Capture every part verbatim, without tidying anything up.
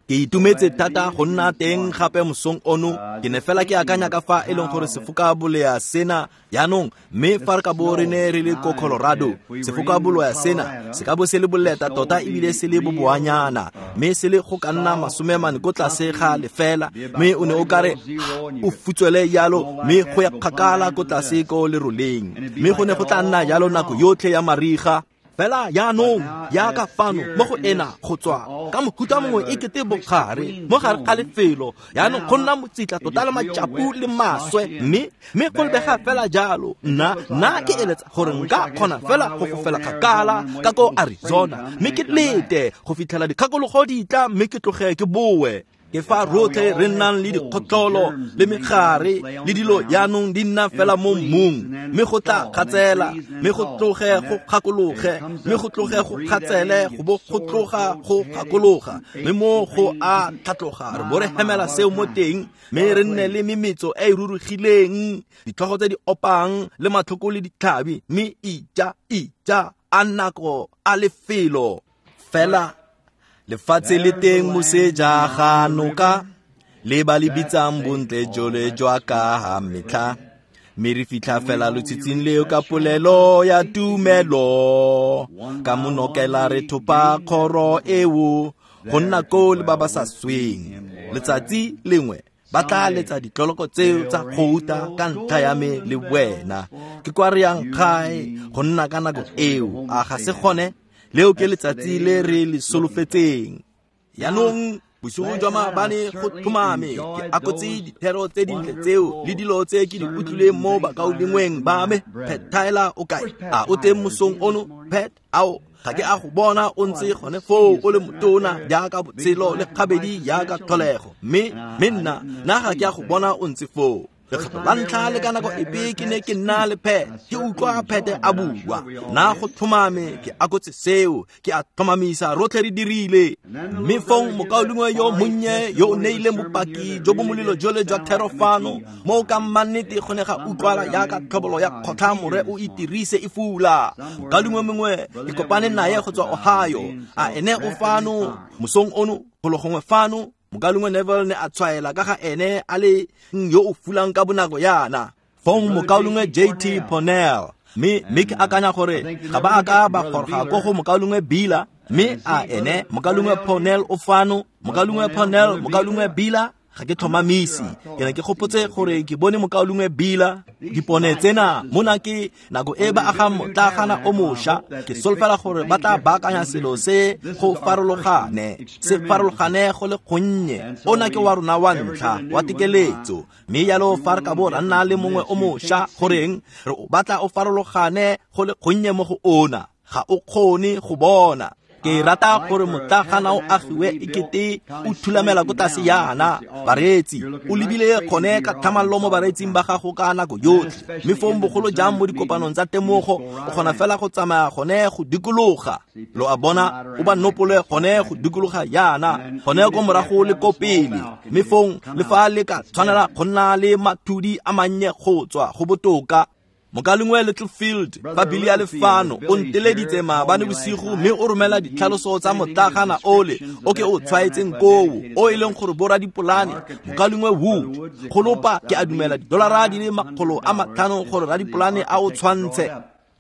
Ke itumetse thata go nna teng gape mosong ono. Ke ne fela ke akanya ka fa e leng gore sefoka bolea sena jaanong, mme fa re ka bo re ne re le ko Colorado, sefoka bolea sena se ka bo se le boleta tota ebile se le boboanyana, mme se le go ka nna masome mane ko tlase ga lefela, mme o ne o kare o futswele jalo, mme go ya kgakala ko tlase ko leroleng, mme go ne go tla nna jalo nako yotlhe ya mariga. Fela jaanong jaaka fano mo go ena go tswa ka mohuta mongwe e kete bogare mo gare ga lefelo, jaanong go nna motsitla tota le matšapu le maswe, mme mme go lebega fela jalo. Nna nna ke eletsa gore nka kgona fela go fofela kgakala ka ko Arizona, mme ke lete go fitlhela dikgakologo di tla, mme ke tloge ke boe. Ke fa rotlhe re nnang le dikgotlolo le megare le dilo jaanong di nna fela mo mmung, mme go tla kgatsela, mme go tloge go kgakologe, mme go tloge go kgatsele, go bo go tloga go kgakologa, mme mo go a tlhatloga re bo re hemela seo mo teng, mme re nne le memetso e e rurugileng, ditlhogo tse di opang le matlhoko le ditlhabi, mme ija ija a nako a lefelo. Fela lefatshe le teng moseja ga noka, le ba le bitsang bontle jole jwa ka ha metlha, mme re fitlha fela lotshitshing leo ka polelo ya tumelo, ka monokela re thopa kgoro eo go nna koo le ba ba sa sweng. Letsatsi lengwe ba tla letsa ditloloko tseo tsa gouta ka ntlha ya me le wena. Ke kwa re yang gae go nna ka nako eo, a ga se gone? Leo ke letsatsi le re le solofetseng. Jaanong bosigo jwa maabane go tlhomame ke akotse dithero tse dintle tseo le dilo tse ke di utlwileng mo bakaulengweng ba me. Pat Tyler o kae? A o teng mosong ono? Pat, ao ga ke a go bona o ntse gone foo o le motona jaaka botshelo le kgabedi jaaka tlholego, mme mme nna nna ga ke a go bona o ntse foo. Lekgetlo la ntlha le ka nako epe ke ne ke nna le Pat, ke utlwa Pat a bua. Nna go tlhomame ke akotse seo, ke a tlhomamisa rotlhe re dirile. Mme fong mokaulengwe yo monnye yo o neileng bopaki jo bo molelo jole jwa thero fano, mo ka mmannete go ne ga utlwala jaaka tlhobolo ya kgotlha more o itirise e fula. Mokaulengwe mongwe ke kopane naye go tswa Ohio, a ene o fano mosong ono golo gongwe fano. Mokaulengwe Neville ne a tshwaela ka ga ene a le yo o fulang ka bonako yana. Fong mokaulengwe J T Ponel, mme mme ke akanya gore ga ba a ka ba goroga ko go mokaulengwe Bila, mme a ene mokaulengwe Ponel o fano, mokaulengwe Ponel, mokaulengwe Bila, ga ke tlhomamisi. Ke ne ke gopotse gore ke bone mokaulengwe Bila. Dipone tsena mona ke nako e ba agang motlagana o mošwa, ke solofela gore ba tla baakanya selo se go farologane, se farologane go le gonnye. Ona ke wa rona wa ntlha wa tekeletso, mme jalo fa re ka bo ra nna le mongwe o mošwa, goreng re o batla o farologane go le gonnye mo go ona, ga o kgone go bona. Ke rata gore motlagana o agiwe ekete o thulamela ko tlase yana. Bareetsi, o lebile gone ka tlhamallo mo bareetsing ba gago ka nako yotlhe, mme fong bogolo jang mo dikopanong tsa temogo o kgona fela go tsamaya gone go dikologa. Lo a bona, o ba nopole gone go dikologa yana, gone ko morago le ko pele, mme fong le fa le ka tshwanela go nna le mathudi a mannye go tswa go botoka. Mokaulengwe Littlefield fa Billy a le fano o nteleditse maabane bosigo, mme o romela ditlhaloso tsa motlagana ole o ke o tshwaetseng koo, o e leng gore boradipolane mokaulengwe Wood go lopa ke a dumela didolara di le makgolo a matlhano gore radipolane a o tshwantshe.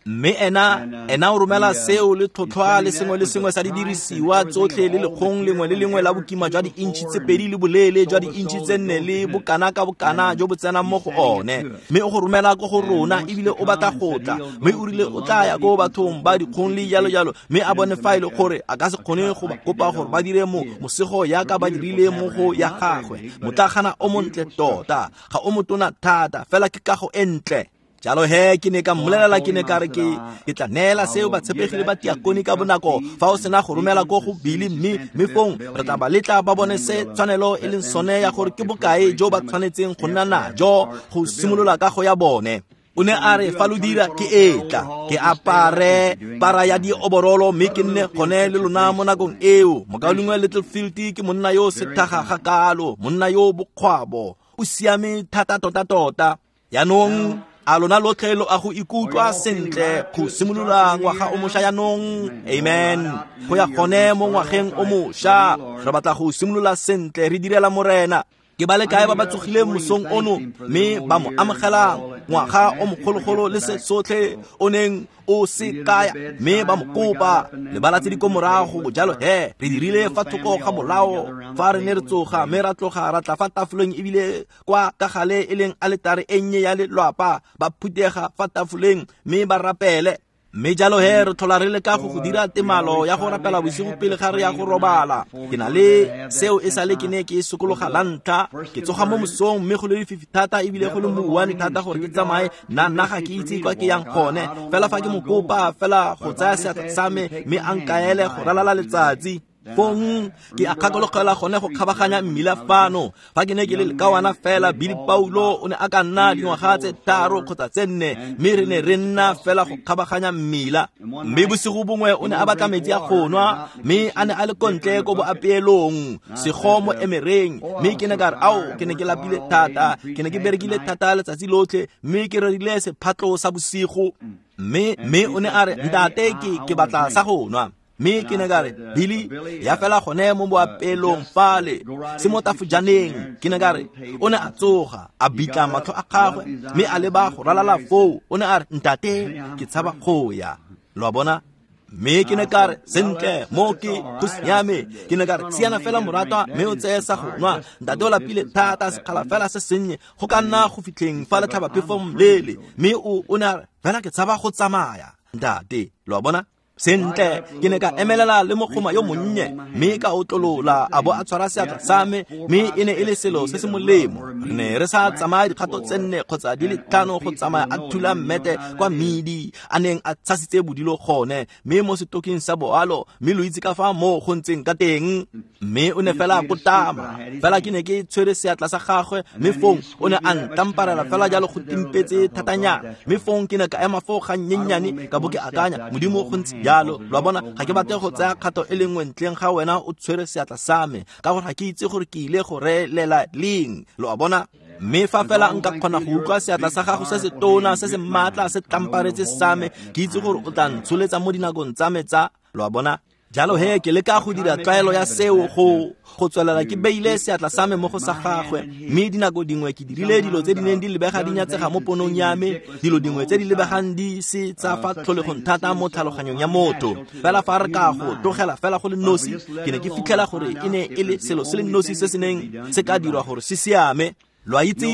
Mme ena ena o romela seo le tlhotlhwa le sengwe le sengwe sa didirisiwa tsotlhe le lekgong lengwe le lengwe la bokima jwa di-inch tse pedi le boleele jwa di-inch tse nne le bokana ka bokana jo bo tsenang mo go one, mme o go romela ko go rona ebile o batla go tla, mme o rile o tla ya ko bathong ba dikgong le jalo jalo, mme a bone fa e le gore a ka se kgone go ba kopa gore ba dire mo mosego yaka ba dirile mo go ya gagwe. Motlagana o montle tota, ga o motona thata, fela ke kago e ntle. Jalo he ke ne ka mmolelela, ke ne ka re ke ke tla neela seo batshepegile ba tiakone ka bonako fa o sena go romela ko go Billy, mme mme fong re tla ba letla ba bone se tshwanelo e leng sone ya gore ke bokae jo ba tshwanetseng go nna najo go simolola kago ya bone. O ne a re fa lo dira ke etla ke apare para ya dioborolo mme ke nne gone le lona mo nakong eo. Mokaulengwe Littlefield ke monna yo sethaga ga kalo, monna yo bokgwabo, o siame thata tota tota. Jaanong A lona lotlhe lo a go ikutlwa sentle go simolola ngwaga o mošwa jaanong? Amen. Go ya gone mo ngwageng o mošwa, re batla go simolola sentle re direla Morena. Ke ba le kae ba ba tsogileng mosong ono mme ba mo amogelang ngwaga o mogologolo le se sotlhe o neng o se kaya, mme ba mo kopa lebala tse di ko morago jalo he re dirile fa thoko ga molao fa re ne re tsoga mme ra tloga ra tla fa tafoleng ebile kwa ka gale e leng aletare e nnye ya lelwapa ba phuthega fa tafoleng mme ba rapele. Mme jalo he re tlhola re leka go go dira temalo ya go rapela bosigo pele ga re ya go robala. Ke na le seo e sale ke ne ke sokologa la ntlha, ke tsoga mo mosong mme go le lefifi thata ebile go le mouwane thata gore ke tsamaye, nna nna ga ke itse kwa ke yang gone. Fela fa ke mo kopa fela go tsaya seatla sa me mme a nkaele go ralala letsatsi, fong ke a kgakologela gone go kgabaganya mmila fano. Fa ke ne ke le lekawana fela, Billy Paulo o ne a ka nna dingwaga tse tharo kgotsa tse nne, mme re ne re nna fela go kgabaganya mmila. Mme bosigo bongwe o ne a batla metsi a go nwa, mme a ne a le ko ntle ko boapeelong sego mo emereng. Mme ke ne ka re, ao, ke ne ke lapile thata, ke ne ke berekile thata letsatsi lotlhe, mme ke rerile sephatlo sa bosigo. Mme mme o ne a re, ntate, ke ke batla sa go nwa. Mme ke ne ka re, Billy, ya fela gone mo boapeelong fale, se mo tafojaneng. Ke ne ka re, o ne a tsoga, a bitla matlho a gagwe, mme a leba go ralala foo. O ne a re, ntate, ke tshaba go ya. Lo a bona? Mme ke ne ka re, sentle, mo ke go siame. Ke ne ka re, siana fela moratwa, mme o tseye sa go nwa. Ntate o lapile thata, sekgala fela se sennye, go ka nna go fitlheng fa letlhabaphefo mlele. Mme o o ne a re, fela ke tshaba go tsamaya, ntate. Lo a bona? Sentle, ke ne ka emelela le mogoma yo monnye, mme ka otlolola a bo a tshwara seatla sa me, mme e ne e le selo se se molemo. Re ne re sa tsamaya dikgato tse nne kgotsa di le tlhano go tsamaya a thula mmete kwa medi a neng a tshasitse bodilo gone, mme mo setoking sa boalo, mme lo itse ka fa moo go ntseng ka teng. Mme o ne fela a kotama, fela ke ne ke tshwere seatla sa gagwe, mme fong o ne a ntamparela fela jalo go timpetse thatanyana. Mme fong ke ne ka ema foo ga nnyennyane ka bo ke akanya, Modimo go ntse jalo. Lo a bona, ga ke batle go tsaya kgato e le nngwe ntleng ga wena o tshwere seatla sa me, ka gore ga ke itse gore ke ile go relela leng. Lo a bona? Mme fa fela nka kgona go utlwa seatla sa gago se se tona se se maatla se tlamparetse sa me, ke itse gore o tla ntsholetsa mo dinakong tsa me tsa. Lo a bona? Jalo he ke leka go dira tlwaelo ya seo go go tswelela ke beile seatla sa me mo go sa gagwe. Mme dinako dingwe ke dirile dilo tse di neng di lebega di nyatsega mo ponong ya me, dilo dingwe tse di lebegang di se tsa fa tlholegong thata mo tlhaloganyong ya motho. Fela fa re ka go tlogela fela go le nosi, ke ne ke fitlhela gore e ne e le selo se le nosi se se neng se ka dirwa gore se siame. Lo a itse,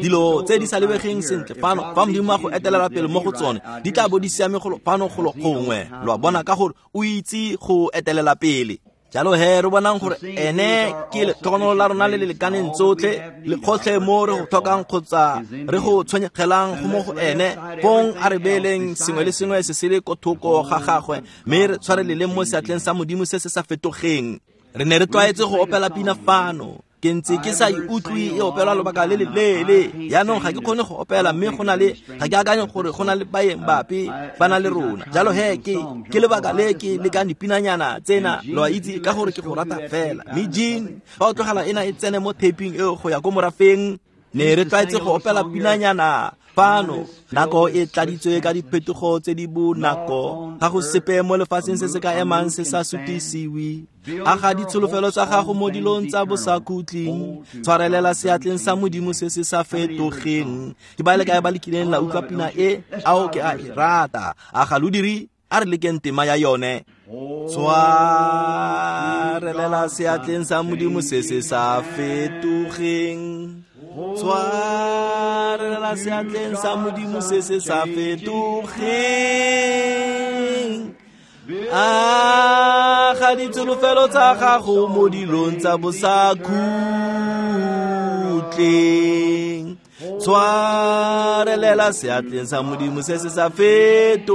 dilo tse di sa lebegeng sentle fano, fa Modimo a go etelela pele mo go tsone, di tla bo di siame golo fano golo gongwe. Lo a bona, ka gore o itse go etelela pele. Jalo he re bonang gore ene ke letlhogonolo la rona le le lekaneng tsotlhe, le gotlhe mo re go tlhokang kgotsa re go tshwenyegelang go mo go ene. Fong a re beeleng sengwe le sengwe se se le ko thoko ga gagwe, mme re tshwareleleng mo seatleng sa Modimo se se sa fetogeng. Re ne re tlwaetse go opela pina fano. Ke ntse ke sa e utlwe e opelwa lobaka le le leele. Jaanong ga ke kgone go opela, mme go na le ga ke akanye gore go na le baeng bape ba na le rona. Jalo he ke ke lebaka le ke lekang dipinanyana tsena, lo a itse, ka gore ke go rata fela. Mme Jean, fa o tlogela ena e tsene mo taping eo go ya ko morafeng, ne re tlwaetse go opela pinanyana fano. Nako e tladitswe ka diphetogo tse di bonako, ga go sepe mo lefatsheng se se ka emang se sa sutisiwe. Aga ditsholofelo tsa gago mo dilong tsa bosakhutleng, tshwarelela seatleng sa Modimo se se sa fetogeng. Ke ba le kae ba le kileng la utlwa pina e? Ao, ke a e rata. A ga lo dire? A re lekeng tema ya yone. Tshwarelela seatleng sa Modimo se se sa fetogeng, tshwarelela seatleng sa Modimo se se sa fetogeng. A ga ditsholofelo tsa gago mo dilong tsa bosakhutleng, tshwarelela seatleng sa Modimo se se sa fetogeng.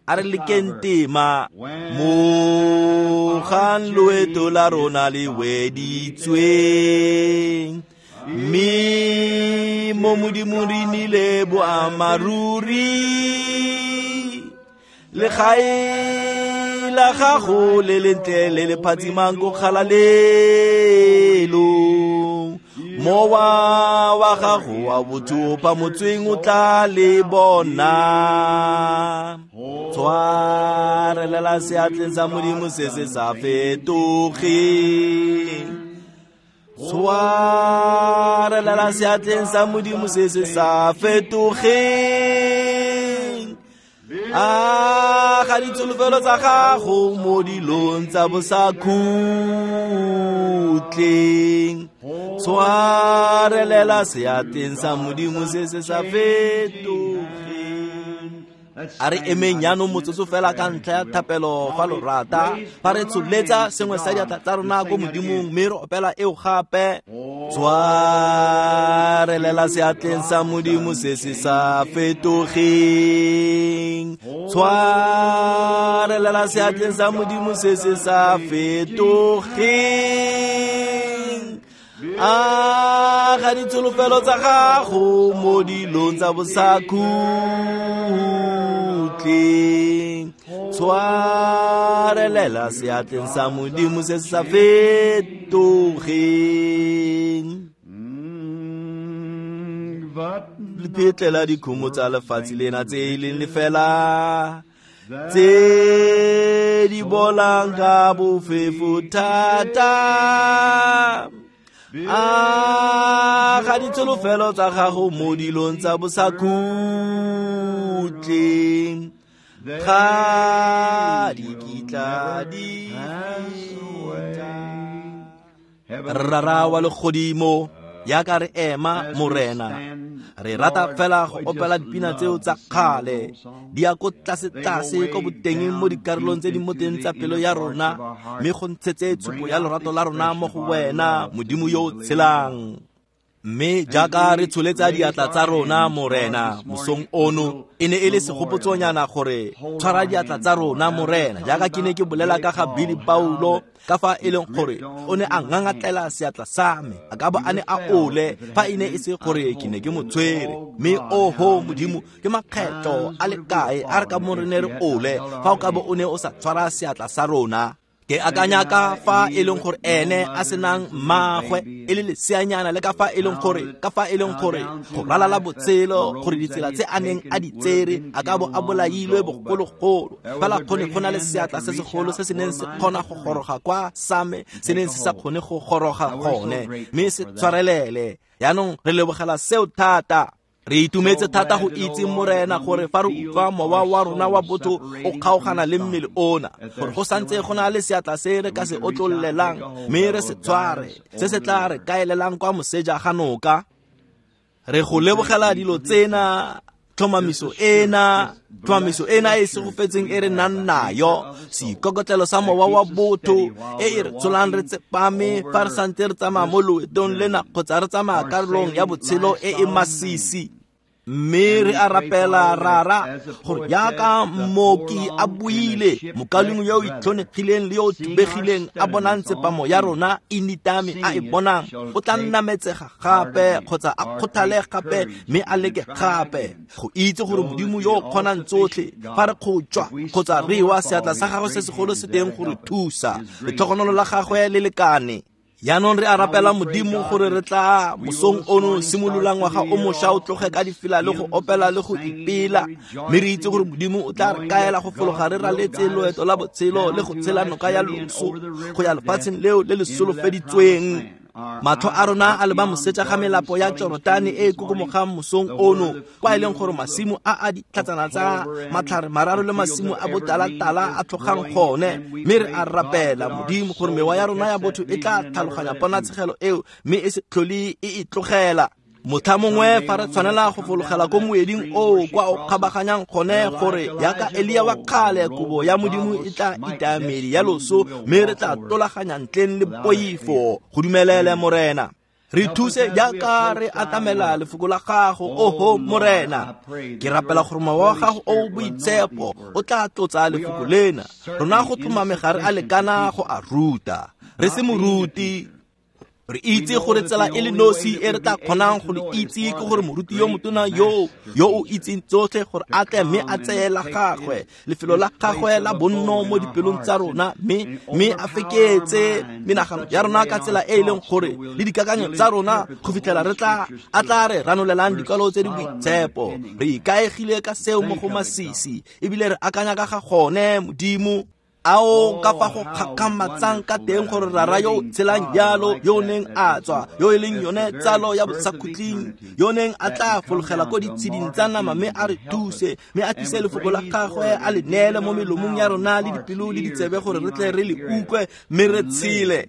A re lekeng tema. Mogang loeto la rona le weditsweng, mme mo Modimong re nnile boammaaruri. Legae la gago le lentle le le phatsimang ko kgalalelong, Mowa wa gago wa botho o phamotsweng o tla le bona. Tshwarelela seatleng sa Modimo se se sa fetogeng. Tshwarelela seatleng sa Modimo se se sa fetogeng. A ga ditsholofelo tsa gago mo dilong tsa bosakhutleng. Tshwarelela seatleng sa Modimo se se sa fetogeng. A re emeng jaanong motsotso fela ka ntlha ya thapelo fa lo rata, fa re tsholetsa sengwe sa diatla tsa rona ko Modimong mme re opela eo gape. Tshwarelela seatleng sa Modimo se se sa fetogeng. Tshwarelela seatleng sa Modimo se se sa fetogeng. A ga ditsholofelo tsa gago mo dilong tsa bosakhutleng. Tshwarelela seatleng sa Modimo se se sa fetogeng. Lephetlela dikhumo tsa lefatshe lena tse e leng lefela, tse di bolang ka bofefo thata. A ga ditsholofelo tsa gago mo dilong tsa bosakhutleng, ga di kitla di feta. Rara wa legodimo, jaaka re ema Morena, re rata fela go opela dipina tseo tsa kgale. Di ya ko tlase-tlase ko botengeng mo dikarolong tse di mo teng tsa pelo ya rona, mme go ntshetse tshupo ya lorato la rona mo go wena, Modimo yo o tshelang. Mme jaaka re tsholetsa diatla tsa rona Morena mosong ono, e ne e le segopotsonyana gore tshwara diatla tsa rona Morena, jaaka ke ne ke bolela ka ga Billy Paulo, ka fa e leng gore o ne a ngangatlela seatla sa me, a ka bo a ne a ole fa e ne e se gore ke ne ke mo tshwere. Mme oho Modimo, ke makgetlo a le kae a re ka mo re ne re ole fa o ka bo o ne o sa tshwara seatla sa rona. Ke akanya ka fa e leng gore ene a senang mmagwe e le leseanyana, le ka fa e leng gore ka fa e leng gore go ralala botshelo, gore ditsela tse a neng a di tsere a ka bo a bolailwe bogologolo. Fela kgone go na le seatla se segolo se se neng se kgona go goroga kwa sa me se neng se sa kgone go goroga gone, mme se tshwarelele. Jaanong re lebogela seo thata. Re itumetse thata go itse Morena gore fa re utlwa mowa wa rona wa botho o kgaogana le mmele ona, gore go santse go na le seatla se re ka se otlollelang mme re se tshware, se se tla re kaelelang kwa moseja ga noka. Re go lebogela dilo tsena, tlhomamiso ena, tlhomamiso ena e segofetseng e re nang nayo, seikokotlelo sa mowa wa botho e e re tsholang re tsepame fa re santse re tsamaya mo loetong lena kgotsa re tsamaya karolong ya botshelo e e masisi. Mme re a rapela Rara gore jaaka mmoki a buile, mokalengwe yo o itlhonegileng le yo o thubegileng a bonang tsepamo ya rona e nitame a e bonang, o tla nnametsega gape kgotsa a kgothale gape mme a leke gape go itse gore Modimo yo o kgonang tsotlhe, fa re kgotjwa kgotsa re wa, seatla sa gagwe se segolo se teng go re thusa. Letlhogonolo la gagwe le lekane. Jaanong re a rapela Modimo gore re tla mosong ono simolola ngwaga o mošwa o tloge ka difela le go opela le go ipela, mme re itse gore Modimo o tla re kaela go fologa re raletse loeto la botshelo le go tshela noka ya loso go ya lefatsheng leo le le solofeditsweng. Matlho a rona a leba moseja ga melapo ya Jorotane e e kokomogang mosong ono, kwa e leng gore masimo a a ditlhatsana tsa matlhare mararo le masimo a botalatala a tlhogang gone. Mme re a rapela Modimo gore mewa ya rona ya botho e tla tlhaloganya ponatshegelo eo mme e se tlhole e e tlogela. Motlha mongwe fa re tshwanela go fologela ko moeding oo kwa o kgabaganyang gone, gore jaaka Elia wa kgale, kobo ya Modimo e tla itaya medi ya loso mme re tla tolaganya ntleng le poifo. Go dumelele Morena. Re thuse jaaka re atamela lefoko la gago, oho Morena. Ke rapela gore mowa wa gago o o boitshepo o tla tlotsa lefoko lena. Rona go tlhomame ga re a lekana go a ruta. Re se moruti, Re itse gore tsela e le nosi e re tla kgonang go le itse ke gore moruti yo motona yo yo o itseng tsotlhe gore a tle mme a tseye la gagwe lefelo la gagwe la bonno mo dipelong tsa rona mme mme a feketse menagano ya rona ka tsela e e leng gore le dikakanyo tsa rona go fitlhela re tla a tla re ranolelang dikwalo tse di boitshepo. Re ikaegile ka seo mo go masisi ebile re akanya ka ga gone Modimo. Ao ka fa go kgakgamatsang ka teng gore rara yo tshelang jalo yo neng a tswa yo e leng yone tsalo ya bosakhutleng yo neng a tla fologela ko ditsheding tsa nama mme a re thuse mme a tlise lefoko la gagwe a le neele mo melomong ya rona le dipelo le ditsebe gore re tle re le utlwe mme re tshele.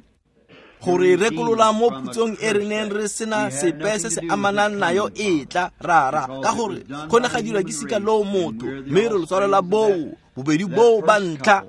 Gore rekolola mo phutsong e re neng re sena sepe se se amanang nayo e tla rara ka gore go ne ga dirwa ke sika loo motho mme re lo tshwarela boo bobedi boo ba ntlha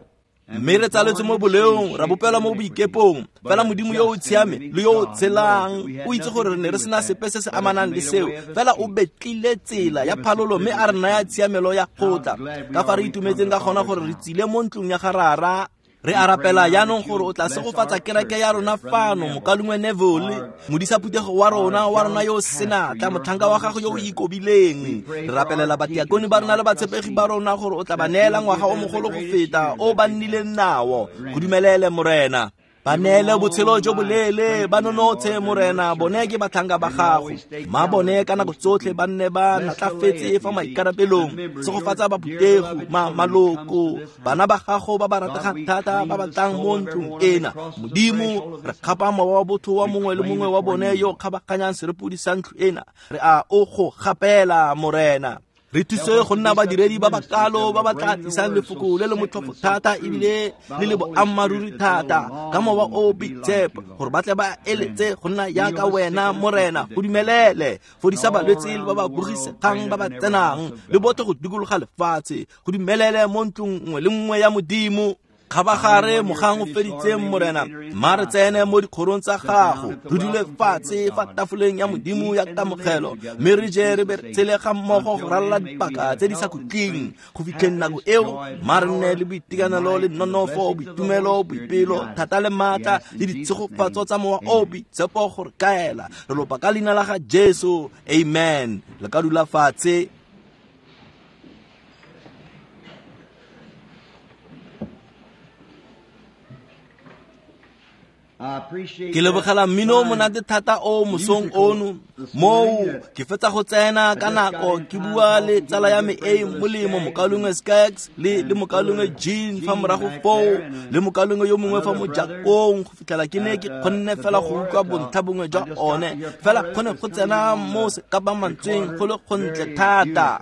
mme re tsaletswe mo boleong ra bopelwa mo boikepong. Fela Modimo yo o tshiame le yo o tshelang o itse gore re ne re sena sepe se se amanang le seo, fela o betlile tsela ya phalolo mme a re naya tshiamelo ya kgotla. Ka fa re itumetseng ka gona gore re tsile mo ntlong ya ga rara. Re a rapela jaanong gore o tla segofatsa kereke ya rona fano mokalengwe Neville modisa phuthego wa rona wa rona yo senatla motlhanka wa gago yo o ikobileng. Re rapelela batiakone ba rona le batshepegi ba rona gore o tla ba neela ngwaga o mogolo go feta o ba nnileng nao. Go dumelele Morena. Ba neele botshelo jo boleele ba nonotshe Morena, bone ke batlhanka ba gago. Ma bone ka nako tsotlhe ba nne ba natlafetse fa maikarabelong. Segofatsa baphutego ma maloko bana ba gago ba ba rategang thata ba ba tlang mo ntlong ena. Modimo re kgapa mowa wa botho wa mongwe le mongwe wa bone yo kgabaganyang serepodi sa ntlo ena. Re a o go gapela Morena. Re thuse go nna badiredi ba ba kalo ba ba tla tlisang lefoko le le motlhofo thata ebile le le boammaaruri thata ka mowa o boitshepo gore ba tle ba eletse go nna jaaka wena Morena. Go dumelele fodisa balwetse le ba ba bogisegang ba ba tsenang le botlhe go dikologa lefatshe. Go dumelele mo ntlong nngwe le nngwe ya Modimo. Kgabagare mogang o feditseng Morena, mma re tsene mo dikgorong tsa gago re dule fatshe fa tafoleng ya Modimo ya kamogelo mme re je re be re tshele ga mmogo go ralala dipaka tse di sa khutleng go fitlheng nako eo. Mma re nne le boitekanelo le nonofo boitumelo boipelo thata le maatla le ditshegofatso tsa mowa o boitshepo gore kaela. Re lopa ka leina la ga Jesu, amen. Le ka dula fatshe. Ke lebogela mmino o monate thata o mosong ono moo ke fetsa go tsena ka nako ke bua le tsala ya me e molemo mokalengwe Skaggs le le mokalengwe Jean fa morago foo le mokalengwe yo mongwe fa mojakong go fitlhela ke ne ke kgonne fela go utlwa bontlha bongwe jwa one fela kgone go tsena mo sekapamantsweng go le gontle thata.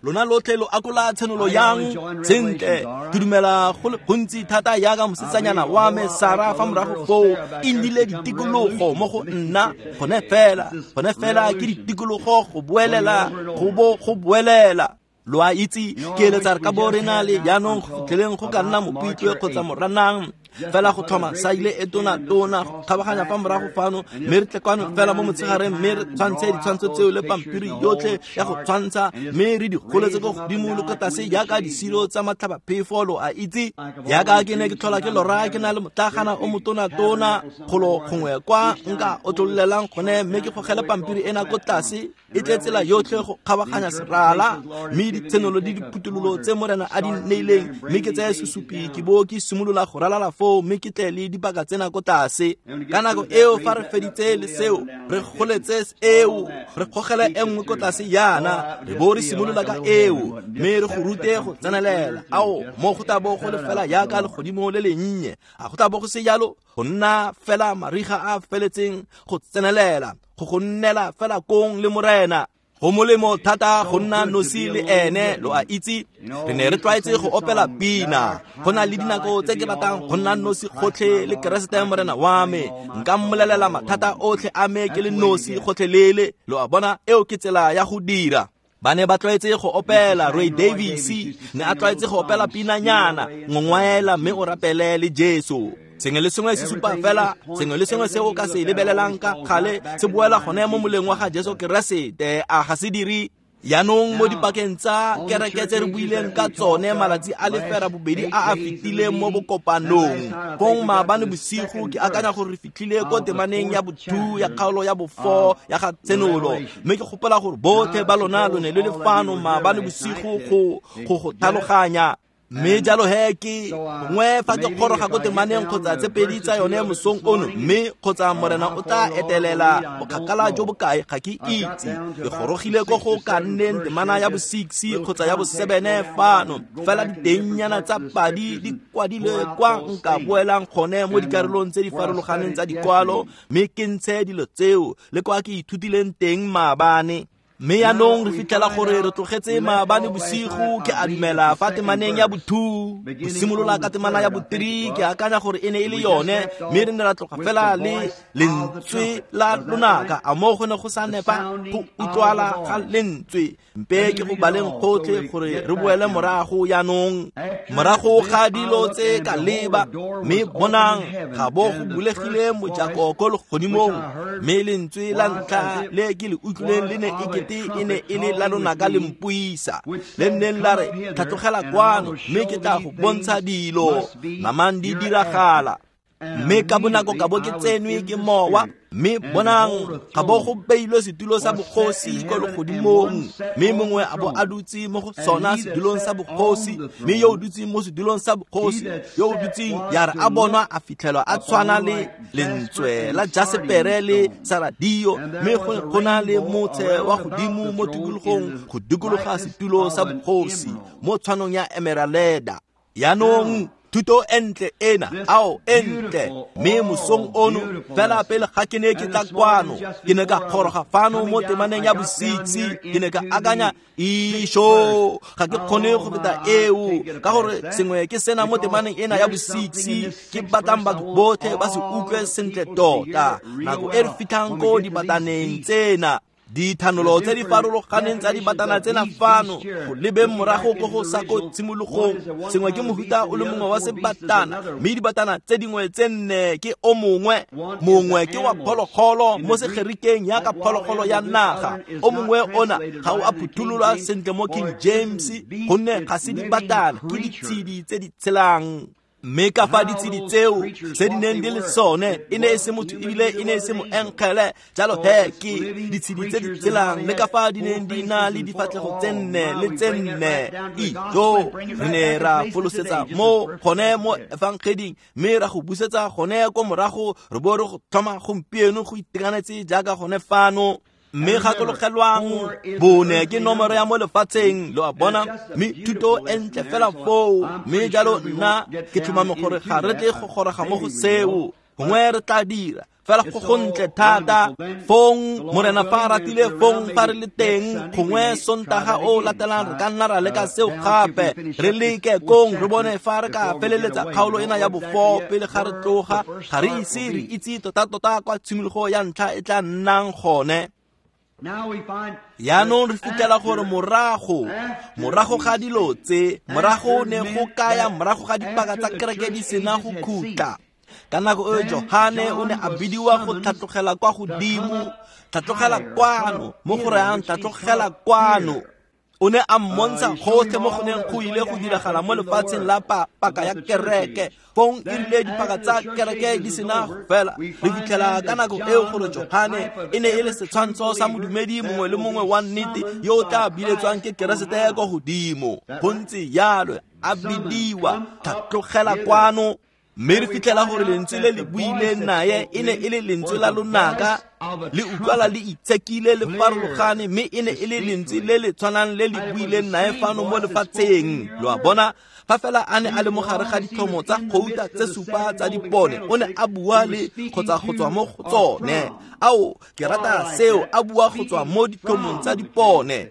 Lona lotlhe lo akola tshenolo yang sentle. Ke dumela go le gontsi thata jaaka mosetsanyana wa me Sara fa morago foo e nnile ditikologo mo go nna gone fela gone fela ke ditikologo go boelela go bo go boelela. Lo a itse ke eletsa re ka bo re na le jaanong go fitlheleng go ka nna Mopitlwe kgotsa Moranang fela go tlhoma saile e tona-tona go kgabaganya fa morago fano mme re tle kwano fela mo motshegareng mme re tshwantshe ditshwantsho tseo le pampiri yotlhe ya go tshwantsha mme re di goletse ko godimo le ko tlase jaaka disilo tsa matlhabaphefo. Lo a itse jaaka ke ne ke tlhola ke lora ke na le motlagana o motona-tona golo gongwe kwa nka otlololelang gone mme ke gogele pampiri ena ko tlase e tle tsela yotlhe go kgabaganya serala mme ditshenolo le diphuthololo tse Morena a di neileng mme ke tseye sesupi ke bo ke simolola go ralala foo mme ke tle le dipaka tsena ko tlase. Ka nako eo fa re feditse le seo re goletse eo re gogele e nngwe ko tlase yana re bo re simolola ka eo mme re go rute go tsenelela. Ao mo go tla bo go le fela jaaka legodimo le lennye a go tla bo go se jalo go nna fela mariga a feletseng go tsenelela go go nnela fela kong le Morena. Go molemo thata go nna nosi le ene. Lo a itse re ne re tlwaetse go opela pina. Go na le dinako tse ke ratang go nna nosi gotlhe le Keresete Morena wa me. Nka mmolelela mathata otlhe a me ke le nosi gotlhelele. Lo a bona eo ke tsela ya go dira. Ba ne ba tlwaetse go opela. Roy Davis ne a tlwaetse go opela pinanyana ngongwaela mme o rapele le Jesu. Sengwe le sengwe se supa fela sengwe le sengwe se o ka se lebelelang ka kgale se boela gone mo moleng wa ga Jesu Keresete. A ga se dire. Jaanong mo dipakeng tsa kereke tse re buileng ka tsone malatsi a le fera bobedi a a fetileng mo bokopanong. Fong maabane bosigo ke akanya gore re fitlhile ko temaneng ya bo two ya kgaolo ya bo four ya ga Tshenolo. Mme ke gopola gore botlhe ba lona lo ne le le fano maabane bosigo go go go tlhaloganya. Mme jalo he ke gongwe fa ke goroga ko temaneng kgotsa tse pedi tsa yone mosong ono, mme kgotsa Morena o tla etelela bokgakala jo bokae ga ke itse. Ke gorogile ko go ka nneng temana ya bo six kgotsa ya bo seven fano, fela ditengnyana tsa padi di kwadilwe kwa nka boelang gone mo dikarolong tse di farologaneng tsa dikwalo, mme ke ntshe dilo tseo le kwa ke ithutileng teng maabane. Mme yaanong re fitlhela gore re tlogetse maabane bosigo, ke a dumela, fa temaneng ya bo two, go simolola ka temana ya bo three, ke akanya gore e ne e le yone. Mme re ne ra tloga fela le lentswe la lonaka. A mo go ne go sa nepa go utlwala ga lentswe? Mpe ke go baleng gotlhe gore re boele morago yaanong. Morago ga dilo tse ka leba, mme bonang, ga bo go bulegile mojako ko legodimong, mme lentswe la ntlha le ke le utlwileng le ne ekete e ne e le la lonaka le mpuisa, le nneng la re, tlhatlogela kwano, mme ke tla go bontsha dilo namang di diragala. Mme ka bonako ka bo ke tsenwe ke mowa, mme bonang, ga bo go beilwe setulo sa bogosi ko legodimong, mme mongwe a bo a dutse mo go sona sedulong sa bogosi. Mme yo o dutseng mo sedulong sa bogosi, yo o dutseng, ya re a bonwa a fitlhelwa a tshwana le lentswe la jasepere le saradio, mme go na le motshe wa godimo mo tikologong go dikologa setulo sa bogosi mo tshwanong ya emeraleda. Yaanong thuto e ntle ena, ao e ntle. Mme mosong ono fela pele ga ke ne ke tla kwano, ke ne ka goroga fano mo temaneng ya bo six. Ke ne ka akanya, isho, ga ke kgone go feta eo, ka gore sengwe ke sena mo temaneng ena ya bo six ke batlang batho botlhe ba se utlwe sentle tota nako e re fitlhang ko dibataneng tsena, dithanolo tse di farologaneng tsa dibatana tsena fano, go lebeng morago ko go sa ko tshimologong. Sengwe ke mohuta o le mongwe wa sebatana, mme dibatana tse dingwe tse nne ke o mongwe. Mongwe ke wa phologolo, mo segerikeng yaka phologolo ya naga. O mongwe ona ga o a phuthololwa sentle mo King James, gonne ga se dibatana, ke ditshedi tse di tshelang. Mme ka fa ditshedi tseo tse di neng di le sone e ne e se motho ebile e ne e se moengele, jalo he ke ditshedi tse di tshelang, le ka fa di neng di na le difatlhego tse nne le tse nne. Ijo, re ne ra folosetsa mo gone mo efangeding, mme ra go busetsa gone ko morago, re bo re go tlhoma gompieno go itekanetse jaaka gone fano. Mme gakologelwang, bone ke nomoro ya mo lefatsheng, lo a bona, mme thuto e ntle fela foo. Mme jalo nna ke tlhomame gore ga re tle go goroga mo go seo, gongwe re tla dira, fela go gontle thata. Fong Morena fa a ratile, fong fa re le teng gongwe Sontaga o latelang, re ka nna ra leka seo gape, re leke kong re bone fa re ka feleletsa kgaolo ena ya bo four pele ga re tloga. Ga re ise re itse tota-tota kwa tshimologo ya ntlha e tla nnang gone. Yaanong re fitlhela gore morago morago ga dilo tse, morago ne go kaya morago ga dipaka tsa kereke di sena go khutla, ka nako eo Johane o ne a bidiwa go tlhatlogela kwa godimo. Tlhatlogela kwano, mo go rayang tlhatlogela kwano. O ne a mmontsha gotlhe mo go neng go ile go diragala mo lefatsheng la paka ya kereke. Fong e rile dipaka tsa kereke di sena go fela, re fitlhela ka nako eo gore Johane e ne e le setshwantsho sa modumedi mongwe le mongwe wa nnete yo o tla biletswang ke Keresete ko godimo. Go ntse jalo, a bidiwa tlhatlogela kwano. Mme re fitlhela gore lentswe le le buileng naye e ne e le lentswe la lonaka, le utlwala le itshekile le farologane, mme e ne e le lentswe le le tshwanang le le buileng naye fano mo lefatsheng. Lo a bona, fa fela a ne a le mo gare ga ditlhomo tsa gouta tse supa tsa dipone, o ne a bua le kgotsa go tswa mo go tsone. Ao, ke rata seo, a bua go tswa mo ditlhomong tsa dipone.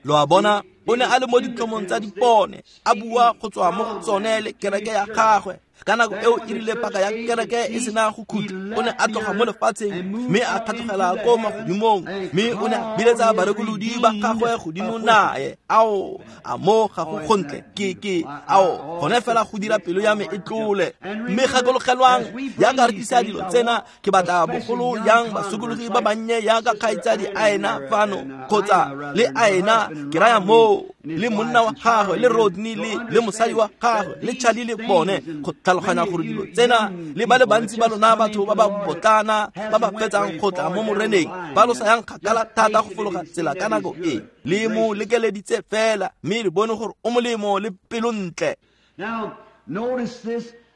Lo a bona, o ne a le mo ditlhomong tsa dipone, a bua go tswa mo go tsone le kereke ya gagwe. Ka nako eo e rile paka ya kereke e sena go khutla, o ne a tloga mo lefatsheng mme a tlhatlogela ko magodimong, mme o ne a biletsa barekolodi ba gagwe godimo nae. Ao, a mo ga go gontle ke ke ao gone fela go dira pelo ya me e tlole. Mme gakologelwang jaaka re tlisa dilo tsena, ke batla bogolo yang basokologi ba bannye jaaka kgaitsadi a ena fano kgotsa le a ena ke raya moo le monna wa gagwe le Rodney le le mosadi wa gagwe le Charlie le bone go tlhaloganya gore dilo tsena le ba le bantsi ba lona batho ba ba botlana ba ba fetsang go tla mo moreneng ba lo sa yang kgakala thata go fologa tsela ka nako e le mo lekeleditse fela, mme re bone gore o molemo le pelontle.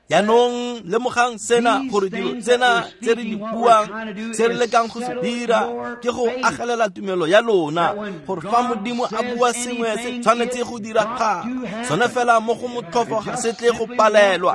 Jaanong lemogang sena gore dilo tsena tse re di buang, se re lekang go se dira ke go agelela tumelo ya lona, gore fa Modimo a bua sengwe se tshwanetse go diragala sone fela mo go motlhofo ga se tle go palelwa.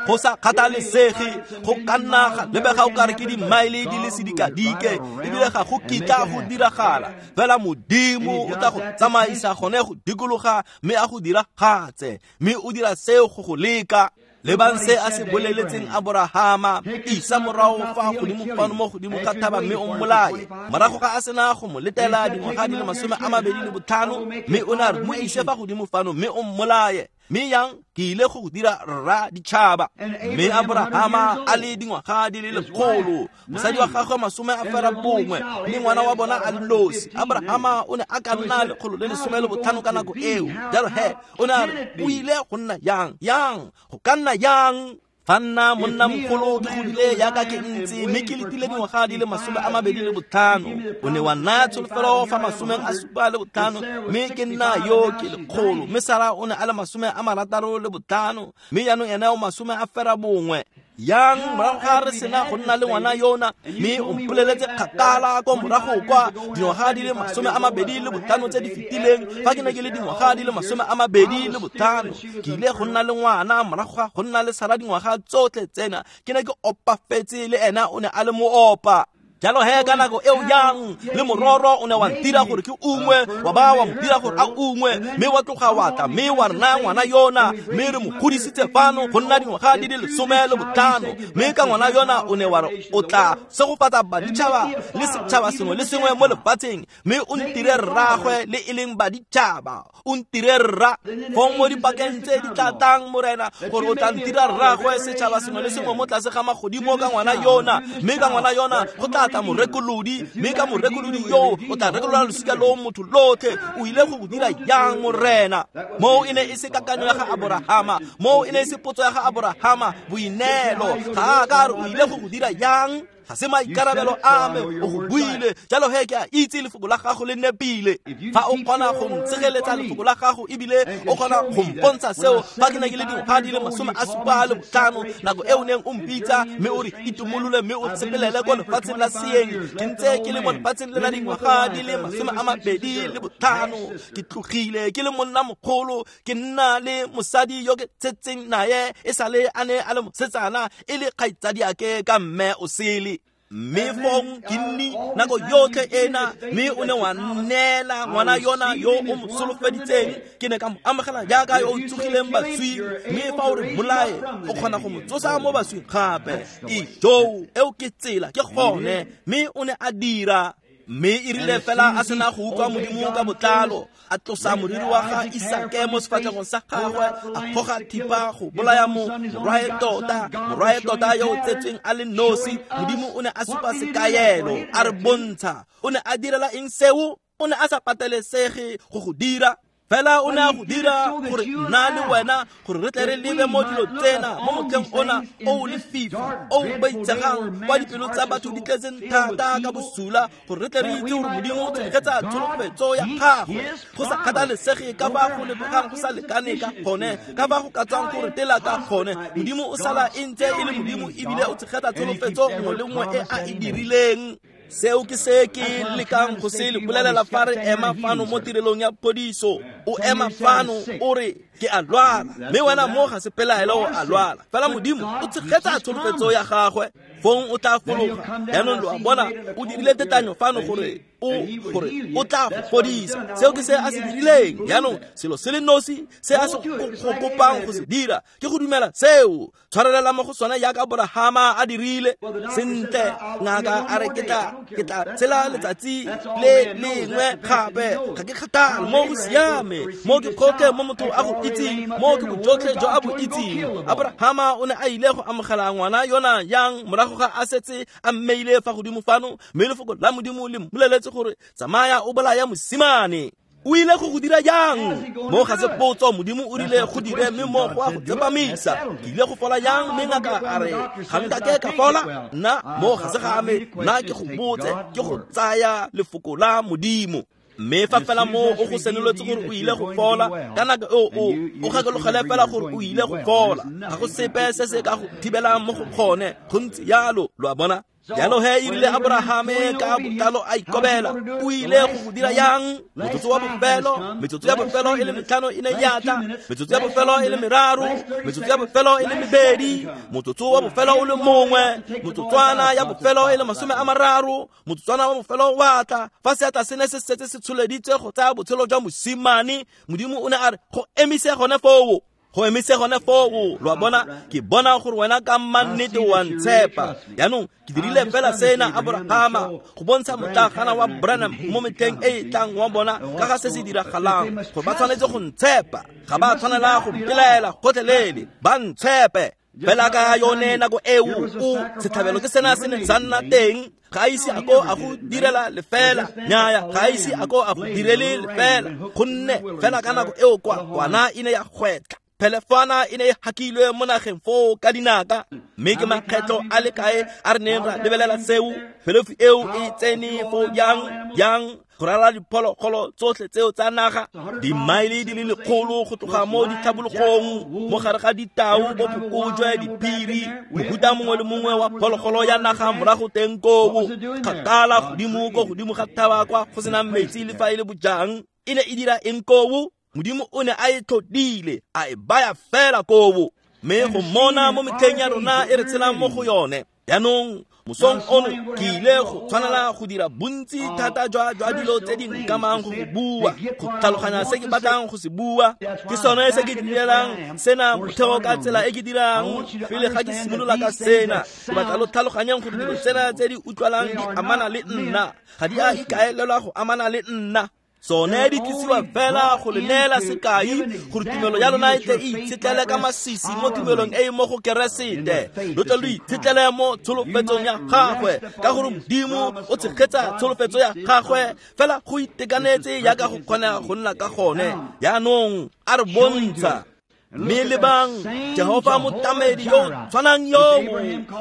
Go sa kgathalesege go ka nna ga lebega o kare ke dimaele di le sedikadike ebile ga go kitla go diragala, fela Modimo o tla go tsamaisa gone go dikologa mme a go diragatse, mme o dira seo go go leka. Lebang se a se boleletseng Aborahama, isa morago fa godimo fano mo godimo ga thaba mme o mmolaye. Morago ga a sena go mo letela dingwaga di le masome a mabedi le botlhano, mme o ne a re mo ise fa godimo fano mme o mmolaye. Mme yang ke ile go dira rra ditšhaba. Mme Aborahama a le dingwaga di le lekgolo, mosadi wa gagwe masome a fera bongwe, mme ngwana wa bona a le nosi. Aborahama o ne a ka nna lekgolo le lesome le botlhano ka nako eo. Jalo he o ne a re o ile go nna yang yang go ka nna yang fa nna monna mogolo ke godile jaaka ke ntse mme ke letile dingwaga di le masome a mabedi le botlhano, o ne wa naya tsholofelo fa masomeng a supa le botlhano, mme ke nna yo ke lekgolo. Mme Sara o ne a le masome a marataro le botlhano, mme jaanong ene o masome a fera bongwe. Yang morago ga re sena go nna le ngwana yona, mme o mpoleletse kgakala ko morago kwa dingwaga di le masome a mabedi le botlhano tse di fetileng, fa ke ne ke le dingwaga di le masome a mabedi le botlhano, ke ile go nna le ngwana morago ga go nna le Sara dingwaga tsotlhe tsena, ke ne ke opafetse le ena o ne a le moopa. Jalo he ka nako eo yang le mororo o ne wa ntira gore ke ungwe, wa ba wa mo dira gore a ungwe, mme wa tloga wa tla mme wa re naya ngwana yona, mme re mo godisitse fano go nna dingwaga di le lesome le botlhano, mme ka ngwana yona o ne wa re o tla segofatsa baditšhaba le setšhaba sengwe le sengwe mo lefatsheng, mme o ntire rraagwe le e leng baditšhaba, o ntire rra. Fong mo dipakeng tse di tla tlang Morena, gore o tla ntira rraagwe setšhaba sengwe le sengwe mo tlase ga magodimo ka ngwana yona, mme ka ngwana yona go tla tla morekolodi, mme ka morekolodi yo o tla rekolola losika lo motho lotlhe. O ile go dira yang Morena? Moo e ne e se kakanyo ya ga Aborahama, moo e ne e se potso ya ga Aborahama, boineelo ga a ka re o ile go dira yang, ga se maikarabelo a me, o go buile. Jalo he ke a itse lefoko la gago le nepile. Fa o kgona go ntshegeletsa lefoko la gago ebile o kgona go mpontsha seo fa ke ne ke le dingwaga di le masome a supa le botlhano, nako e o neng o mpitsa mme o re itumolole mme o tshepelele ko lefatsheng la seeng, ke ntse ke le mo lefatsheng le la dingwaga di le masome a mabedi le botlhano, ke tlogile ke le monna mogolo, ke nna le mosadi yo ke tshetseng naye e sale a ne a le mosetsana e le kgaitsadiake ka mme o sele. Mme fong ke nni nako yotlhe ena, mme o ne wa nneela ngwana yona yo o mo solofeditseng, ke ne ka mo amogela jaaka yo o tsogileng baswing, mme fa o re mmolaye o kgona go mo tsosa mo baswing gape. Ijoo, eo ke tsela, ke gone. Mme o ne a dira. Mme e rile fela a sena go utlwa Modimo ka botlalo, a tlosa moriri wa ga Isake mo sefatlhegong sa gagwe, a goga thipa go bolaya morwae tota, morwae tota yo o tsetsweng a le nosi. Modimo o ne a supa sekaelo, a re bontsha. O ne a direla eng seo? O ne a sa patelesege go go dira, fela o ne a go dira gore nna le wena gore re tle re lebe mo dilo tsena mo motlheng ona o o lefifi o o boitshegang kwa dipelo tsa batho di tletseng thata ka bosula, gore re tle re itse gore Modimo o tshegetsa tsholofetso ya gagwe go sa kgathalesege ka fa go lebegang go sa lekane ka gone, ka fa go ka tswang gore tela ka gone. Modimo o sala e ntse e le Modimo ebile o tshegetsa tsholofetso nngwe le nngwe e a e dirileng. Seo ke se ke lekang go se le bolelela fa re ema fano mo tirelong ya phodiso. O ema fano o re ke a lwala, mme wena mo ga se pelaelo o a lwala, fela Modimo o tshegetsa tsholofetso ya gagwe, fong o tla fologa. Jaanong lo a bona o dirile tetanyo fano gore o gore o tla go fodisa. Seo ke se a se dirileng. Jaanong selo se le nosi se a se go kopang go se dira ke go dumela seo. Tshwarelela mo go sone jaaka Aborahama a dirile. Sentle, ngaka a re ke tla ke tla tshela letsatsi le lengwe gape. Ga ke kgathale, mo go siame, mo ke gotlhe mo motho a go itseng, mo ke bojotlhe jo a bo itseng. Aborahama o ne a ile go amogela ngwana yona yang morago ga a setse a mmeile fa godimo fano, mme lefoko la Modimo le mmoleletse gore tsamaya o bolaya mosimane. O ile go go dira jang? Mo ga se potso, Modimo o rile go dire mme mo go a go tsepamisa. Ke ile go fola jang? Mme ngaka a re ga nkake ka fola. Nna mo ga se ga me, nna ke go botse, ke go tsaya lefoko la Modimo. Mme fa fela mo o go senoletse gore o ile go fola, ka nako eo o o gakologele fela gore o ile go fola. Ga go sepe se se ka go thibelang mo go gone. Go ntse jalo, lo a bona? Jalo he e rile Aborahame ka botlalo a ikobela. O ile go go dira yang? Motsotso wa bofelo, metsotso ya bofelo e le metlhano e ne ya tla, metsotso ya bofelo e le meraro, metsotso ya bofelo e le mebedi, motsotso wa bofelo o le mongwe, motsotswana ya bofelo e le masome a mararo, motsotswana wa bofelo wa tla. Fa seatla se ne se setse se tsholeditswe go tsaya botshelo jwa mosimane, Modimo o ne a re go emise gone foo. Go emise gone foo. Lo a bona? Ke bona gore wena ka mannete wa ntshepa. Jaanong ke dirile fela sena Aborahama go bontsha motlagana wa Branham mo metlheng e e tlang wa bona ka ga se se diragalang, gore ba tshwanetse go ntshepa. Ga ba tshwanela go mpelaela gotlhelele, ba ntshepe. Fela ka yone nako eo o setlhabelo ke sena se neng sa nna teng. Ga a ise a ko a go direla lefela, nnyaya, ga a ise a ko a go direle lefela, gonne fela ka nako eo kwa kwana e ne ya gwetla. Phelefana e ne e hakilwe mo nageng foo ka dinaka, mme ke makgetlho a le kae a re neng ra lebelela seo. Phelefu eo e tsene foo jang jang go ralala diphologolo tsotlhe tseo tsa naga, dimaele di le lekgolo go tloga mo ditlhabologong, mo gare ga ditau, bo phokojwe, diphiri, mohuta mongwe le mongwe wa phologolo ya naga morago teng koo, kgakala godimo ko godimo ga thaba kwa go senang metsi le fa e le bojang. E ne e dira eng koo? Modimo o ne a e tlhodile, a e baya fela koo. Mme go mona mo metlheng ya rona e re tshelang mo go yone. Jaanong mosong ono ke ile go tshwanela go dira bontsi thata jwa jwa dilo tse di nkamang go go bua, go tlhaloganya se ke batlang go se bua. Ke sone se ke direlang sena motheo ka tsela e ke dirang pele ga ke simolola ka sena. Ke batla lo tlhaloganyang gore dilo tsena tse di utlwalang di amana le nna, ga di a ikaelelwa go amana le nna. Tsone di tlisiwa fela go le neela sekai gore tumelo ya lona e tle e itshetlele ka masisi mo tumelong e e mo go Keresete. Lo tle lo itshetlele mo tsholofetsong ya gagwe, ka gore Modimo o tshegetsa tsholofetso ya gagwe fela go itekanetse jaaka go kgona go nna ka gone. Jaanong a re bontsha. Mme lebang, Jehofa motlamedi yo tshwanang yo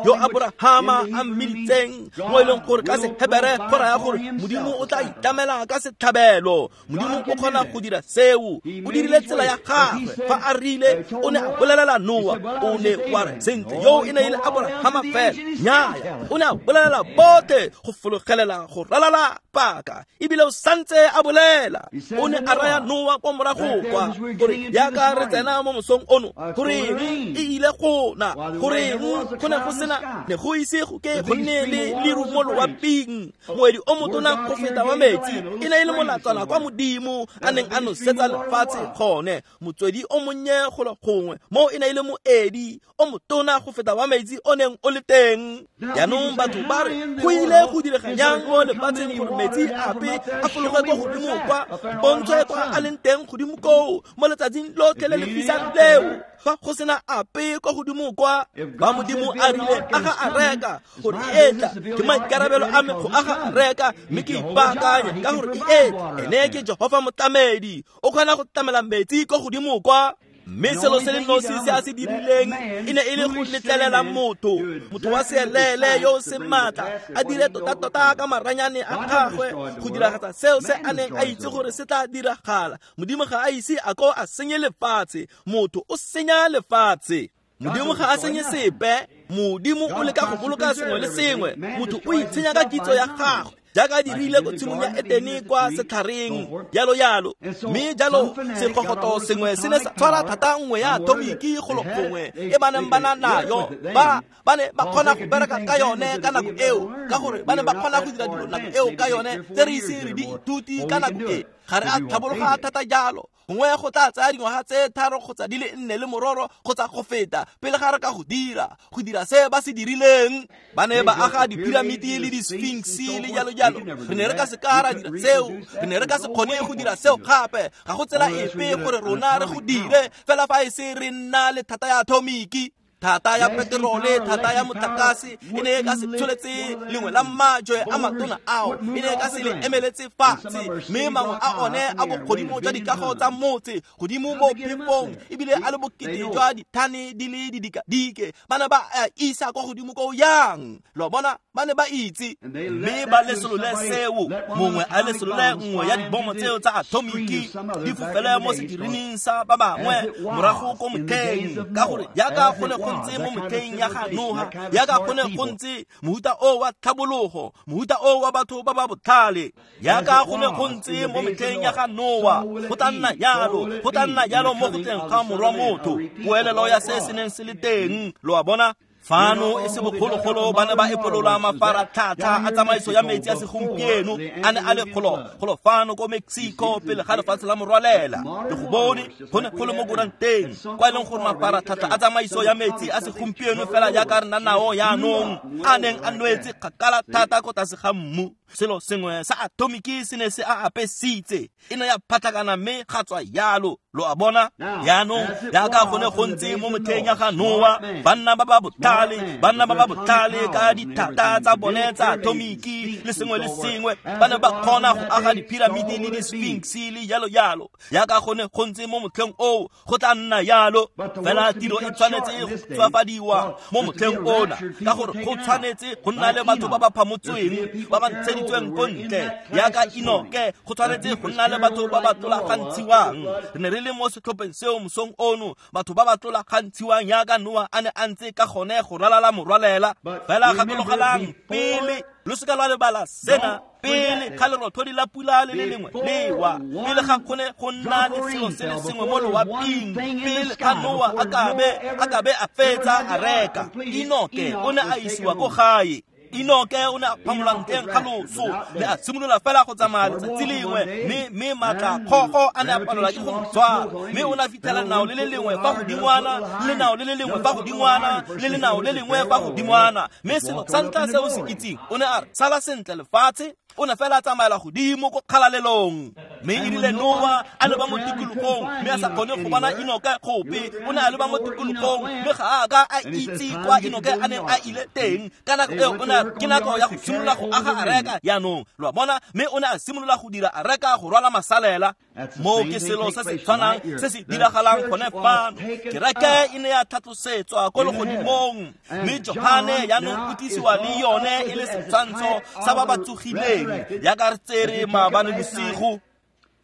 yo Aborahama a mmiditseng, mo e leng gore ka Sehebere go raya gore Modimo o tla itlamela ka setlhabelo. Modimo o kgona go dira seo. O dirile tsela ya gagwe. Fa a rile o ne a bolelela Noa, o ne wa re sentle yo e ne e le Aborahama fela. Nnyaya, o ne a bolelela botlhe go fologelela go ralala paka, ebile o santse a bolela. O ne a raya Noa kwa morago kwa gore jaaka re tsena mo mosong ono, goreng e ile go na, goreng go ne go sena, ne go ise go ke go nne le leru mo loaping, moedi o motona go feta wa metsi e ne e le molatswana kwa Modimo a neng a nosetsa lefatshe gone, motswedi o monnye golo gongwe mo e ne e le moedi o motona go feta wa metsi o neng o le teng. Jaanong batho ba re go ile go direga jang mo lefatsheng gore metsi ape a fologe kwa godimo kwa, pontsho kwa a leng teng godimo koo mo letsatsing lotlhe le le fisang leo, fa go sena ape kwa godimo kwa? Ba Modimo a rile aga areka gore e etla, ke maikarabelo a me go aga areka, mme ke ipaakanye ka gore e etla. Ene ke Jehofa motlamedi, o kgona go tlamela metsi kwa godimo kwa. Mme selo se le nosi se a se dirileng e ne e le go letlelela motho, motho wa seelele yo o seng maatla, a dire tota-tota ka maranyane a gagwe go diragatsa seo se a neng a itse gore se tla diragala. Modimo ga a ise a ko a senye lefatshe, motho o senya lefatshe. Modimo ga a senye sepe, Modimo o leka go boloka sengwe le sengwe, motho o itshenya ka kitso ya gagwe jaaka dirile ko tshimong ya Etene kwa setlhareng, jalo jalo. Mme jalo segogoto sengwe se ne sa tshwara thata nngwe ya atomiki golo gongwe e ba neng ba na nayo, ba ba ne ba kgona go bereka ka yone ka nako eo, ka gore ba ne ba kgona go dira dilo nako eo ka yone tse re ise re di ithuti ka nako e. Ga re a tlhabologa thata jalo, gongwe go tla tsaya dingwaga tse tharo kgotsa di le nne le mororo kgotsa go feta pele ga re ka go dira go dira se ba se dirileng. Ba ne ba aga dipiramiti le di-sphinx le jalo jalo. Re ne re ka se ka ra dira seo, re ne re ka se kgone go dira seo gape. Ga go tsela epe gore rona re go dire fela fa e se re nna le thata ya atomiki, thata ya peterole, thata ya motlakase. E ne e ka se tsholetse lengwe la majwe a matona ao, e ne e ka se le emeletse fatshe, mme mangwe a one a bogodimo jwa dikago tsa motse godimo mo phefong, ebile a le bokete jwa dithane di le didikadike. Ba ne ba a isa kwa godimo ko yang, lo bona, ba ne ba itse. Mme ba lesolole seo, mongwe a lesolole nngwe ya dibomo tseo tsa atomiki di fofele mo sekirining sa ba bangwe morago ko motlheng, ka gore jaaka go ne go ntse mo motlheng ya ga Noa, jaaka go ne go ntse mohuta o wa tlhabologo, mohuta o wa batho ba ba botlhale, jaaka go ne go ntse mo metlheng ya ga Noa, go tla nna jalo, go tla nna jalo mo go tleng ga morwa motho. Poelelo ya se se neng se le teng, lo a bona. Fano e se bogologolo ba ne ba epolola mafaratlhatlha a tsamaiso ya metsi a segompieno a ne a le golo golo fano ko Mexico pele ga lefatshe la morwalela. Le go bone go ne go le mo koranteng kwa e leng gore mafaratlhatlha a tsamaiso ya metsi a segompieno fela jaaka re na nao jaanong a neng a nwetse kgakala thata ko tlase ga mmu. Selo sengwe sa atomiki se ne se a apesitse, e ne ya phatlakana mme ga tswa jalo, lo a bona. Jaanong jaaka go ne go ntse mo motlheng ya ga Noa, banna ba ba botlhale, banna ba ba botlhale ka dithata tsa bone tsa atomiki le sengwe le sengwe, ba ne ba kgona go aga dipiramiti le di-sphinx le jalo jalo. Jaaka go ne go ntse mo motlheng oo, go tla nna jalo. Fela tiro e tshwanetse go tswafadiwa mo motlheng ona, ka gore go tshwanetse go nna le batho ba ba phamotsweng, ba ba ntsheditsweng ko ntle jaaka Enoke. Go tshwanetse go nna le batho ba ba tlolagantshiwang. Re ne re le mo setlhopheng seo mosong ono, batho ba ba tlolagantshiwang jaaka Noa a ne a ntse ka gone go ralala morwalela. Fela gakologelang pele, lo seka lwa lebala sena, pele ga lerothodi la pula le le lengwe lewa, pele ga kgone go nna le selo se le sengwe mo loaping, pele ga Noa a kabe a kabe a fetsa areka, Enoke o ne a isiwa ko gae. Enoke o ne a phamola ntleng ga loso, mme a simolola fela go tsamaya letsatsi lengwe, mme mme maatla kgogo a ne a palelwa ke go mo tshwara, mme o ne a fitlhela lenao le le lengwe fa godingwana, le lenao le le lengwe fa godingwana, le lenao le lengwe fa godingwana. Mme selo sa ntlha se o se itseng, o ne a re sala sentle lefatshe, o ne fela a tsamaela godimo ko kgalalelong. Mme e rile Noa a leba mo tikologong, mme a sa kgone go bona Enoke gope. O ne a leba mo tikologong, mme ga a ka a itse kwa Enoke a neng a ile teng. Ka nako eo o ne a ke nako ya go simolola go aga areka jaanong, lo a bona. Mme o ne a simolola go dira areka go rwala masalela. Moo ke selo se se tshwanang se se diragalang gone fano. Kereke e ne ya tlhatlosetswa ko legodimong, mme Johane jaanong o tlisiwa le yone e le setshwantsho sa ba ba tsogileng, jaaka re tsere maabane bosigo.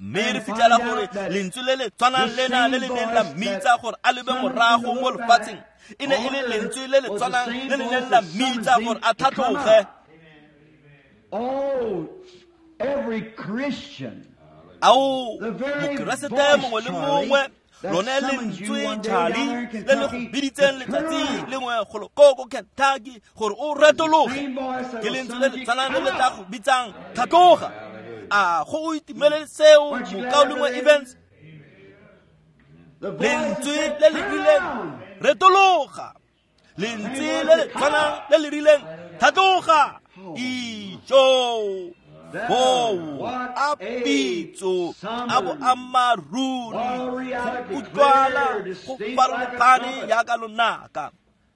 Mme re fitlhela gore lentswe le le tshwanang lena le le neng la mmitsa gore a lebe morago mo lefatsheng, e ne e le lentswe le le tshwanang le le neng la mmitsa gore a tlhatloge. Oh, every Christian, Ao, mokeresete mongwe le mongwe, lone lentswe Charlie le le go biditseng letsatsi lengwe golo ko ko Kentucky gore o retologe, ke lentswe le le tshwanang le le tla go bitsang tlhatloga. A go o itumelele seo, mokaulengwe Evans? Lentswe le le rileng retologa, lentswe le le tshwanang le le rileng tlhatloga. Ijo boo a pitso a boammaaruri go utlwala go farologane jaaka lonaka.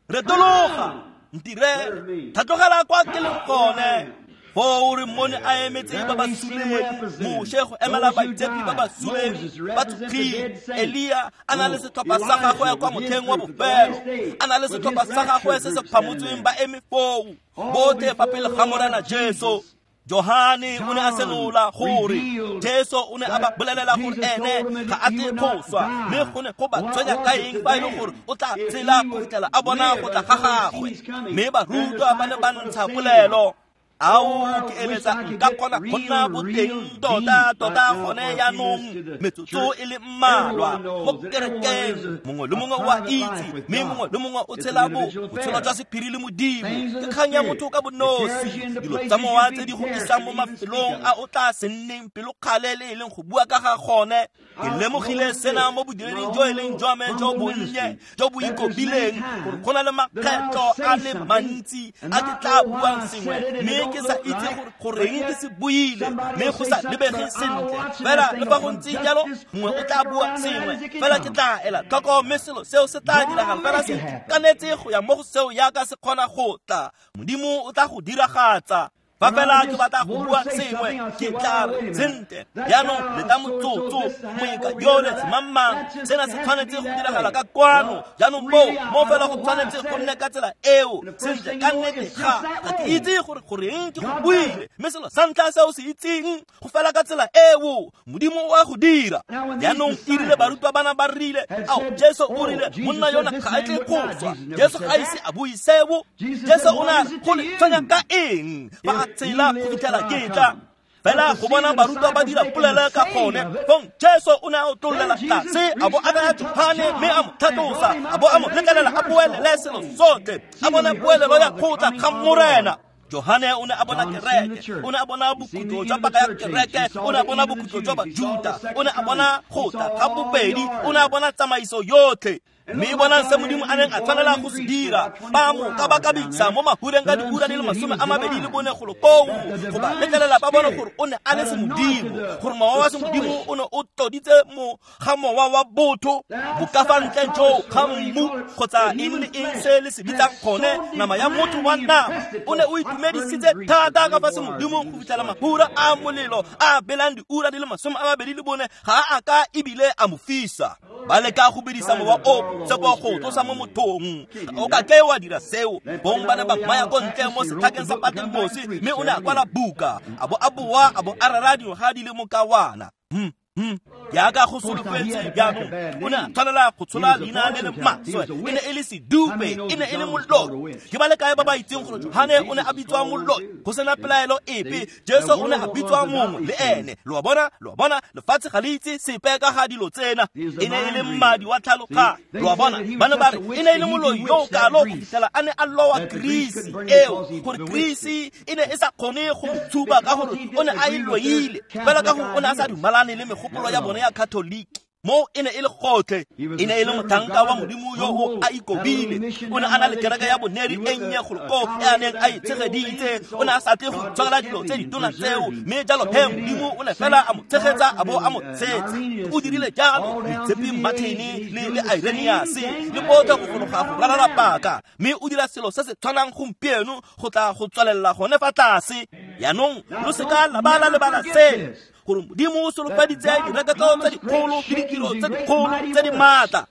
Retologa, ntirele, tlhatlogela kwa ke leng gone. Foo re mmone a emetse ba ba suleng, Moshe go emela baitshepi ba ba suleng ba tsogile, Elia a na le setlhopha sa gagwe kwa motlheng wa bofelo, a na le setlhopha sa gagwe se se phamotsweng ba eme foo, botlhe fa pele ga Morena Jesu. Johane o ne a senola gore Jesu o ne a ba bolelela gore ene ga a tle go swa, mme go ne go ba tshwenya ka eng fa e le gore o tla tshela go fitlhela a bona go tla ga gagwe. Mme barutwa ba ne ba ntsha polelo. Ao ke eletsa nka kgona go nna boteng tota tota gone jaanong metsotso e le mmalwa mo kerekeng. Mongwe le mongwe o a itse, mme mongwe le mongwe o tshela botshelo jwa sephiri le Modimo. Ke kgang ya motho ka bonosi. Dilo tsa mowa tse di go isang mo mafelong a o tla se nneng pelokgale le e leng go bua ka ga gone. Ke lemogile sena mo bodireding jo e leng jwa me jo bonnye jo bo ikobileng, gore go na le makgetlo a le mantsi a ke tla buang sengwe mme ke sa itse gore goreng ke se buile, mme go sa lebege sentle. Fela le fa go ntse jalo, mongwe o tla bua sengwe, fela ke tla ela tlhoko, mme selo seo se tla diragala fela se kanetse go ya mo go seo yaka se kgona go tla. Modimo o tla go diragatsa. Fa fela ke batla go bua sengwe, ke tla re sentle jaanong leta motsotso, moeka yole semangmang, sena se tshwanetse go diragala ka kwano. Jaanong moo mo fela go tshwanetse go nne ka tsela eo. Sentle ka nnete ga ga ke itse gore goreng ke go buile, mme selo sa ntlha se o se itseng go fela ka tsela eo. Modimo o a go dira. Jaanong e rile barutwa bana ba rile, ao Jesu o rile monna yona ga a tle go swa. Jesu ga ise a bue seo. Jesu o ne a re go le tshwenya ka eng fa tsela go fitlhela ke tla. Fela go bona barutwa ba dira polelo ka gone, fong Jesu o ne a otlollela tlase, a bo a baya Johane mme a mo tlhatlosa, a bo a mo letlelela a boelele selo sotlhe, a bona poelelo ya kgotla ga Morena. Johane o ne a bona kereke, o ne a bona bokhutlo jwa paka ya kereke, o ne a bona bokhutlo jwa Bajuta, o ne a bona go tla ga bobedi, o ne a bona tsamaiso yotlhe. Mme bonang se Modimo a neng a tshwanela go se dira. Ba mo kabakabisa mo mahureng ka diura di le masome a mabedi le bone golo koo, go ba letlelela ba bone gore o ne a le semodimo, gore mowa wa semodimo o ne o tloditse mo ga mowa wa botho bokafantle joo ga mmu kgotsa eng le eng se le se bitsang gone nama ya motho wa nama. O ne o itumedisitse thata ka fa semodimong go fitlhela mahura a molelo a belang diura di le masome a mabedi le bone ga a ka ebile a mo fisa. Ba leka go bedisa mowa o tsepo go tlosa mo mothong. O ka ke wa dira seo. Bong ba ne ba maya ko ntle mo setlhakeng sa Patmose, mme o ne a kwala buka, a bo a boa, a bo a rera dingwaga di le mokawana. Hmm. Hmm. Jaaka go solofetse jaanong, o ne a tshwanela go tshola leina le le maswe. E ne e le sedupe, e ne e le moloi. Ke ba le kae ba ba itseng gore Johane o ne a bitswa moloi? Go sena pelaelo epe, Jesu o ne a bitswa mongwe le ene. Lo a bona, lo a bona, lefatshe ga le itse sepe ka ga dilo tsena. E ne e le mmadi wa tlhaloganyo. Lo a bona, ba ne ba re e ne e le moloi yo o kalo go fitlhela a ne a lowa Greece eo, gore Greece e ne e sa kgone go mo tshuba ka gore o ne a e loile, fela ka gore o ne a sa dumalane le megopolo ya bone ya Catholic. Mo e ne e le gotlhe, e ne e le motlhanka wa Modimo yo o a ikobile. O ne a na le kereke ya boneri e nnye golo koo e a neng a e tshegeditse. O ne a sa tle go itshwarela dilo tse ditona tseo, mme jalo he Modimo o ne fela a mo tshegetsa a bo a mo tshetsa. O dirile jalo Moitshepi Martin le le Irenaeus le botlhe go fologa go ralala paka, mme o dira selo se se tshwanang gompieno go tla go tswelela gone fa tlase. Jaanong lo seka la ba la lebala seno, gore Modimo o solofeditse direkoto tse dikgolo le ditiro tse dikgolo tse di maatla.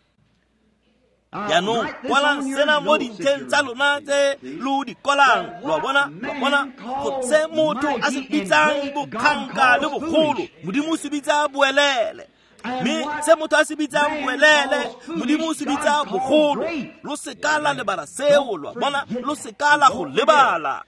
Jaanong kwalang sena mo dintlheng tsa lona tse lo di kwalang. Lo a bona, lo a bona, go se motho a se bitsang bokganka le bogolo, Modimo o se bitsa boelele. Mme se motho a se bitsang boelele, Modimo o se bitsa bogolo. Lo seka la lebala seo, lo a bona, lo seka la go lebala.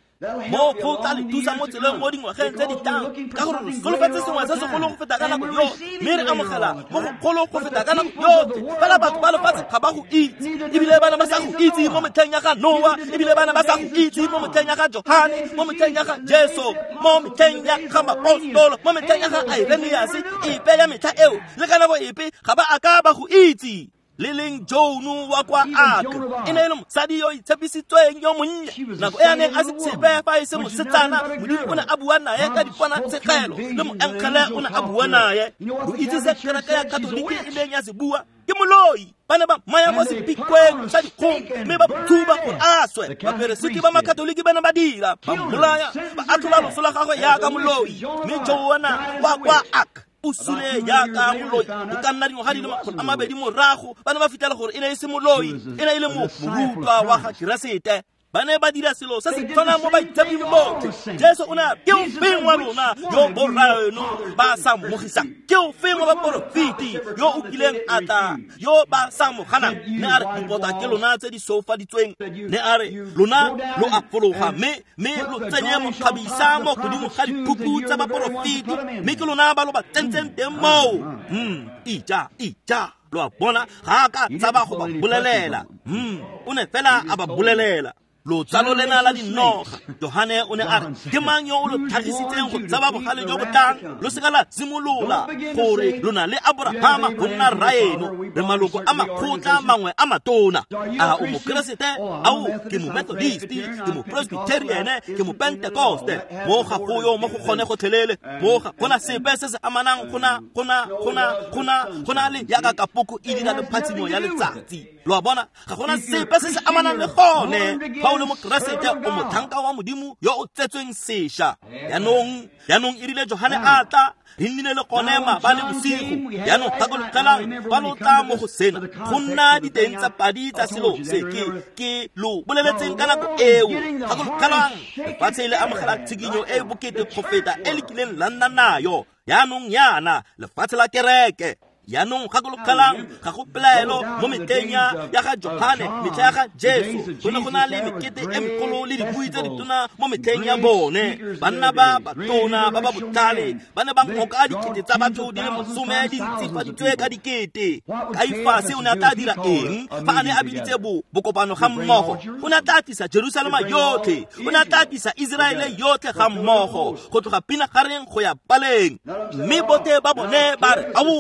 Mo go tla le thusa mo tseleng mo dingwageng tse di tlang, ka gore re solofetse sengwe se segolo go feta ka nako yotlhe, mme re amogela mo go golo go feta ka nako yotlhe. Fela batho ba lefatshe ga ba go itse, ebile ba ne ba sa go itse mo metlheng ya ga Noa, ebile ba ne ba sa go itse mo metlheng ya ga Johane, mo metlheng ya ga Jesu, mo metlheng ya ga Maapostolo, mo metlheng ya ga Irenaeus. Epe ya metlha eo le ka nako epe ga ba a ka ba go itse. Le leng Jono wa kwa Ak e ne e le mosadi yo itshepisitsweng yo monnye. Nako e a neng a se tshepe fa e se mosetsana, Modimo o ne a bua naye ka diponatshegelo, le moengele o ne a bua naye. Lo itse se kereke ya Katoliki e neng ya se bua? Ke moloi. Ba ne ba maya mo sepikweng sa dikgong mme ba thuba gore a swe. Baperesiti ba Makatoliki ba ne ba dira, ba mmolaya, ba atlhola loso la gagwe jaaka moloi. Mme Joana wa kwa Ak o sule jaaka moloi. Go ka nna dingwaga di le makgolo a mabedi morago, ba ne ba fitlhela gore e ne e se moloi, e ne e le morutwa wa ga Keresete. Ba ne ba dira selo se se tshwanang mo baitsheping botlhe. Jesu o ne a re, ke o feng wa lona yo borraeno ba sa mmogisang? Ke o feng wa baporofeti yo o kileng a tla yo ba sa mo ganang? Ne a re, dipota ke lona tse di soufaditsweng. Ne a re, lona lo a fologa mme mme lo tsenye mokgabisa mo godimo ga diphupu tsa baporofeti, mme ke lona ba lo ba tsentseng teng moo. Hmm, ija, ija. Lo a bona, ga a ka tshaba go ba bolelela. Hmm, o ne fela a ba bolelela. Lotsalo lena la dinoga. Johane o ne a re, ke mang yo o lo tlhagisitseng go tshaba bogale jo bo tlang? Lo seka la simolola gore lo na le Aborahama go nna rraeno. Re maloko a makgotla mangwe a matona. A o mokeresete? Ao, ke mo Methodist, ke mo Presbyterian, ke mo Pentecoste. Mo ga go yo mo go kgone gotlhelele. Mo ga gona sepe se se amanang gona gona gona gona gona le yaka kapoko e dira le phatsimo ya letsatsi. Lo a bona, ga gona sepe se se amanang le gone. Fa o le mokeresete, o motlhanka wa Modimo yo o tsetsweng sešwa. Jaanong, jaanong e rile Johane a tla, re nnile le gone maabane bosigo. Jaanong gakologelang fa lo tla mo go sena, go nna diteng tsa padi tsa selo se ke ke lo boleletseng ka nako eo. Gakologelang, lefatshe le amogela tshikinyo e e bokete go feta e le kileng la nna nayo. Jaanong yana, lefatshe la kereke. Jaanong gakologelang, ga go pelaelo mo metlheng ya ya ga Johane, metlha ya ga Jesu, go ne go na le mekete e megolo le dibui tse ditona mo metlheng ya bone. Banna ba batona ba ba botlhale ba ne ba ngoka dikete tsa batho di le masome di ntsifaditswe ka dikete. Kaifase o ne a tla dira eng fa a ne a biditse bo bokopano ga mmogo? O ne a tla tlisa Jerusalema yotlhe, o ne a tla tlisa Iseraele yotlhe ga mmogo, go tloga Pinagareng go ya Paleng. Mme botlhe ba bone ba re, ao,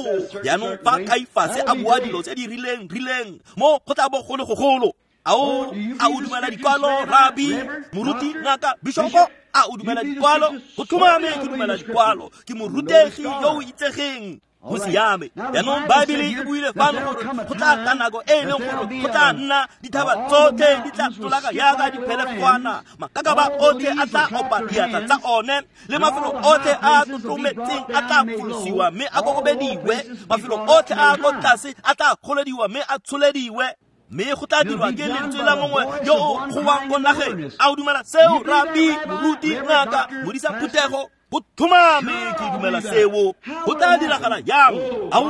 jaanong fa Kaifase a bua dilo tse di rileng rileng mo go tla bo go le gogolo. Ao, a o dumela dikwalo, rabi, moruti, ngaka, bishopo? A o dumela dikwalo? Go tlhomame ke dumela dikwalo. Ke morutegi yo o itsegeng. Go siame. Jaanong Baebele e buile fano gore go tla tla nako e e leng gore go tla nna dithaba tsotlhe di tla tlolaka yaka diphelefwana, makakaba otlhe a tla opa diatla tsa one, le mafelo otlhe a tlotlometseng a tla folosiwa mme a kokobediwe, mafelo otlhe a ko tlase a tla kgolediwa mme a tsholediwe. Mme go tla dirwa ke lentswe la mongwe yo o gowang ko nageng. A o dumela seo, rabi, moruti, ngaka, modisa phuthego? Go tlhomame ke dumela seo. Go tla diragala jang? Ao,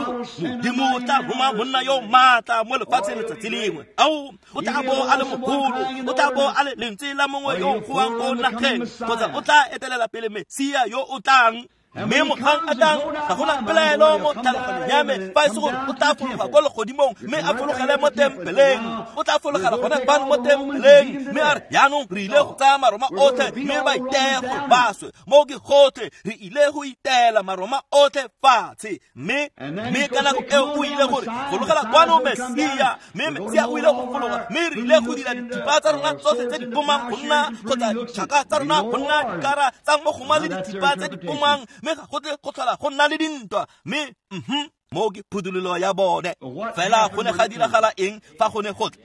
Modimo o tla roma monna yo maatla mo lefatsheng letsatsi lengwe. Ao, o tla bo a le mogolo, o tla bo a le lentswe la mongwe yo o gowang ko nageng, kgotsa o tla etelela pele Mesia yo o tlang. Mme mogang a tlang, ga gona pelaelo mo tlhaloganyong ya me fa e se gore o tla fologa ko legodimong mme a fologele mo tempeleng. O tla fologela gone fano mo tempeleng mme a re, jaanong re ile go tsaya Maroma otlhe mme ba iteye gore ba swe. Mo ke gotlhe re ile go iteela Maroma otlhe fatshe. Mme mme ka nako eo o ile gore fologela kwano Mesia, mme Mesia o ile go fologa, mme re ile go dira dithipa tsa rona tsotlhe tse di pomang go nna, kgotsa ditšhaka tsa rona go nna dikara tsa mogoma le dithipa tse di pomang, mme ga go tle go tlhola go nna le dintwa. Mme mhm, mo ke phuthololo ya bone. Fela go ne ga diragala eng fa go ne go tla?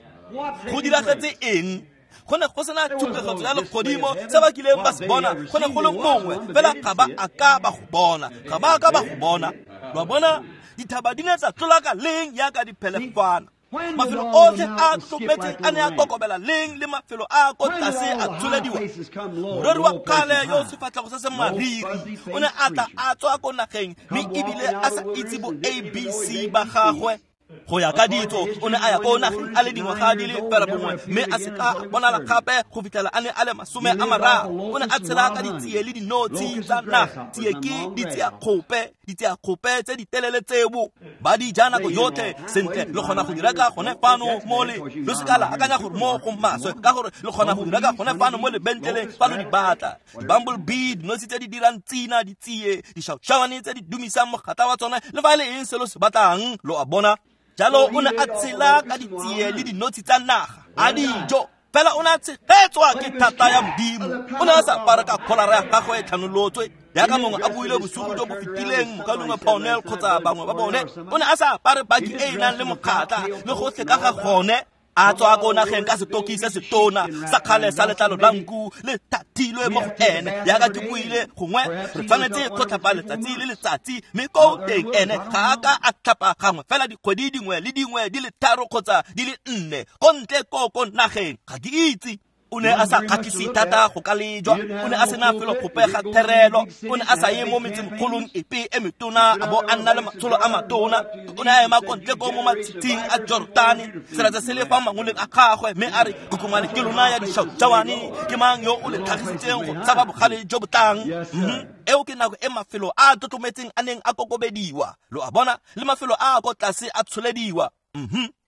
Go diragetse eng? Go ne go sena tshupetso ya legodimo se ba kileng ba se bona. Go ne go le mongwe fela ga ba a ka ba go bona, ga ba a ka ba go bona. Lo a bona, dithaba di ne tsa tlolaka leng yaka diphelefana? Mafelo otlhe a tlometseng a ne a kokobela leng, le mafelo a ko tlase a tsholediwa? Moreri wa kgale yo sefatlhego se se mariri o ne a tla a tswa ko nageng, mme ebile a sa itse bo A B C ba gagwe. Go ya ka ditso, o ne a ya ko nageng a le dingwaga di le fela bongwe, mme a se ka a bonala gape go fitlhela a ne a le masome a mararo. O ne a tshela ka ditsie le dinotshi tsa naga. Tsie ke ditsiakgope, ditsiakgope tse di telele tseo ba di ja nako yotlhe. Sentle, le kgona go di reka gone fano mo le, lo se ka la akanya gore mo go maswe, ka gore le kgona go di reka gone fano mo lebentleleng fa lo di batla. Di-bumblebee, dinotshi tse di dirang tsina, ditsie, dišaušawane tse di dumisang mogatla wa tsone, le fa e le eng se lo se batlang, lo a bona. Jalo o ne a tshela ka ditsie le dinotshi tsa naga, a dijo. Fela o ne a tshegetswa ke thata ya Modimo. O ne a sa apara ka kgolara ya gagwe e tlhanolotswe, jaaka mongwe a buile bosigo jo bo fetileng, mokaulengwe Pownell kgotsa bangwe ba bone. O ne a sa apare baki e e nang le mokgatla le gotlhe ka ga gone. A tswa ko nageng ka setoki se setona sa kgale sa letlalo la nku le thatilwe mo go ene. Jaaka ke buile, gongwe re tshwanetse go tlhapa letsatsi le letsatsi, mme ko teng ene ga a ka a tlhapa gangwe fela dikgwedi dingwe le dingwe di le tharo kgotsa di le nne ko ntle ko ko nageng. Ga ke itse. O ne a sa kgatlhise thata go ka lejwa, o ne a sena felo gope ga therelo, o ne a sa ye mo metsemogolong epe e metona a bo a nna le matsholo a matona. O ne a ema ko ntle ko mo matshitshing a Jordane, selatsa se le fa mangoleng a gagwe, mme a re kokomane ke lona ya dišautšawane, ke mang yo o le tlhagisitseng go tshaba bogale jo bo tlang? Eo ke nako e mafelo a a tlotlometseng a neng a kokobediwa, lo a bona, le mafelo a a ko tlase a tsholediwa.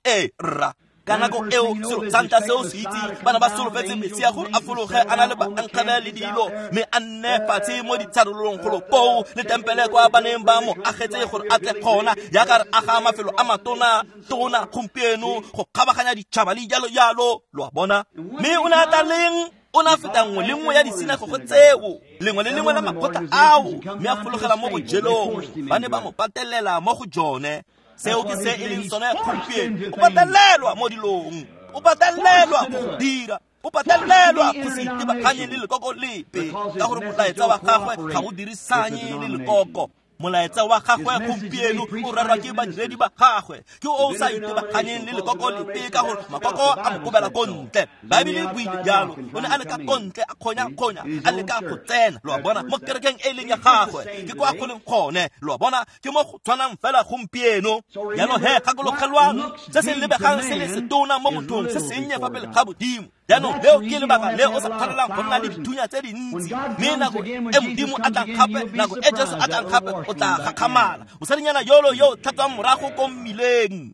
Ee rra, ka nako eo selo sa ntlha seo se itse, bana ba solofetse Mesia gore a fologe a na le baenkgele le dilo, mme a nne fatshe mo ditsharolong golo koo le tempele kwa ba neng ba mo agetse gore a tle gona, jaaka re aga mafelo a matona tona gompieno go kgabaganya ditšhaba le jalo jalo, lo a bona. Mme o ne a tla leng? O ne a feta nngwe le nngwe ya disinagogo tseo, lengwe le lengwe la makgotla ao, mme a fologela mo bojelong. Ba ne ba mo patelela mo go jone. Seo ke se e leng sone gompieno. O patelelwa mo dilong, o patelelwa go dira, o patelelwa go se itebaganye le lekoko lepe, ka gore molaetsa wa gagwe ga o dirisanye le lekoko. Molaetsa wa gagwe gompieno o rerwa ke badiredi ba gagwe, ke o o sa itebaganyeng le lekoko lepe, ka gore makoko a mo kobela ko ntle. Baebele e buile jalo, o ne a leka ko ntle, a kgonya-kgonya, a leka go tsena, lo a bona, mo kerekeng e leng ya gagwe, ke kwa go leng gone, lo a bona, ke mo go tshwanang fela gompieno. Jaanong he, gakologelwang se se lebegang se le setona mo mothong, se sennye fa pele ga Modimo. Jaanong leo ke lebaka le o sa tshwanelang go nna le dithunya tse dintsi, mme nako e Modimo a tlang gape, nako e Jesu a tlang gape, o tla gakgamala. Mosadinyana yolo yo o tlhatswang morago ko mmileng,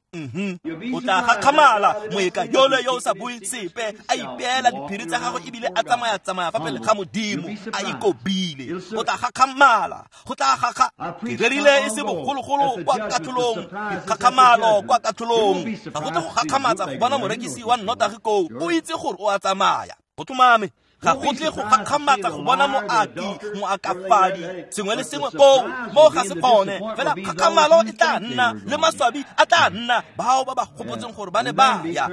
o tla gakgamala. Moeka yolo yo o sa bue sepe, a ipeela diphiri tsa gagwe ebile a tsamaya-tsamaya fa pele ga Modimo, a ikobile, o tla gakgamala. Go tla gakga. Ke rerile e se bogologolo kwa katlholong, dikgakgamalo kwa katlholong. Ga go tle go gakgamatsa go bona morekisi wa nnotagi koo, o itse gore o a tsamaya. Go tlhomame, ga go tle go gakgamatsa go bona moaki, moakafadi, sengwe le sengwe koo, mo ga se gone. Fela kgakgamalo e tla nna, le maswabi a tla nna, bao ba ba gopotseng gore ba ne ba ya.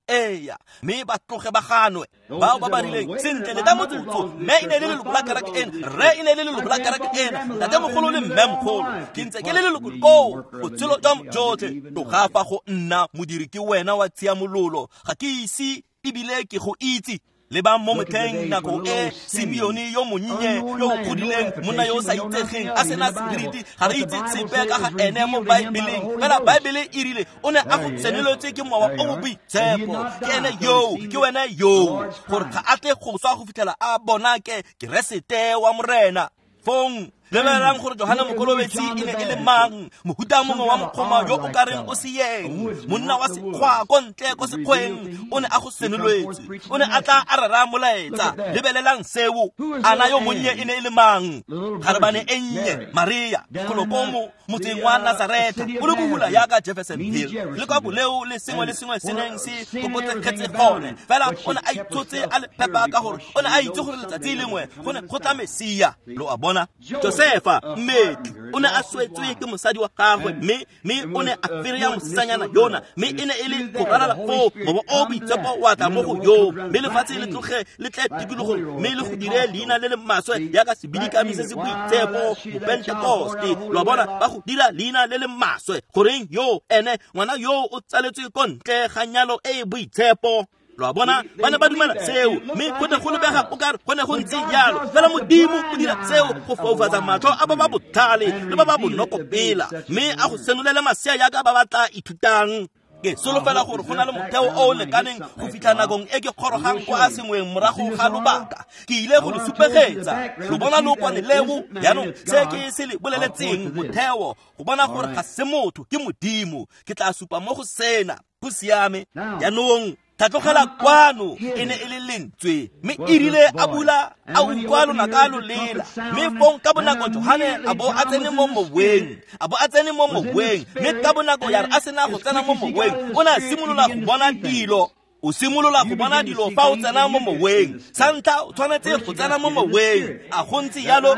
Eya, mme ba tloge ba ganwe. Bao ba ba rileng sentle le ta motsotso, mme e ne le leloko la kereke ena, rre e ne le leloko la kereke ena, ntatemogolo le mmemogolo, ke ntse ke le leloko koo botshelo jwa jotlhe. Tloga fa go nna modiri ke wena wa tshiamololo, ga ke ise ebile ke go itse. Lebang mo motlheng nako e Simeone yo monnye yo o godileng, monna yo o sa itsegeng, a sena seriti, ga re itse sepe ka ga ene mo Baebeleng. Fela Baebele e rile o ne a go tseneletswe ke mowa o o boitshepo. Ke ene yoo, ke wena yoo, gore ga a tle go swa go fitlhela a bona ke Keresete wa Morena. Fong lebelelang gore Johane Mokolobetsi e ne e le mang, mohuta mongwe wa mokgoma yo o ka reng o seeng, monna wa sekgwa ko ntle ko sekgweng, o ne a go senoletswe, o ne a tla a rera molaetsa. Lebelelang seo. Ana yo monnye e ne e le mang? Kgarebane e nnye, Maria, golo ko mo motseng wa Nazareta, o le bohula yaka Jeffersonville, le kwa boleo le sengwe le sengwe se neng se kokotsegetse gone. Fela o ne a itshotse a le phepa, ka gore o ne a itse gore letsatsi lengwe go ne go tla Mesia, lo a bona. Josefa mmetli o ne a swetswe ke mosadi wa gagwe, mme mme o ne a fereya mosetsanyana yona, mme e ne e le go ralala foo mowa o boitshepo wa tla mo go yoo, mme lefatshe le tloge le tle tikologong, mme le go dire leina le le maswe yaka sebidikami se se boitshepo, mopentekoste, lo a bona, ba go dira leina le le maswe. Goreng yo ene ngwana yo o tsaletswe ko ntle ga nyalo e e boitshepo, lo a bona, ba ne ba dumela seo, mme go ne go lebega o kare go ne go ntse jalo. Fela Modimo o dira seo go foufatsa matlho a ba ba botlhale le ba ba bonokopela, mme a go senolele masea yaka ba ba tla ithutang. Ke solofela gore go na le motheo o o lekaneng go fitlha nakong e ke kgorogang kwa sengweng morago ga lobaka. Ke ile go le supegetsa, lo bona lookwane leo. Jaanong se ke se le boleletseng, motheo, go bona gore ga se motho, ke Modimo. Ke tla supa mo go sena. Go siame. Jaanong tlhatlogela kwano e ne e le lentswe, mme e rile a bula a utlwa lonaka lo lela, mme fong ka bonako Johane a bo a tsene mo moweng, a bo a tsene mo moweng, mme ka bonako ya re a sena go tsena mo moweng, o ne a simolola go bona dilo. O simolola go bona dilo fa o tsena mo moweng. Sa ntlha o tshwanetse go tsena mo moweng. A go ntse jalo?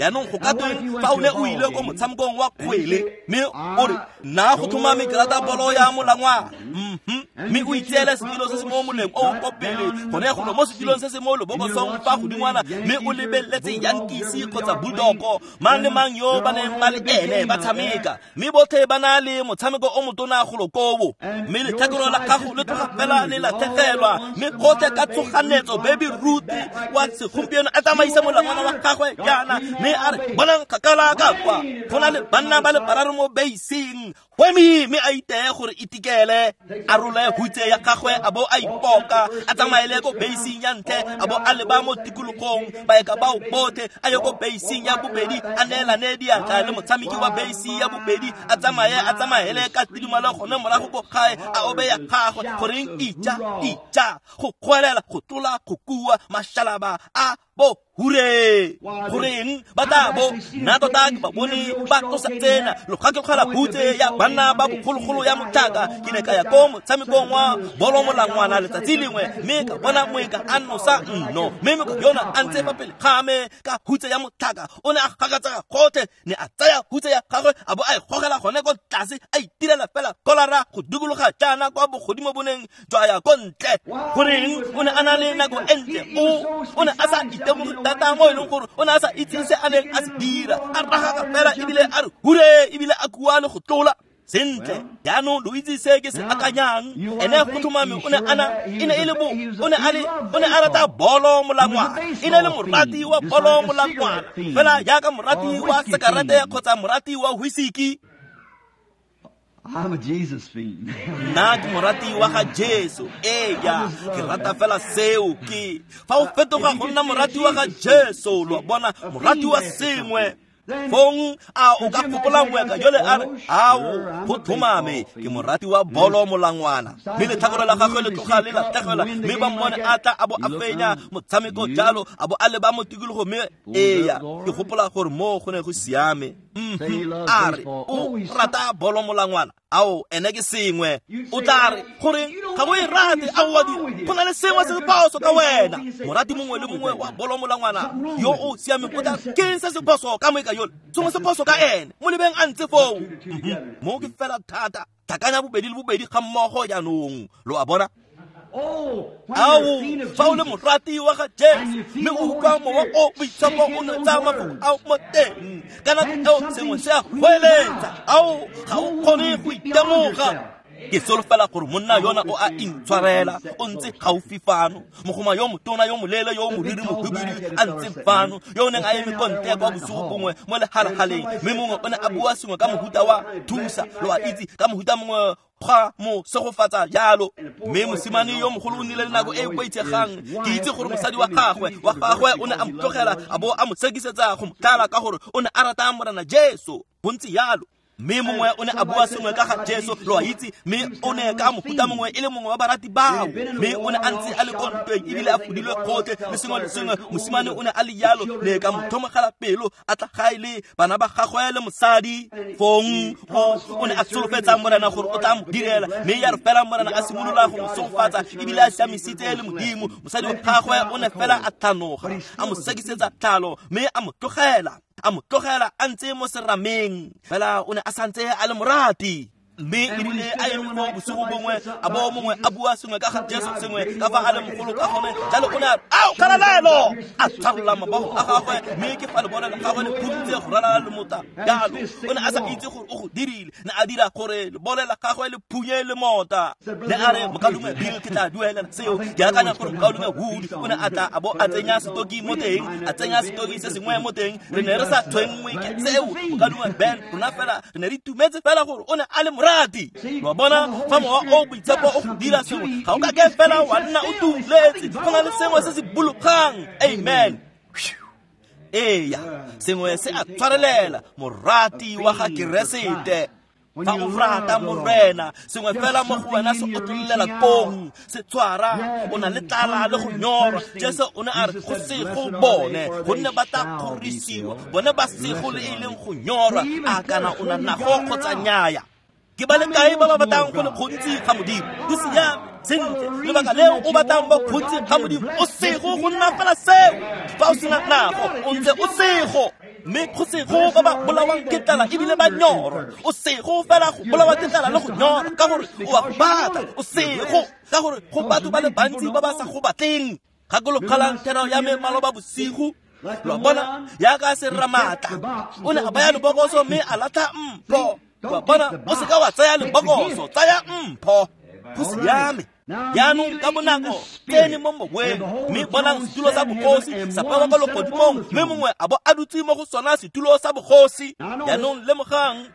Jaanong go ka tweng fa o ne o ile ko motshamekong wa kgwele mme o re nna go tlhomame ke rata bolo ya molangwana, mme o itseele setilo se se mo moleng o o ko pele gone golo mo setilong se se mo lebokosong fa godingwana, mme o lebeletse Yankees kgotsa Bulldog, mang le mang yo ba neng ba le ene ba tshameka, mme botlhe ba na le motshameko o motona golo koo, mme letlhakore la gago le tloga fela le latlhegelwa, mme gotlhe ka tshoganetso Baby Ruth wa segompieno a tsamaisa molangwana wa gagwe jaana, mme a re bonang kgakala ka kwa go na le banna ba le bararo mo beising, wemi mme a iteye gore itikele, a role hutse ya gagwe a bo a ipoka, a tsamaele ko beising ya ntle, a bo a leba mo tikologong baeka bao botlhe, a ye ko beising ya bobedi, a neelane diatla le motshameki wa beisi ya bobedi, a tsamaye a tsamaele ka tidimalo gone morago ko gae, a obe ya gagwe goreng ija ija, go goelela, go tlola, go kua, mashalaba a bo hure goreng ba tla bo nna tota ke ba bone ba tlosa tsena lokgakekgela hutse ya banna ba bogologolo ya motlhaka. Ke ne ka ya ko motshamekong wa bolo molangwana letsatsi lengwe, mme ka bona moeka a nosa nno, mme moeka yona a ntse fa pele ga me ka hutse ya motlhaka, o ne a gakatsega gotlhe, ne a tsaya hutse ya gagwe a bo a e gogela gone ko tlase, a itirela fela kolara go dikologa jaana kwa bogodimo boneng jwa ya ko ntle. Goreng o ne a na le nako e ntle, o o ne a sa itemoge thata mo e leng gore o ne a sa itse se a neng a se dira, a ragaka fela ebile a re hure, ebile a kua le go tlola. Sentle jaanong lo itse se ke se akanyang, ene go tlhomame o ne a na e ne e le bo o ne a le o ne a rata bolo molangwana, e ne le morati wa bolo molangwana fela jaaka morati wa sekarete kgotsa morati wa whisky. I'm a Jesus fiend. Nna ke morati wa ga Jesu, eya ke rata fela seo. Ke fa o fetoga go nna morati wa ga Jesu, lo bona morati wa sengwe fong a o ka gopola moeka jole a re ao go tlhomame ke morati wa bolo molangwana, mme letlhakore la gagwe le tloga le latlhegelwa, mme ba mmone a tla a bo a fenya motshameko jalo, a bo a leba mo tikologo, mme eya ke gopola gore mo go ne go siame. A re o rata bolo molangwana, ao ene ke sengwe. O tla re goreng ga o e rate, ao wa dira go na le sengwe se se phoso ka wena. Morati mongwe le mongwe wa bolo molangwana yo o siameng o tla ke se se phoso ka moeka yole, sengwe se phoso ka ene, mo lebeng a ntse foo. Mo ke fela thata, tlhakanya bobedi le bobedi ga mmogo jaanong, lo a bona. Ao fa o le morati wa ga Jesu mme o utlwa mowa o boitshepo o nwetsa mafoko ao mo teng, ka nako eo sengwe se a goeletsa, ao ga o kgone go itemoga. Ke solofela gore monna yona o a intshwarela, o ntse gaufi fano, mogoma yo motona yo moleele yo moriri mohubidu a ntse fano, yo o neng a eme ko ntle kwa bosigo bongwe mo lehalahaleng, mme mongwe o ne a bua sengwe ka mohuta wa thusa, lo a itse, ka mohuta mongwe ga mo segofatsa jalo. Mme mosimane yo mogolo o nnile le nako e e boitshegang, ke itse gore mosadi wa gagwe wa gagwe o ne a mo tlogela a bo a mo sekisetsa go mo tlala ka gore o ne a rata Morena Jesu bontsi jalo. Mme mongwe o ne a bua sengwe ka ga Jesu, lo a itse, mme o ne ka mohuta mongwe e le mongwe wa barati bao, mme o ne a ntse a le ko ntweng ebile a fodilwe gotlhe le sengwe le sengwe. Mosimane o ne a le jalo, ne ka mo tlhomogela pelo, a tla gae le bana ba gagwe le mosadi. Fong o o ne a solofetsa Morena gore o tla mo direla, mme ya re fela Morena a simolola go mo segofatsa ebile a siamisitse le Modimo, mosadi wa gagwe o ne fela a tlhanoga, a mo sekisetsa tlhalo, mme a mo tlogela, a mo tlogela a ntse mo serameng, fela o ne a santse a le morati. Mme erile a eme mo bosigo bongwe, a bo mongwe a bua sengwe ka ga Jesu, sengwe ka fa a le mogolo ka gone jalo, o ne a re ao kgalalelo, a tshwarola mabogo a gagwe, mme ke fa lebone la gagwe le phuntse go ralala lemota jalo. O ne a sa itse gore o go dirile, ne a dira gore lebone la gagwe le phunye lemota. Ne a re mokalume Bill ke tla duelela seo, ke akanya gore mokalume Wood o ne a tla a bo a tsenya setoki mo teng, a tsenya setoki se sengwe mo teng, re ne re sa tshwenngwe ke seo. Mokalume Ben rona fela re ne re itumetse fela gore o ne a le morati. Lo bona fa mowa o boitshepo o go dira sengwe, ga o ka ke fela wa nna o tuletse, go na le sengwe se se bologang. Amen. Eya, sengwe se a tshwarelela, morati wa ga Keresete. Fa o rata Morena, sengwe fela mo go wena se otlololela kong, se tshwara, o na le tlala le go nyorwa. Jesu o ne a re go sego bone, gonne ba tla kgorisiwa, bone ba sego le e leng go nyorwa, a kana o na nago kgotsa nnyaya. Ke ba le kae ba ba batlang go le gontsi ga Modimo? Go siame, sentle, lebaka leo o batlang ba gontsi ga Modimo, o sego go nna fela seo. Fa o sena nago, o ntse o sego. Mme go sego ba ba bolawang ke tlala ebile ba nyorwa. O sego fela go bolawa ke tlala le go nyorwa ka gore o a go batla. O sego ka gore go batho ba le bantsi ba ba sa go batleng. Gakologelang thero ya me maloba bosigo. Lo bona yaka se ramatla o ne a baya lebokoso mme a latlha mpho. Lo bona o seka wa tsaya lebokoso, tsaya mpho. Go siame. Jaanong ka bonako tsene mo moweng, mme bonang setulo sa bogosi sa bewa kwa legodimong, mme mongwe a bo a dutse mo go sona setulo sa bogosi. Jaanong lemogang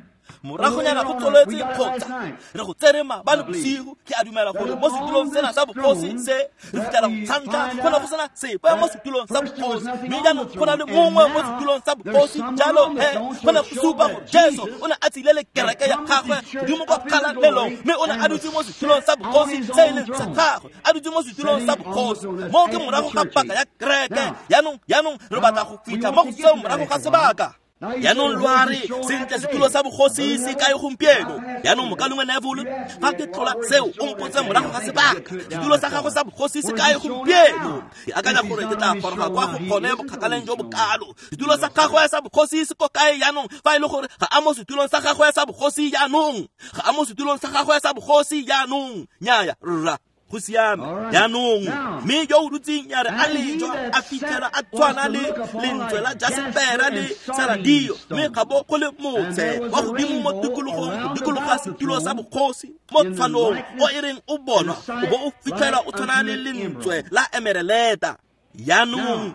moragonyana go tsweletse kgotsa re go tsere maabane bosigo. Ke a dumela gore mo setulong sena sa bogosi se re fitlhela go tshantlha go ne go sena sepe mo setulong sa bogosi, mme jaanong go na le mongwe mo setulong sa bogosi. Jalo he go ne go supa gore Jesu o ne a tsile le kereke ya gagwe godimo kwa kgalalelong, mme o ne a dutse mo setulong sa bogosi se e leng sa gagwe, a dutse mo setulong sa bogosi. Mo ke morago ga paka ya kereke. Jaanong jaanong re batla go fitlha mo go seo morago ga sebaka. Jaanong lo a re sentle setulo sa bogosi se kae gompieno? Jaanong mokalengwe Neville, fa ke tlola seo o mpotse morago ga sebaka, setulo sa gago sa bogosi se kae gompieno? Ke akanya gore ke tla goroga kwa go gone bokgakaleng jo bokalo. Setulo sa gagwe sa bogosi se ko kae jaanong? Fa e le gore ga a mo setulong sa gagwe sa bogosi jaanong, ga a mo setulong sa gagwe sa bogosi jaanong. Nnyaya rra, go siame. Jaanong mme yo o dutseng ya re a lejwa a fitlhela a tshwana le lentswe la jasepera le saradio, mme ga bo go le motse wa godimo mo tikologong go dikologa setulo sa bogosi mo tshwanong o e reng o bonwa o bo o fitlhela o tshwana le lentswe la emereleta. Jaanong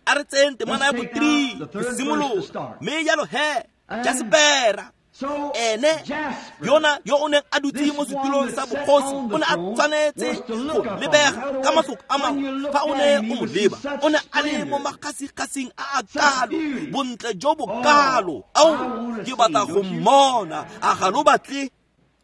a re tseyeng temana ya bo-three go simolola. Mme jalo he jasepera ene yona yo o neng a dutse mo setulong sa bogosi o ne a tshwanetse go lebega ka mafoko a mangwe. Fa o ne o mo leba o ne a le mo makgasikgasing a a kalo, bontle jo bo kalo. Ao, ke batla go mmona, a ga lo batle?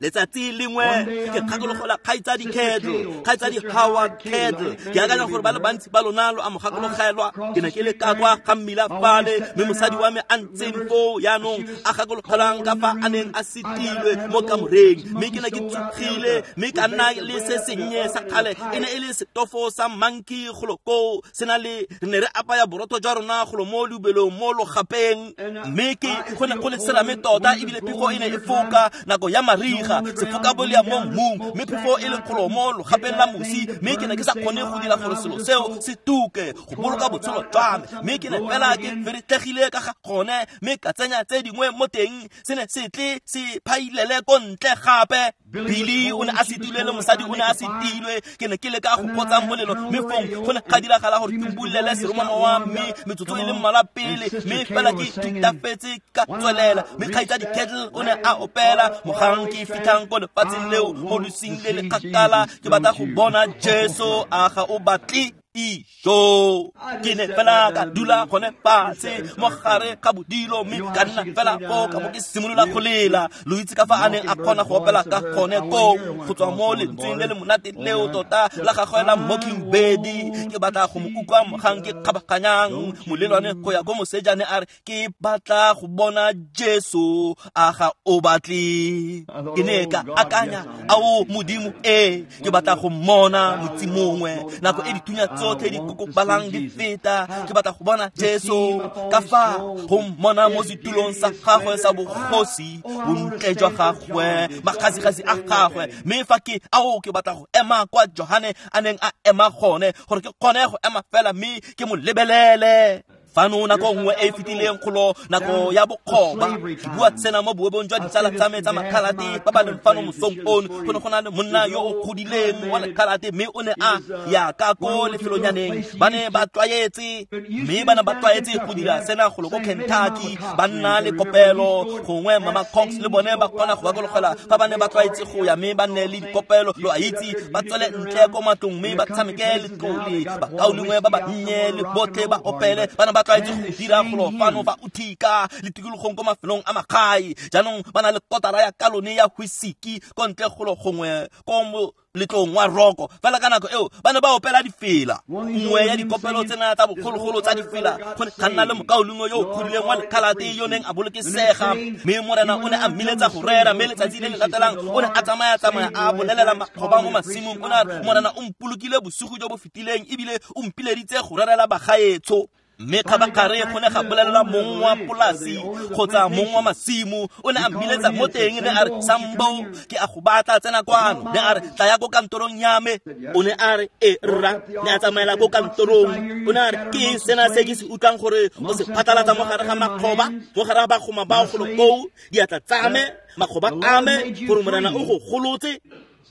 Letsatsi lengwe ke gakologelwa kgaitsadi Kettle, kgaitsadi Howard Kettle. Ke akanya gore ba le bantsi ba lona lo a mo gakologelwa. Ke ne ke le ka kwa ga mmila fale, mme mosadi wa me a ntseng foo jaanong a gakologelang ka fa a neng a setilwe mo kamoreng. Mme ke ne ke tsogile mme ka nna le se sennye sa kgale, e ne e le setofo sa monkey golo koo, se na le re ne re apaya borotho jwa rona golo mo leubelong mo logapeng. Mme ke go ne go le serame tota, ebile phefo e ne e foka nako ya mariga, sefoka bolea mo mmung, mme phefo e le kgolo mo logapeng la mosi. Mme ke ne ke sa kgone go dira gore selo seo se tuke go boloka botshelo jwa me, mme ke ne fela ke feretlhegile ka ga gone, mme ka tsenya tse dingwe mo teng, se ne se tle se phailele ko ntle gape. Billy o ne a setilwe le mosadi o ne a setilwe. Ke ne ke leka go kgotsa molelo, mme fong go ne ga diragala gore ke bulele seromamowa mme metsotso e le mmalwa pele, mme fela ke thutafetse ka tswelela. Mme kgaitsadi Kettle o ne a opela mogang ke fitlhang ko lefatsheng leo mo losing le le kgakala, ke batla go bona Jesu, a ga o batle? Ijo. Ke ne fela ka dula gone fatshe mo gare ga bodilo, mme ka nna fela foo ka bo ke simolola go lela. Lo itse ka fa a neng a kgona go opela ka gone koo, go tswa mo lentsweng le le monate leo tota la gagwe la Mockingbird. Ke batla go mo utlwa mogang ke kgabaganyang molelwane go ya ko mosejane a re, ke batla go bona Jesu, a ga o batle? Ke ne ka akanya, ao Modimo, ee, ke batla go mmona motsi mongwe nako e dithunya tsotlhe di kokobalang di feta. Ke batla go bona Jesu ka fa go mmona mo setulong sa gagwe sa bogosi, bontle jwa gagwe, makgasikgasi a gagwe. Mme fa ke ao ke batla go ema kwa Johane a neng a ema gone, gore ke kgone go ema fela mme ke mo lebelele. Fano nako nngwe e e fetileng kgolo nako ya bokgoba, ke bua tsena mo boebong jwa ditsala tsa me tsa makhalate ba ba leng fano mosong ono. Go ne go na le monna yo o godileng wa lekhalate, mme o ne a ya ka ko lefelonyaneng. Ba ne ba tlwaetse, mme ba ne ba tlwaetse go dira sena golo ko Kentucky. Ba nna le kopelo, gongwe Mama Cox le bone ba kgona go bakologela fa ba ne ba tlwaetse go ya, mme ba nne le dikopelo, lo a itse, ba tswele ntle ko matlong mme ba tshameke letlole, bakaulengwe ba bannye le botlhe ba opele. Ba ne ba tlwaetse go dira golo fano fa Utica le tikologong ko mafelong a magae. Jaanong ba na le kotara ya kalone ya whisky ko ntle golo gongwe ko moletlong wa roko. Fela ka nako eo ba ne ba opela difela. Nngwe ya dikopelo tsena tsa bogologolo tsa difela, go ne ga nna le mokaulengwe yo o godileng wa lekhalate yo neng a bolokesega, mme morena o ne a mmiletsa go rera. Mme letsatsi le le latelang o ne a tsamaya-tsamaya a bolelela makgoba mo masimong. O ne a re, morena o mpolokile bosigo jo bo fetileng ebile o mpileditse go rerela bagaetsho. Mme kgabagare go ne ga bolelelwa mong wa polasi kgotsa mong wa masimo, o ne a mmiletsa mo teng, ne a re, Sambo, ke a go batla, tsena kwano. Ne a re, tla ya ko kantorong ya me. O ne a re, e rra. Ne a tsamaela ko kantorong. O ne a re, ke eng sena se ke se utlwang gore o se phatlalatsa mo gare ga makgoba, mo gare ga bagoma bao golo koo, diatla tsa me, makgoba a me, gore Morena o go golotse?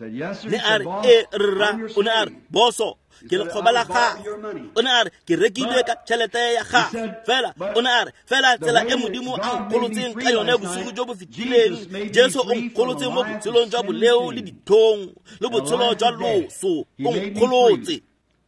Ne a re, e rra. O ne a re, boso, ke lekgoba la gago. O ne a re, ke rekilwe ka tšhelete ya gago. Fela o ne a re, fela tsela e Modimo a nkgolotseng ka yone bosigo jo bo fetileng, Jesu o nkgolotse mo botshelong jwa boleo le dithong le botshelo jwa loso, o nkgolotse.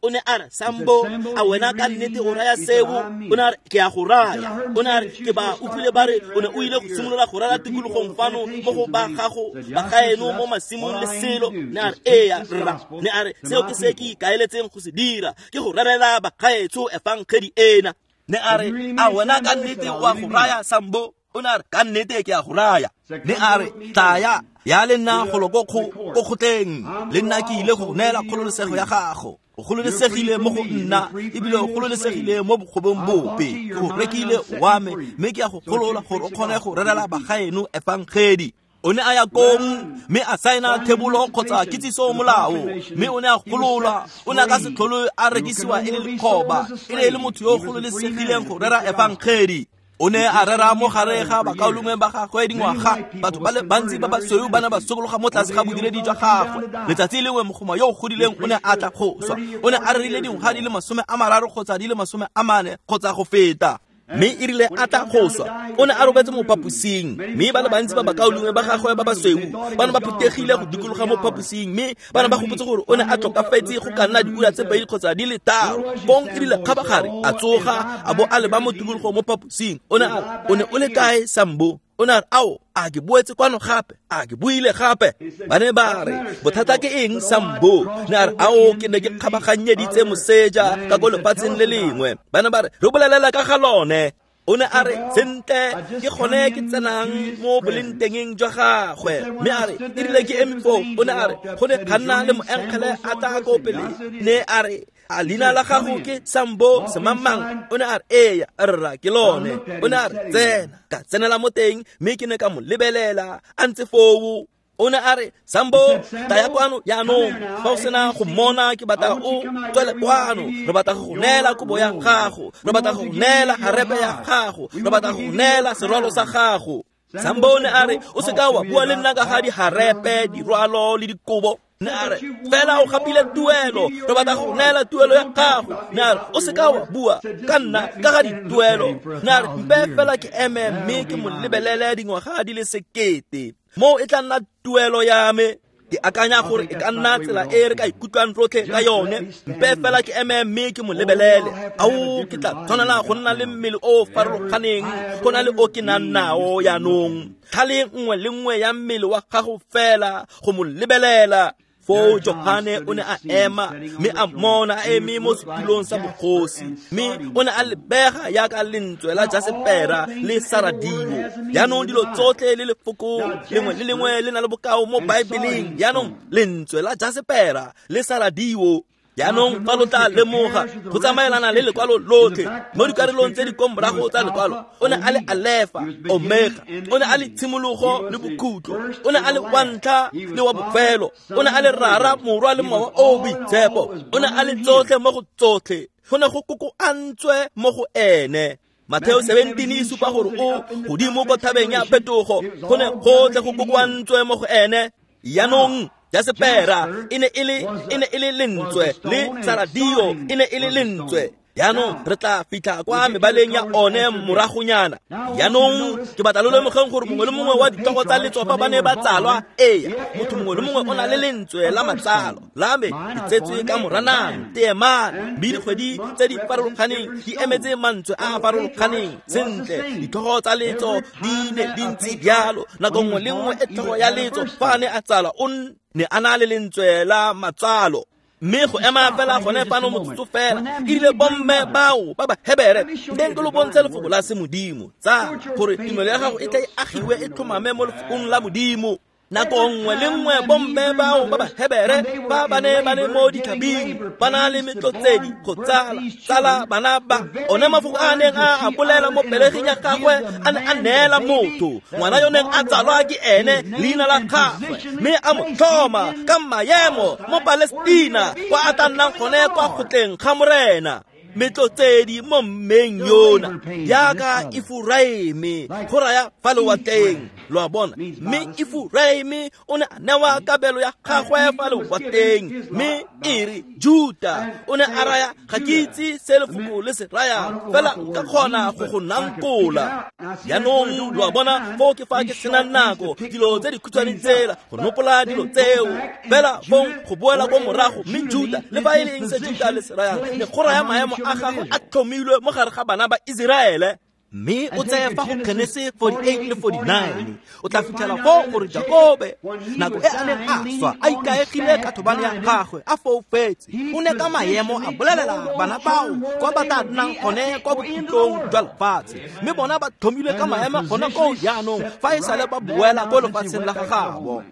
O ne a re, Sambo, a wena ka nnete o raya seo? O ne a re, ke a go raya. O ne a re, ke ba utlwile ba re o ne o ile go simolola go rera tikologong fano mo go ba gago ba gaeno mo masimong le selo. Ne a re, eya rra. Ne a re, seo ke se ke ikaeletseng go se dira, ke go rerela bagaetsho efangedi ena. Ne a re, a wena ka nnete o a go raya, Sambo? O ne a re, ka nnete ke a go raya. Ne a re, tlaya ya le nna golo ko kgotleng, le nna ke ile go neela kgololesego ya gago. O gololesegile mo go nna, ebile o gololesegile mo bokgobong bope. Ke go rekile wa me, mme ke a go golola gore o kgone go rerela bagaeno efangedi. O ne a ya kong mme a saena thebolo kgotsa kitsiso molao, mme o ne a gololwa. O ne a ka se tlhole a rekisiwa e le lekgoba, e ne e le motho yo o gololesegileng go rera efangedi. O ne a rera mo gare ga bakaulengwe ba gagwe dingwaga. Batho ba le bantsi ba basweu ba ne ba sokologa mo tlase ga bodiredi jwa gagwe. Letsatsi lengwe mogoma yo o godileng o ne a tla go swa. O ne a rerile dingwaga di le masome a mararo kgotsa di le masome a mane kgotsa go feta. Mme e rile a tla go swa, o ne a robetse mo phaposing, mme ba le bantsi ba bakaulengwe ba gagwe ba basweu ba ne ba phuthegile go dikologa mo phaposing, mme ba ne ba gopotse gore o ne a tlhokafetse go ka nna diura tse pedi kgotsa di le tharo. Fong e rile kgabagare a tsoga a bo a leba mo tikologong mo phaposing. O ne a re, o ne o le kae, Sambo? O ne a re, ao, a ke boetse kwano gape, a ke buile gape. Ba ne ba re, bothata ke eng, Sambo? Ne a re, ao, ke ne ke kgabaganyeditse moseja ka ko lefatsheng le lengwe. Ba ne ba re, re bolelela ka ga lone. O ne a re, sentle, ke gone ke tsenang mo bolengtengeng jwa gagwe. Mme a re, e rile ke eme foo. O ne a re, go ne ga nna le moengele a tla ko pele. Ne a re, a leina la gago ke Sambo semangmang? O ne a re, eya rra, ke lone. O ne a re, tsena. Ka tsenela mo teng, mme ke ne ka mo lebelela a ntse foo. O ne a re, Sambo, tla ya kwano jaanong. Fa o sena go mmona, ke batla o tswele kwano. Re batla go go neela kobo ya gago, re batla go go neela harepe ya gago, re batla go go neela serwalo sa gago. Sambo ne a re, o seka wa bua le nna ka ga diharepe, dirwalo le dikobo. Ne a re, fela o gapile tuelo, re batla go neela tuelo ya gago. Ne a re, o seka wa bua ka nna ka ga dituelo. Ne a re, mpe fela ke eme mme ke mo lebelele dingwaga di le sekete, moo e tla nna tuelo ya me. Ke akanya gore e ka nna tsela e re ka ikutlwang rotlhe ka yone. Mpe fela ke eme mme ke mo lebelele. Ao, ke tla tshwanela go nna le mmele o o farologaneng go na le o ke nang nao jaanong. Tlhale nngwe le nngwe ya mmele wa gago fela go mo lebelela. Foo Johane o ne a ema mme a mmona a eme mo setulong sa bogosi, mme o ne a lebega jaaka lentswe la jasepera le saradio. Jaanong dilo tsotlhe le lefoko lengwe le lengwe le na le bokao mo Baebeleng. Jaanong lentswe la jasepera le saradio. Jaanong fa lo tla lemoga go tsamaelana le lekwalo lotlhe mo dikarolong tse di ko morago tsa lekwalo, o ne a le Alefa, Omega, o ne a le tshimologo le bokhutlo, o ne a le wa ntlha le wa bofelo, o ne a le Rara, Morwa le Mowa o o Boitshepo, o ne a le tsotlhe mo go tsotlhe, go ne go kokoantswe mo go ene. Mateo seventeen e supa gore o godimo ko thabeng ya phetogo, go ne gotlhe go kokoantswe mo go ene. Jaanong jasepera e ne e le e ne e le lentswe, le saradio e ne e le lentswe. Jaanong re tla fitlha kwa mebaleng ya one moragonyana. Jaanong ke batla lo lemogeng gore mongwe le mongwe wa ditlhogo tsa letsopa ba ne ba tsalwa. Eya, motho mongwe le mongwe o na le lentswe la matsalo. La me ke tsetswe ka Moranang, Teemane, mme dikgwedi tse di farologaneng di emetse mantswe a a farologaneng. Sentle, ditlhogo tsa letso di ne di ntse jalo. Nako nngwe le nngwe e tlhogo ya letso fa a ne a tsalwa, o ne a na le lentswe la matsalo. Mme go ema fela gone fano motsotso fela, e rile bomme bao ba ba Hebere, nteng ke lo bontshe lefoko la semodimo, tsa gore tumelo ya gago e tla e agiwe e tlhomame mo lefokong la Modimo. Nako nngwe le nngwe bomme bao ba Bahebere ba ba ne ba le mo ditlhabing ba na le metlotsedi go tsala tsala bana ba one mafoko a neng a a bolela mo pelegeng ya gagwe a ne a neela motho ngwana yo neng a tsalwa ke ene leina la gagwe mme a mo tlhoma ka maemo mo Palestina kwa a tla nnang gone kwa kgotleng ga Morena. Metlotsedi mo mmeng yona jaaka Efuraime go raya fa lewatleng, lo a bona. Mme Efuraime o ne a newa kabelo ya gagwe fa lewatleng, mme e re Juta o ne a raya ga ke itse se lefoko le se rayang fela nka kgona go go nankola. Jaanong lo a bona foo ke fa ke senang nako dilo tse dikhutshwane tsela go nopola dilo tseo fela fong go boela ko morago. Mme Juta le fa e le eng se Juta le se rayang ne go raya maemo a gagwe a tlhomilwe mo gare ga bana ba Iseraele. Mme o tseye fa go Genese forty-eight le forty-nine o tla fitlhela foo gore Jakobe nako e a neng a swa a ikaegile ka thobane ya gagwe a foufetse o ne ka maemo a bolelela bana bao kwa ba tla nnang gone kwa bokhutlong jwa lefatshe, mme bona ba tlhomilwe ka maemo gona koo jaanong fa e sale ba boela ko lefatsheng la gagabo.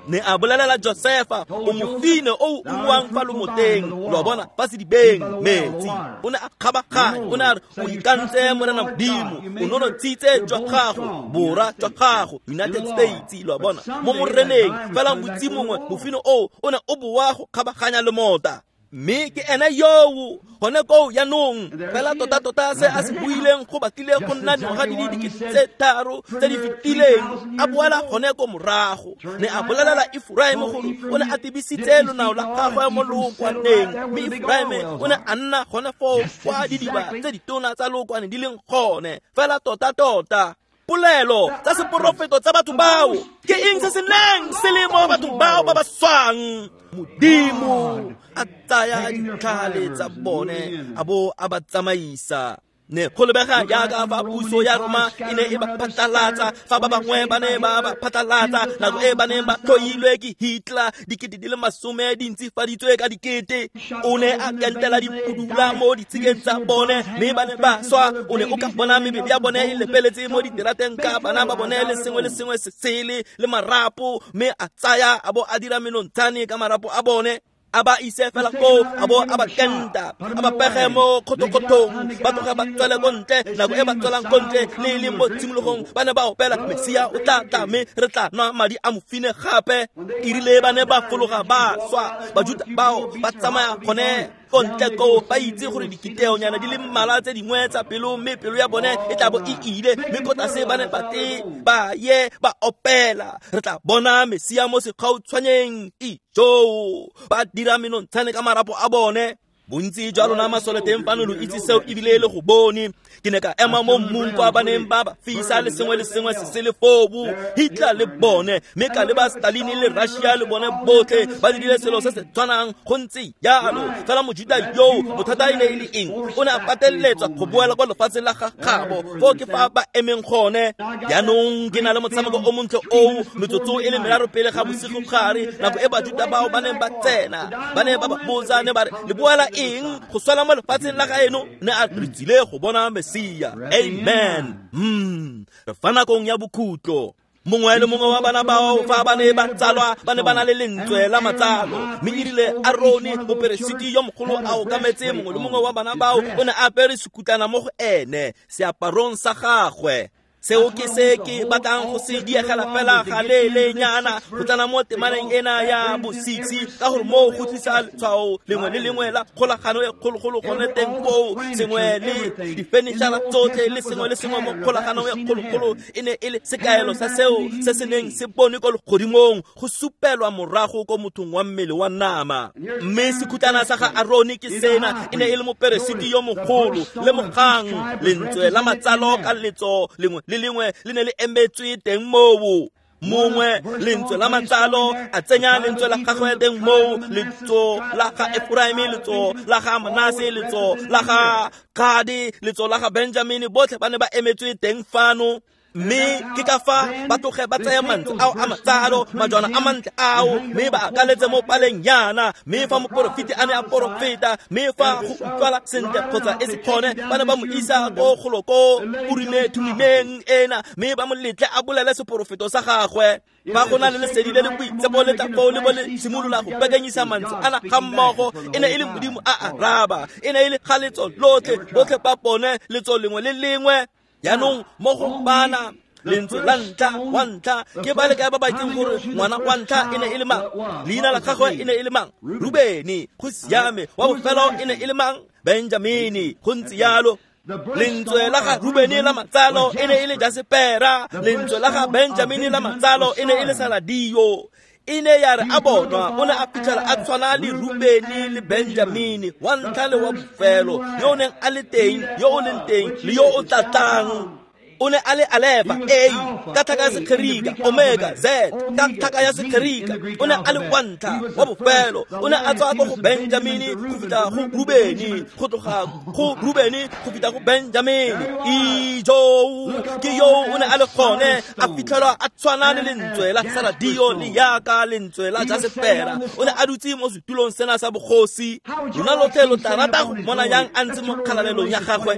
Ne a bolelela Josefa o mofine o ungwang fa lomoteng, lo a bona, fa sedibeng metsi. O ne a kgabaganya, o ne a re o ikantse Morena Modimo, o nonotshitse jwa gago bora jwa gago United States, lo a bona, mo moreneng fela motsi mongwe mofine oo o ne o boa go kgabaganya lemota. Mme ke ene yoo gone koo jaanong fela tota-tota se a se buileng go batlile go nna dingwaga di le dikete tse tharo tse di fetileng a boela gone ko morago. Ne a bolelela Efuraime gore o ne a tebisitse lonao la gagwe mo lookwaneng, mme Efuraime o ne a nna gone foo kwa didiba tse ditona tsa lookwane di leng gone fela tota-tota. Polelo tsa seporofeto tsa batho bao ke eng se se neng se le mo bathong bao ba ba swang? Modimo a tsaya ditlhale tsa bone a bo a ba tsamaisa. Ne go lebega jaaka fa puso ya Roma e ne e ba phatlalatsa fa ba bangwe ba ne ba ba phatlalatsa nako e ba neng ba tlhoilwe ke Hitler dikete di le masome di ntsifaditswe ka dikete. O ne a kentela dipudula mo ditshikeng tsa bone mme ba ne ba swa. O ne o ka bona mebele ya bone e lepeletse mo diterateng ka bana ba bone le sengwe le sengwe se sele le marapo, mme a tsaya a bo a dira menontshane ka marapo a bone. A ba ise fela koo a bo a ba kenta a ba pege mo kgotokgotong ba tloge ba tswele ko ntle. Nako e ba tswelang ko ntle le e leng mo tshimologong ba ne ba opela Mesia o tla tla mme re tla nwa madi a mofine gape. Erile ba ne ba fologa ba swa Bajuta bao ba tsamaya gone ko ntle koo ba itse gore dikiteonyana di le mmalwa tse dingwe tsa pelo mme pelo ya bone e tla bo e ile, mme ko tlase ba ne ba te ba ye ba opela re tla bona Mesia mo sekgautshwaneng ijoo ba dira menontshane ka marapo a bone. Bontsi jwa lona masole teng fano lo itse seo ebile le go bone. Ke ne ka ema mo mmung kwa ba neng ba ba fisa le sengwe le sengwe se se le fobu Hitler le bone, mme ka leba Stalin le Russia le bone botlhe ba dirile selo se se tshwanang go ntse jalo. Fela Mojuta yoo bothata e ne e le eng? O ne a pateletswa go boela kwa lefatsheng la gagabo foo ke fa ba emeng gone. Jaanong ke na le motshameko o montle oo metsotso e le meraro pele ga bosigogare nako e Bajuta bao ba neng ba tsena ba ne ba ba botsa ne ba re le boela eng go swela mo lefatsheng la gaeno? Ne a re tsile go bona Mesia. Amen. Mm. Re fa nakong ya bokhutlo. Mongwe le mongwe wa bana bao fa ba ne ba tsalwa ba ne ba na le lentswe la matsalo, mme erile Arone moperesiti yo mogolo a okametse mongwe le mongwe wa bana bao o ne a apere sekutlana mo go ene seaparong sa gagwe. Seo ke se ke batlang go se diegela fela ga leelenyana go tsena mo temaneng ena ya bo six ka gore moo go tlisa letshwao lengwe le lengwe la kgolagano e kgologolo gone teng koo, sengwe le difenitšhara tsotlhe le sengwe le sengwe mo kgolaganong e kgologolo e ne e le sekaelo sa seo se se neng se bone ko legodimong go supelwa morago ko mothong wa mmele wa nama. Mme sekhutlana sa ga Arone ke sena, e ne e le moperesiti yo mogolo le mogang lentswe la matsalo ka letso lengwe le lengwe le ne le emetswe teng moo. Mongwe lentswe la matsalo a tsenya lentswe la gagwe teng moo, letso la ga Efuraime, letso la ga Manase, letso la ga Gade, letso la ga Benjamine, botlhe ba ne ba emetswe teng fano. Mme ke ka fa ba tloge ba tsaya mantswe ao a matsalo, majwana a mantle ao, mme ba akaletse mo paleng yana. Mme fa moporofeti a ne a porofeta, mme fa go utlwala sentle kgotsa e se kgone, ba ne ba mo isa ko golo ko Urime Thumimeng ena, mme ba mo letle a bolele seporofeto sa gagwe. Fa go na le lesedi le le boitshepo le tla foo le bo le simolola go pekanyisa mantswe ana ga mmogo, e ne e le Modimo a araba, e ne e le ga letso lotlhe, botlhe ba bone letso lengwe le lengwe. Jaanong mo go bana lentswe la ntlha wa ntlha, ke ba le kae ba ba itseng gore ngwana wa ntlha e ne e le mang? Leina la gagwe e ne e le mang? Rubeni. Go siame. Wa bofelo e ne e le mang? Benjamini. Go ntse jalo. Lentswe la ga Rubeni la matsalo e ne e le Jasepera. Lentswe la ga Benjamini la matsalo e ne e le Saladio. E ne ya re a bonwa, o ne a fitlhela a tshwana le Rubeni le Benjamini, wa ntlha le wa bofelo, yo o neng a le teng, yo o leng teng, le yo o tla tlang. O ne a le Alefa, A, ka tlhaka ya Segerika, Omega, Z, ka tlhaka ya Segerika. O ne a le wa ntlha, wa bofelo. O ne a tswa ko go Benjamini go fitlha go Rubeni, go tloga go Rubeni go fitlha go Benjamini. Ijo, ke yo o ne a le gone, a fitlhelwa a tshwana le lentswe la Saradio le yaka lentswe la Jasepera. O ne a dutse mo setulong sena sa bogosi. Lona lotlhe lo tla rata go mmona yang a ntse mo kgalalelong ya gagwe.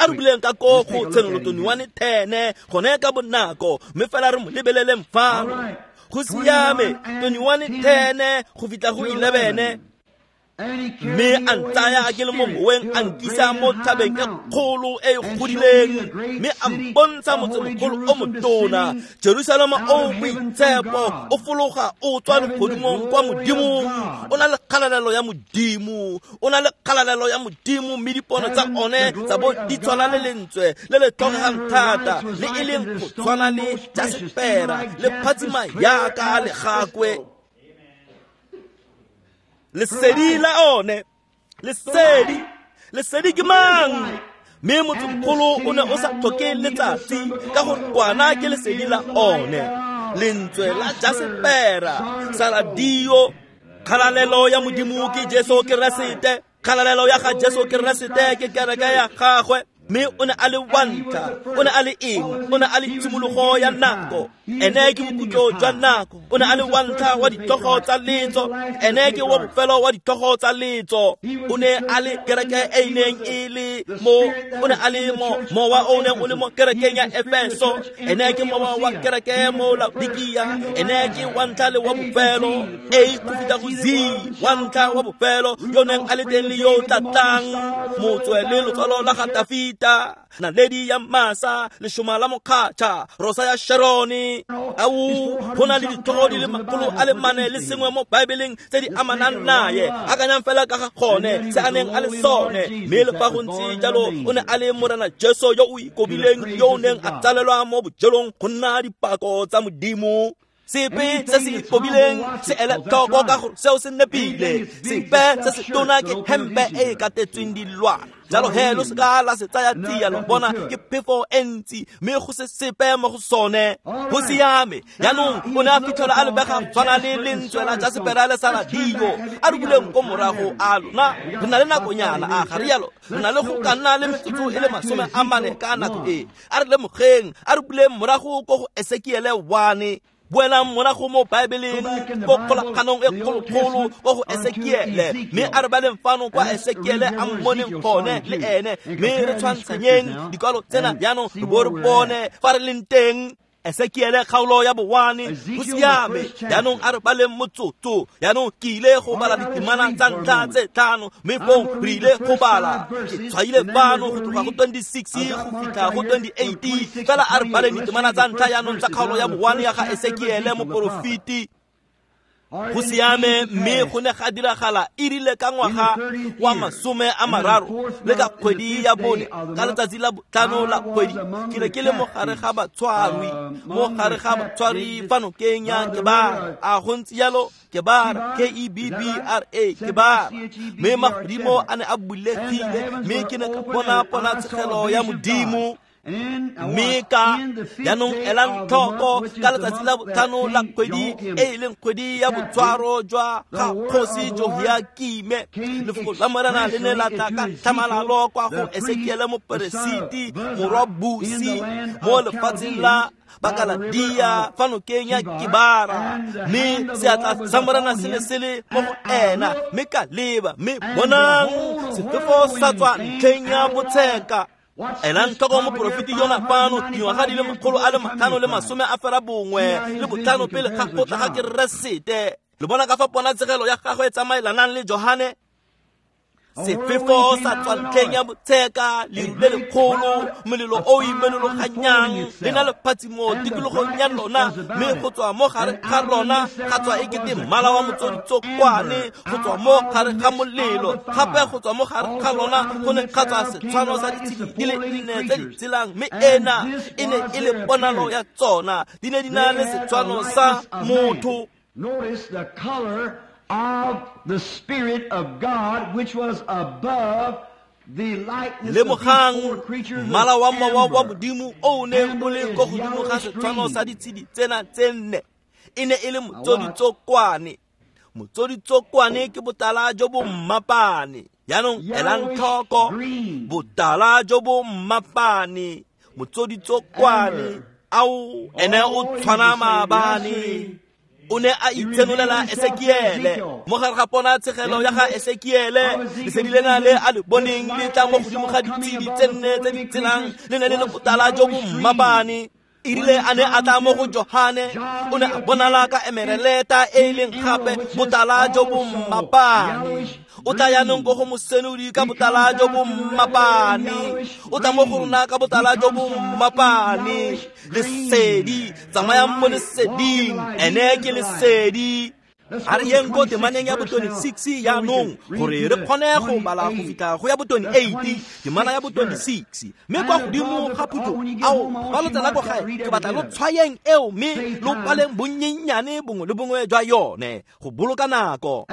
A re buleng ka ko go Tshenolo twenty-one ten gone ka bonako, mme fela re mo lebeleleng fano. Go siame, twenty-one ten go fitlha go eleven. Mme a ntsaya ke le mo moweng, a nkisa mo thabeng e kgolo e e godileng, mme a mpontsha motsemogolo o motona, Jerusalema o boitshepo, o fologa o tswa legodimong kwa Modimong. O na le kgalalelo ya Modimo, o na le kgalalelo ya Modimo, mme dipono tsa one tsa bo di tshwana le lentswe le le tlhokegang thata, le e leng go tshwana le jasepera, le phatsima yaka legakwe. Lesedi la one, lesedi, lesedi ke mang? Mme motsemogolo o ne o sa tlhoke letsatsi, ka gore kwana ke lesedi la one. Lentswe la jasepera, Saladio. Kgalalelo ya Modimo ke Jesu Keresete. Kgalalelo ya ga Jesu Keresete ke kereke ya gagwe. Mme o ne a le wa ntlha, o ne a le eng? O ne a le tshimologo ya nako, ene ke bokhutlo jwa nako. O ne a le wa ntlha wa ditlhogo tsa letso, ene ke wa bofelo wa ditlhogo tsa letso. O ne a le kereke e neng e le mo, o ne a le mo mowa o neng o le mo kerekeng ya Efeso, ene ke mowa wa kereke mo Laodikia, ene ke wa ntlha le wa bofelo, A go fitlha go Z, wa ntlha wa bofelo, yo neng a le teng le yo o tla tlang, motswe le lotsalo la ga Dafita, naledi ya masa, leshoma la mokgatšha, rosa ya Sharone. Au, go na le ditlhogo di le makgolo a le mane le sengwe mo Baebeleng tse di amanang naye. Akanyang fela ka ga gone se a neng a le sone. Mme le fa go ntse jalo, o ne a le Morena Jesu yo o ikobileng, yo o neng a tsalelwa mo bojelong go nna dipako tsa Modimo. Sepe se se ikobileng se ele tlhoko ka gore seo se nepile. Sepe se se tona ke hempe e e katetsweng dilwana. Jalo he lo seka la se tsaya tsia, lo bona ke phefo e ntsi, mme go se sepe mo go sone. Go siame. Jaanong o ne a fitlhela a lebega tshwana le lentswe la jasepera le Saladio. A re buleng ko morago a lona, re na le nakonyana, a ga rialo, re na le go ka nna le metsotso e le masome a mane ka nako e. A re lemogeng, a re buleng morago ko go Esekiele one. Boelang morago mo Baebeleng, ko kgolaganong e kgolokgolo ko go Esekiele, mme a re baleng fano kwa Esekiele a mmoneng gone le ene, mme re tshwantshanyeng dikwalo tsena jaanong re bo re bone fa re leng teng. Esekiele kgaolo ya bowane. Go siame. Jaanong a re baleng motsotso. Jaanong ke ile go bala ditemana tsa ntlha tse tlhano, mme fong re ile go bala. Ke tshwaile fano go tloga go twenty-six go fitlha go twenty-eight. Fela a re baleng ditemana tsa ntlha jaanong tsa kgaolo ya bowane ya ga Esekiele moporofeti. Go siame. Mme go ne ga diragala e rile ka ngwaga wa masome a mararo le ka kgwedi ya bone, ka letsatsi la botlhano la kgwedi, ke ne ke le mo gare ga batshwarwi, mo gare ga batshwarwi fa nokeng ya Kebara. A go ntse jalo? Kebara, K E B B R A, Kebara. Mme magodimo a ne a bulegile, mme ke ne ka bona ponatshegelo ya Modimo. Mme ka jaanong elang tlhoko ka letsatsi la botlhano la kgwedi e e leng kgwedi ya botshwaro jwa ga kgosi Jehoiakime, lefoko la Morena le ne la tla ka tlhamalalo kwa go Esekiele moperesiti morwa Busi mo lefatsheng la Bakaladia fa nokeng ya Kibara, mme seatla sa Morena se ne se le mo go ena, mme ka leba, mme bonang sefefo sa tswa ntlheng ya botsheka. Elang tlhoko moporofeti yona fano dingwaga di le makgolo a le matlhano le masome a fera bongwe le botlhano pele ga go tla ga Keresete. Le bona ka fa ponatshegelo ya gagwe e tsamaelanang le Johane. Sefefo sa tswa ntlheng ya botsheka, leru le lekgolo, molelo o imenologanyang le na le phatsimo tikologong ya lona, mme go tswa mo gare ga lona ga tswa ekete mmala wa motsoditsokwane, go tswa mo gare ga molelo, gape go tswa mo gare ga lona go ne ga tswa setshwano sa ditshedi di le nne tse di tshelang, mme ena e ne e le ponalo ya tsona, di ne di na le setshwano sa motho. Notice the color of the Spirit of God, which was above the likeness of these four creatures. Mmala wa mowa wa Modimo o neng o le ko godimo ga setshwano sa ditshedi tsena tse nne e ne e le motsoditsokwane. Motsoditsokwane ke botala jo bo mmapane. Jaanong elang tlhoko, botala jo bo mmapane, motsoditsokwane ao ene o tshwana maabane. O ne a itshenolela Esekiele mo gare ga ponatshegelo ya ga Esekiele, lesedi lena le a le boneng le tla mo godimo ga ditshedi tse nne tse di tshelang, le ne le le botala jo bo mmapane. E rile a ne a tla mo go Johane, o ne a bonala ka emereleta e e leng gape botala jo bo mmapane. O tla jaanong ko go mosenodi ka botala jo bo mmapane, o tla mo go rona ka botala jo bo mmapane. Lesedi, tsamayang mo leseding, ene ke lesedi. A re yeng ko temaneng ya bo twenty-six jaanong gore re kgone go bala go fitlha go ya bo twenty-eight, temana ya bo twenty-six. Mme kwa godimo ga phutho ao ba lo tsena ko gae, ke batla lo tshwayeng eo mme lo paleng bonnyennyane bongwe le bongwe jwa yone go boloka nako.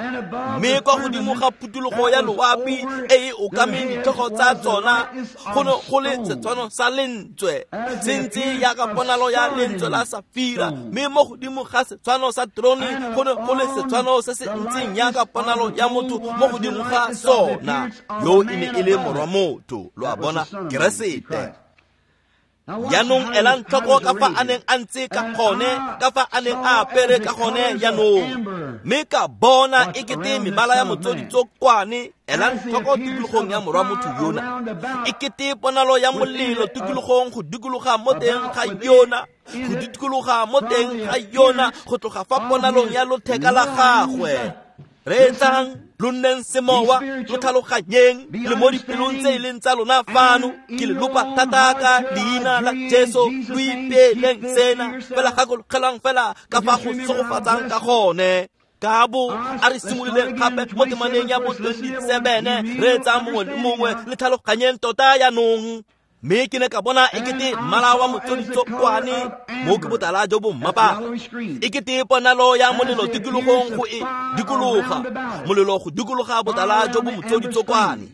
Mme kwa godimo ga phuthulogo ya loapi e e okameng ditlhogo tsa tsona go ne go le setshwano sa lentswe se ntse jaaka ponalo ya lentswe la safira, mme mo godimo ga setshwano sa terone go ne go le setshwano se se ntseng jaaka ponalo ya motho mo godimo ga sona. Yo e ne e le morwa motho, lo a bona, Keresete. Jaanong elang tlhoko ka fa a neng a ntse ka gone, ka fa a neng a apere ka gone jaanong. Mme ka bona ekete mebala ya motsoditsokwane. Elang tlhoko tikologong ya morwa motho yona, ekete ponalo ya molelo tikologong go dikologa mo teng ga yona, go dikologa mo teng ga yona, go tloga fa ponalong ya lotheka la gagwe. Reetsang, lo nneng semowa, lo tlhaloganyeng, le mo dipelong tse e leng tsa lona fano. Ke le lopa thata ka leina la Jesu, lo ipeeleng sena, fela gakologelang fela ka fa go segofatsang ka gone. Ka bo a re simololeng gape mo temaneng ya bo twenty-seven, reetsang mongwe le mongwe, le tlhaloganyeng tota jaanong. Mme ke ne ka bona ekete mmala wa motsoditsokwane mo ke botala jo bo mmapane, ekete ponalo ya molelo tikologong go e dikologa, molelo go dikologa botala jo bo motsoditsokwane.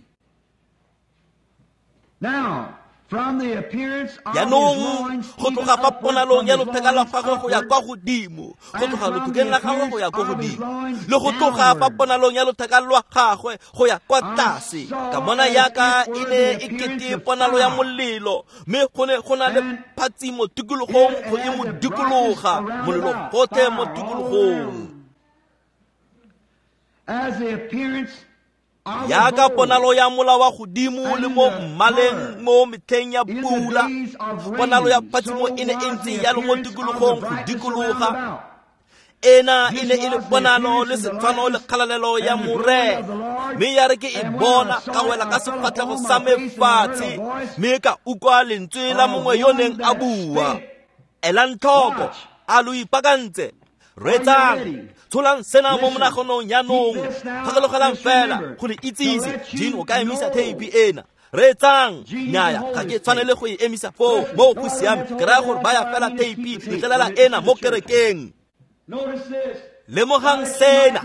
Jaanong go tloga fa ponalong ya lotheka la gagwe go ya kwa godimo, go tloga lothekeng la gagwe go ya kwa godimo, le go tloga fa ponalong ya lotheka lwa gagwe go ya kwa tlase, ka bona yaka e ne e kete ponalo ya molelo, mme go ne go na le phatsimo tikologong go e mo dikologa, molelo gotlhe mo tikologong. Jaaka ponalo ya mola wa godimo le mo mmaleng mo metlheng ya pula, ponalo ya phatsimo e ne e ntse jalo mo tikologong go dikologa. Ena e ne e le ponalo le setshwano le kgalalelo ya Morena, mme ya re ke e bona ka wela ka sefatlhego sa me fatshe, mme ka utlwa lentswe la mongwe yo neng a bua. Elang tlhoko, a lo ipaakantse? Reetsang, tsholang sena mo monaganong jaanong, gakologelang fela go le itsise. Jean o ka emisa theipi ena. Reetsang, nnyaya, ga ke tshwanele go e emisa foo, moo go siame. Ke raya gore baya fela theipi letlelela ena mo kerekeng. Lemogang sena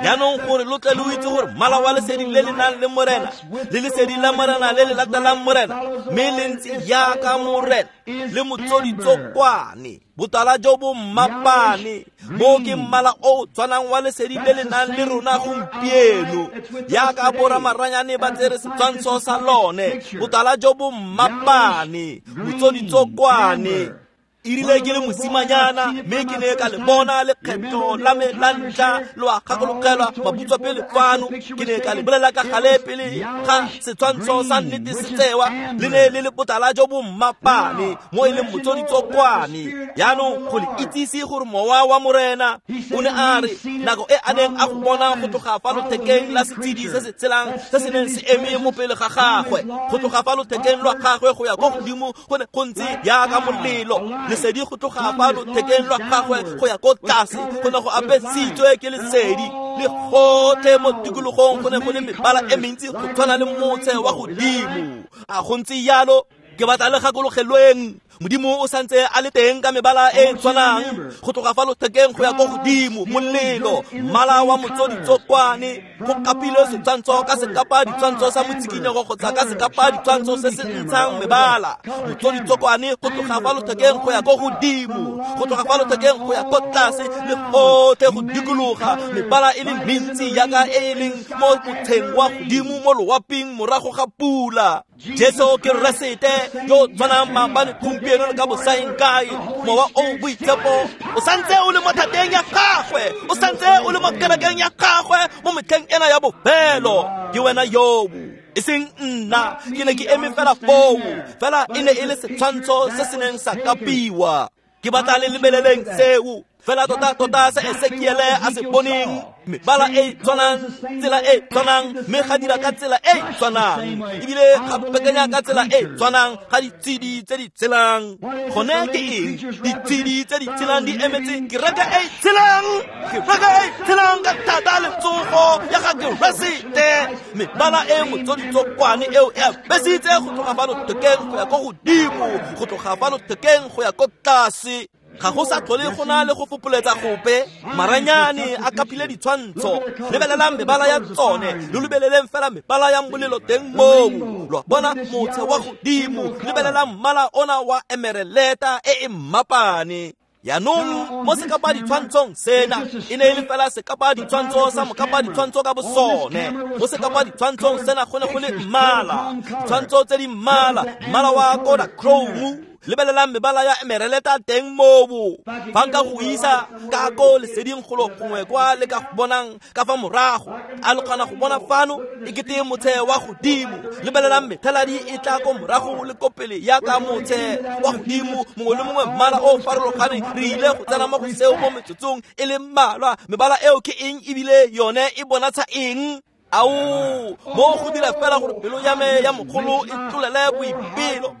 jaanong gore lo tle lo itse gore mmala wa lesedi le le nang le Morena le lesedi la Morena le le latelang Morena mme le ntse jaaka Morena le motsoditsokwane botala jo bo mmapane mo ke mmala o tshwanang wa lesedi le le nang le rona gompieno jaaka boramaranyane ba tsere setshwantsho sa lone botala jo bo mmapane motsoditsokwane. E rile ke le mosimanyana mme ke ne ka le bona lekgetho la me la ntlha lo a gakologelwa mabutswa pele fano ke ne ka le bolela ka gale pele ga setshwantsho sa nnete se tsewa le ne le le botala jo bo mmapane mo e leng motsoditsokwane. Jaanong go le itsise gore mowa wa Morena o ne a re nako e a neng a go bona go tloga fa lothekeng la setshedi se se tshelang se se neng se eme mo pele ga gagwe go tloga fa lothekeng lwa gagwe go ya ko godimo go ne go ntse jaaka molelo lesedi go tloga fa lothekeng lwa gagwe go ya ko tlase go ne go apesitswe ke lesedi le gotlhe mo tikologong go ne go le mebala e mentsi go tshwana le motshe wa godimo. A go ntse jalo ke batla le gakologelweng Modimo o santse a le teng ka mebala e e tshwanang go tloga fa lothekeng go ya ko godimo molelo mmala wa motsoditsokwane go kapilwe setshwantsho ka sekapa ditshwantsho sa motsikinyego kgotsa ka sekapa ditshwantsho se se ntshang mebala motsoditsokwane go tloga fa lothekeng go ya ko godimo go tloga fa lothekeng go ya ko tlase le gotlhe go dikologa mebala e le mentsi jaaka e e leng mo motsheng wa godimo mo loaping morago ga pula. Jesu Keresete yo tshwanang maabane gompieno le ka bosaeng kae mowa o boitshepo o santse o le mo thateng ya gagwe o santse o le mo kerekeng ya gagwe mo metlheng ena ya bofelo ke wena yoo e seng nna ke ne ke eme fela foo fela e ne e le setshwantsho se se neng sa kapiwa. Ke batla le lebeleleng seo fela tota tota se Esekiele a se boneng mebala e tshwanang tsela e tshwanang mme ga dira ka tsela e tshwanang ebile ga pekenya ka tsela e tshwanang ga ditshedi tse di tshelang. Gone ke eng ditshedi tse di tshelang di emetse kereke e tshelang kereke e tshelang ka thata le tsogo ya ga Keresete mebala e motsoditsokwane eo e apesitse go tloga fa lothekeng go ya ko godimo go tloga fa lothekeng go ya ko tlase. Ga go sa tlhole go na le go fopoletsa gope maranyane a kapile ditshwantsho lebelelang mebala ya tsone lo lebeleleng fela mebala ya molelo teng moo lo bona motshe wa godimo lebelelang mmala ona wa emereleta e e mmapane. Jaanong mo sekapa ditshwantshong sena e ne e le fela sekapa ditshwantsho sa mokapa ditshwantsho ka bosone mo sekapa ditshwantshong sena go ne go le mmala ditshwantsho tse di mmala mmala wa Kodachrome lebelelang mebala ya emereleta teng moo fa nka go isa ka ko leseding golo gongwe kwa le ka go bonang ka fa morago a le kgona go bona fano e kete motshe wa godimo lebelelang methaladi e tla ko morago le ko pele yaka motshe wa godimo mongwe le mongwe mmala o farologaneng. Re ile go tsena mo go seo mo metsotsong e le mmalwa mebala eo ke eng ebile yone e bonatsha eng? Ao mo go dira fela gore pelo ya me ya mogolo e tlolele boipelo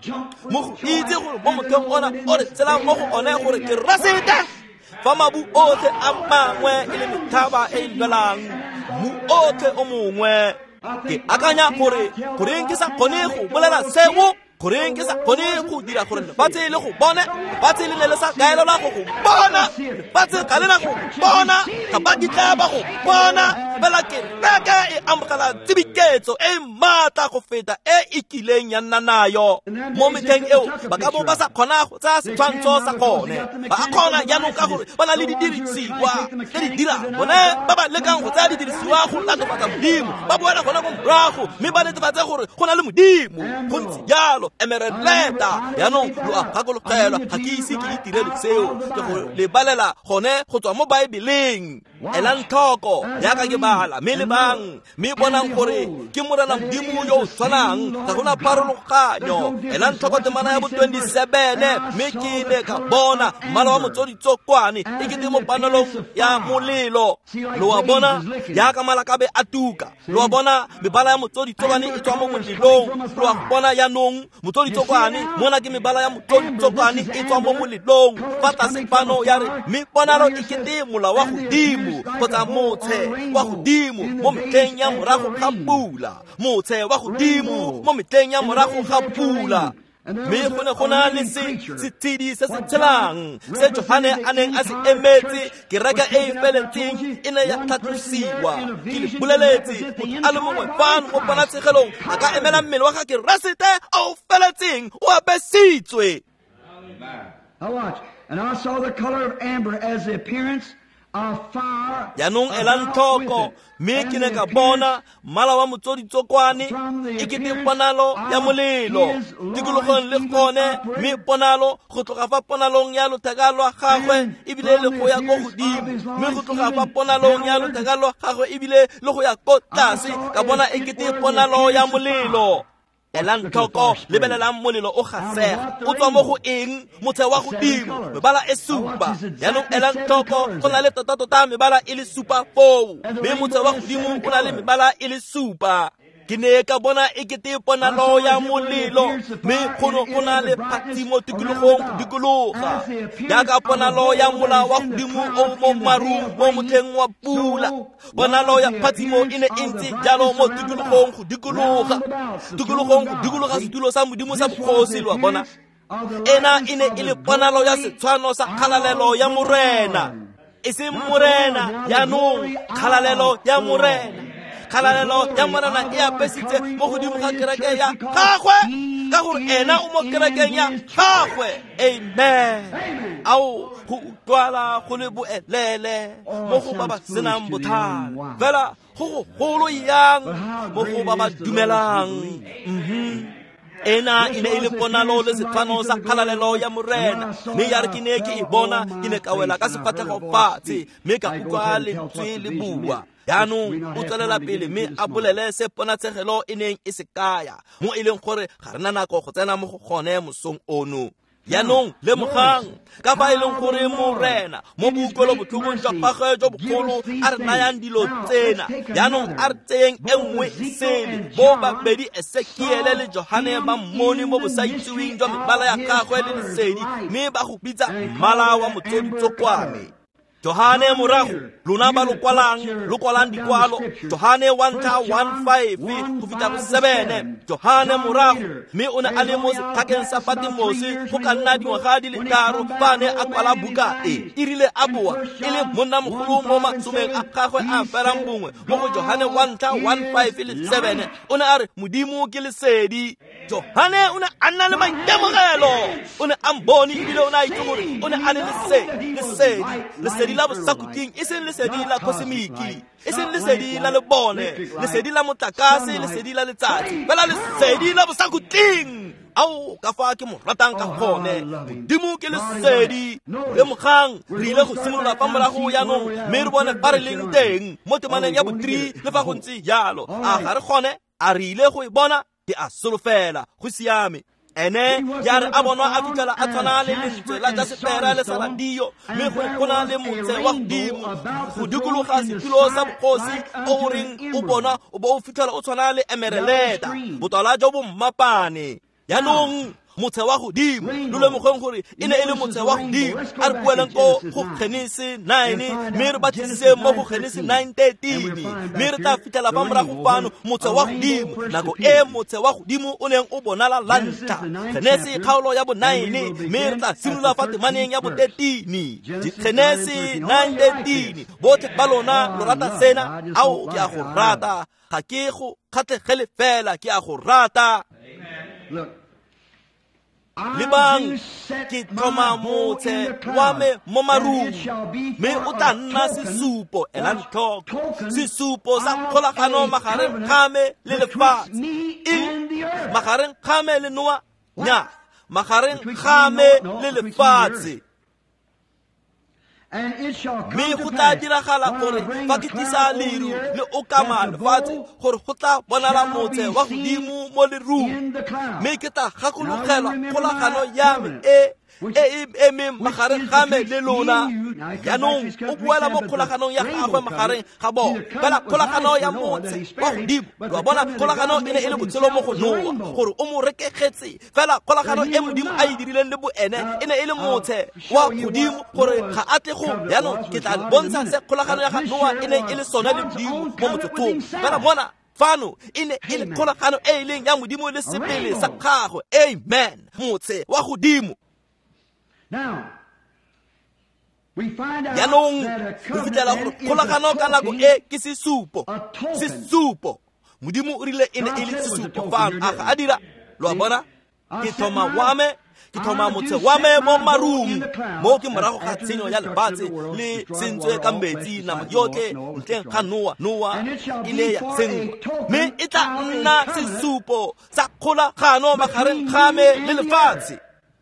mo go itse gore mo mothong ona o re tshelang mo go one gore ke Keresete fa mabu otlhe a mangwe e le methaba e e lwelang mmu otlhe o mongwe. Ke akanya gore goreng ke sa kgone go bolela seo goreng ke sa kgone go dira gore lefatshe le go bone lefatshe le ne le sa kaelelwa go go bona lefatshe ga le na go bona ga ba kitla ba go bona fela kereke e amogela tsibiketso e maatla go feta e e kileng ya nna nayo mo metlheng eo ba ka bo ba sa kgona go tsaya setshwantsho sa gone ba a kgona jaanong ka gore ba na le didirisiwa tse di dirang bone ba ba lekang go tsaya didirisiwa go latofatsa Modimo ba boela gona ko morago mme ba netefatse gore go na le Modimo go ntse jalo emereleta. Jaanong lo a gakologelwa ga ke ise ke itirele seo ke go lebalela gone go tswa mo Baebeleng. Elang tlhoko jaaka ke bala mme lebang mme bonang gore ke Morena Modimo yo o tshwanang ga gona pharologanyo. Elang tlhoko temana ya bo twenty-seven mme ke ne ka bona mmala wa motsoditsokwane e kete mo panelong ya molelo lo a bona jaaka malakabe a tuka lo a bona mebala ya motsoditsokwane e tswa mo molelong lo a bona jaanong motsoditsokwane mona ke mebala ya motsoditsokwane e tswa mo molelong fa tlase fano ya re mme ponalo e kete mola wa godimo kgotsa motshe wa godimo mo metlheng ya morago ga pula motshe wa godimo mo metlheng ya morago ga pula. Mme go ne go na le setshedi se se tshelang se Johane a neng a se emetse. Kereke e e feletseng e ne ya tlhatlosiwa. Ke le boleletse, motho a le mongwe fano mo ponatshegelong a ka emela mmele wa ga Keresete o o feletseng o apesitswe. And I saw the color of amber as the appearance of fire. Jaanong elang tlhoko, mme ke ne ka bona mmala wa motsoditsokwane e kete ponalo ya molelo tikologong le gone, mme ponalo go tloga fa ponalong ya lotheka lwa gagwe ebile le go ya ko godimo, mme go tloga fa ponalong ya lotheka lwa gagwe ebile le go ya ko tlase, ka bona e kete ponalo ya molelo. Elang tlhoko, lebelelang molelo o gasega o tswa mo go eng? Motshe wa godimo, mebala e supa. Jaanong elang tlhoko, go na le tota-tota mebala e le supa foo, mme motshe wa godimo o na le mebala e le supa. Ke ne ka bona e kete ponalo ya molelo, mme go ne go na le phatsimo tikologong go dikologa, jaaka ponalo ya mola wa godimo o mo marung mo motlheng wa pula. Ponalo ya phatsimo e ne e ntse jalo mo tikologong go dikologa, tikologong go dikologa setulo sa Modimo sa bogosi. Lo a bona, ena e ne e le ponalo ya setshwano sa kgalalelo ya Morena, e seng Morena jaanong, kgalalelo ya Morena. Kgalalelo ya Morena e apesitse mo godimo ga kereke ya gagwe, ka gore ena o mo kerekeng ya gagwe. Amen. Ao, go utlwala go le boelele mo go ba ba senang bothata, fela go gogolo yang mo go ba ba dumelang. Mhm. Ena e ne e le ponalo le setshwano sa kgalalelo ya Morena, mme ya re ke ne ke e bona, ke ne ka wela ka sefatlhego fatshe, mme ka utlwa lentswe le bua. Jaanong o tswelela pele mme a bolele se ponatshegelo e neng e se kaya, mo e leng gore ga re na nako go tsena mo go gone mosong ono. Jaanong lemogang ka fa e leng gore Morena mo boutlwelobotlhokong jwa gagwe jo bogolo a re nayang dilo tsena. Jaanong a re tseyeng e nngwe sele, bo babedi Esekiele le Johane ba mmone mo bosaitseweng jwa mebala ya gagwe le lesedi, mme ba go bitsa mmala wa motsoditsokwane. Johane morago, lona ba lo kwalang, lo kwalang dikwalo, Johane wa ntlha one five go fitlha go seven. Johane morago, mme o ne a le mo setlhakeng sa Patmose go ka nna dingwaga di le tharo fa a ne a kwala buka e. E rile a boa e le monnamogolo mo masomeng a gagwe a ferang bongwe mo go Johane wa ntlha one five le seven. O ne a re Modimo ke lesedi. Johane o ne a nna le maitemogelo, o ne a mbone ebile o ne a itse gore o ne a le lesedi, lesedi, lesedi la bosakhutleng, e seng lesedi la kosemiki, e seng lesedi la lebone, lesedi la motlakase, lesedi la letsatsi, fela lesedi la bosakhutleng. Ao, ka fa ke mo ratang ka gone. Modimo ke lesedi. Lemogang, re ile go simolola fa morago jaanong, mme re bone fa re leng teng mo temaneng ya bo three le fa go ntse jalo. A ga re gone? A re ile go e bona? Ke a solofela. Go siame. Ene ya re a bonwa a fitlhela a tshwana le lentswe la jasepera le saladio, mme go go na le motse wa godimo go dikologa setulo sa bogosi o reng o bona o bo o fitlhela o tshwana le emereleta, botala jo bo mmapane. Jaanong motse wa godimo, lo lemogeng gore e ne e le motse wa godimo. A re bueleng ko go Genese nine, mme re batlisise mo go Genese nine thirteen, mme re tla fitlhela fa morago fano motse wa godimo, nako e motse wa godimo o neng o bonala la ntlha. Genese kgaolo ya bo nine, mme re tla simolola fa temaneng ya bo thirteen. Genese nine thirteen. Botlhe ba lona lo rata sena? Ao, ke a go rata. Ga ke go kgatlhegele fela, ke a go rata. Lebang, ke tlhoma motse wa me mo marung, mme o tla nna sesupo. Elang tlhoko, sesupo sa kgolagano magareng ga me le lefatshe. E magareng ga me le Noa? Nya, magareng ga me le lefatshe. Mme go tla diragala gore fa ke tlisa leru le okama lefatshe, gore go tla bonala motse wa godimo mo lerung, mme ke tla gakologelwa kgolagano ya me e e e emeng magareng ga me le lona. Jaanong o boela mo kgolaganong ya gagwe magareng ga bona, fela kgolagano ya motse wa godimo. Lo a bona, kgolagano e ne e le botshelo mo go Noa, gore o mo rekegetse. Fela kgolagano e Modimo a e dirileng le boene e ne e le motse wa godimo, gore ga a tle go. Jaanong ke tla bontsha se kgolagano ya ga Noa e neng e le sone le Modimo mo motsotsong. Fela mona Fano e ne e le kgolagano e e leng ya Modimo le sebele sa gagwe. Amen. Motse wa godimo. Jaanong re fitlhela gore kgolagano ka nako e ke sesupo. Sesupo. Modimo o rile e ne e le sesupo fano. A ga a dira? Lo a bona? Ke thoma wa me, ke thoma motse wa me mo marung. Mo ke morago ga tshenyo ya lefatshe le sentswe ka metsi nama yotlhe ntleng ga Noa. Noa e ne ya senngwa. Mme e tla nna sesupo sa kgolagano magareng ga me le lefatshe.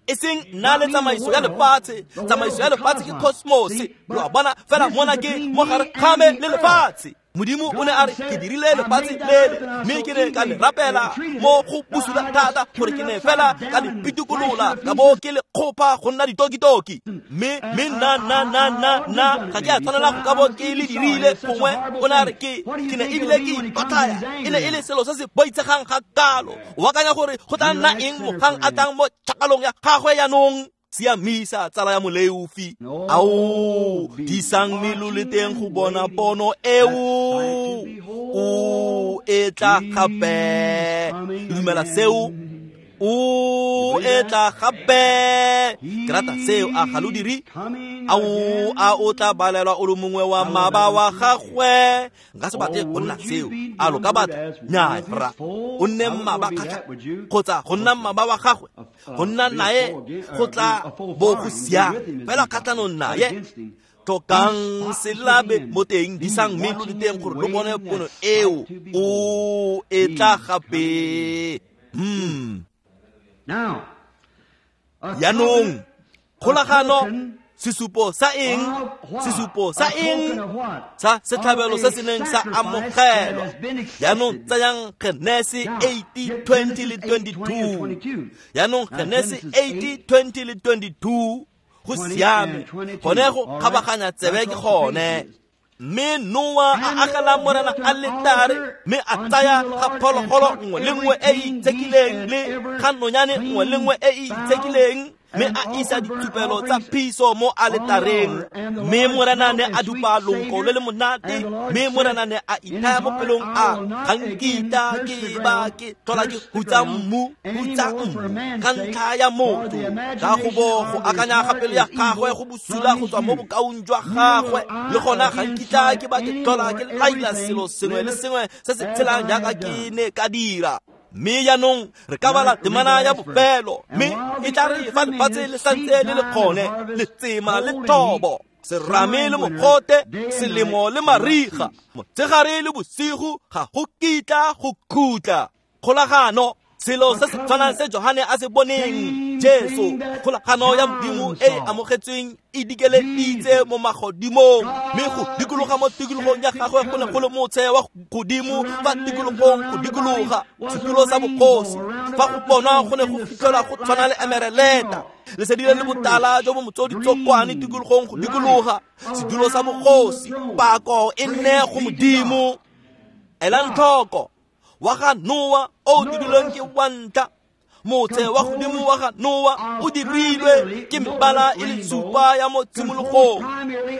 E seng nna le tsamaiso ya lefatshe. Tsamaiso ya lefatshe ke cosmos. Lo a bona? Fela mona ke mo gare ga me le lefatshe. Modimo o ne a re ke dirile lefatshe lele, mme ke ne ka le rapela mo go bosula thata gore ke ne fela ka le pitikolola ka bo ke le kgopha go nna ditokitoki. Mme mme nna nna nna nna nna ga ke a tshwanela go ka bo ke le dirile gongwe. O ne a re ke ke ne ebile ke ikotlhaya. E ne e le selo se se boitshegang ga kalo. O akanya gore go tla nna eng mogang a tlang mo tšhakalong ya gagwe jaanong? Siamisa tsala ya moleofi. Ao, disang melo le teng go bona pono eo. O e tla gape. Dumela seo. O e tla gape. Ke rata seo, a ga lo dire? Ao, a o tla balelwa o le mongwe wa mmaba wa gagwe? Nka se batle go nna seo. A lo ka batla? Nnyaa, rra. O nne mmaba kgatlha kgotsa go nna mmaba wa gagwe. Go nna nae go tla bo go siame fela kgatlhanong naye. Tlhokang selabe mo teng, disang melo le teng gore lo bone pono eo. O e tla gape. Hmm. Jaanong kgolagano sesupo sa eng? Sesupo sa eng? Sa setlhabelo se se neng sa amogelwa. Jaanong tsayang Genese eight twenty le twenty-two. Jaanong Genese eight twenty le twenty-two. Go siame. Gone go kgabaganya tsebe ke gone. Mme Noa a agela Morena aletare, mme a tsaya ga phologolo nngwe le nngwe e e itshekileng le ga nonyane nngwe le nngwe e e itshekileng, mme a isa ditshupelo tsa phiso mo aletareng. Mme Morena ne a dupa lonko le le monate, mme Morena ne a ithaya mo pelong a ga nkitla ke ba ke tlhola ke hutsa mmu, hutsa mmu ka ntlha ya motho, ka go bo go akanya ga pelo ya gagwe go bosula go tswa mo bokaong jwa gagwe. Le gona ga nkitla ke ba ke tlhola ke laila selo sengwe le sengwe se se tshelang jaaka ke ne ka dira. Mme jaanong re ka bala temana ya bofelo, mme e tla re fa lefatshe le santse le le kgone, letsema le thobo, serame le mogote, selemo le mariga, motshegare le bosigo ga go kitla go khutla. Kgolagano, selo se se tshwanang se Johane a se boneng, Jesu, kgolagano ya Modimo e e amogetsweng e dikeleditse mo magodimong, mme go dikologa mo tikologong ya gagwe go ne go le motshe wa godimo fa tikologong go dikologa setulo sa bogosi. Fa go bonwa go ne go fitlhelwa go tshwana le emereleta, lesedi le le botala jo bo motsoditsokwane tikologong go dikologa setulo sa bogosi. Pako e nne go Modimo. Elang tlhoko wa ga Noa o dirilweng ke wa ntlha. Motse wa godimo wa ga Noa o dirilwe ke mebala e le supa ya mo tshimologong.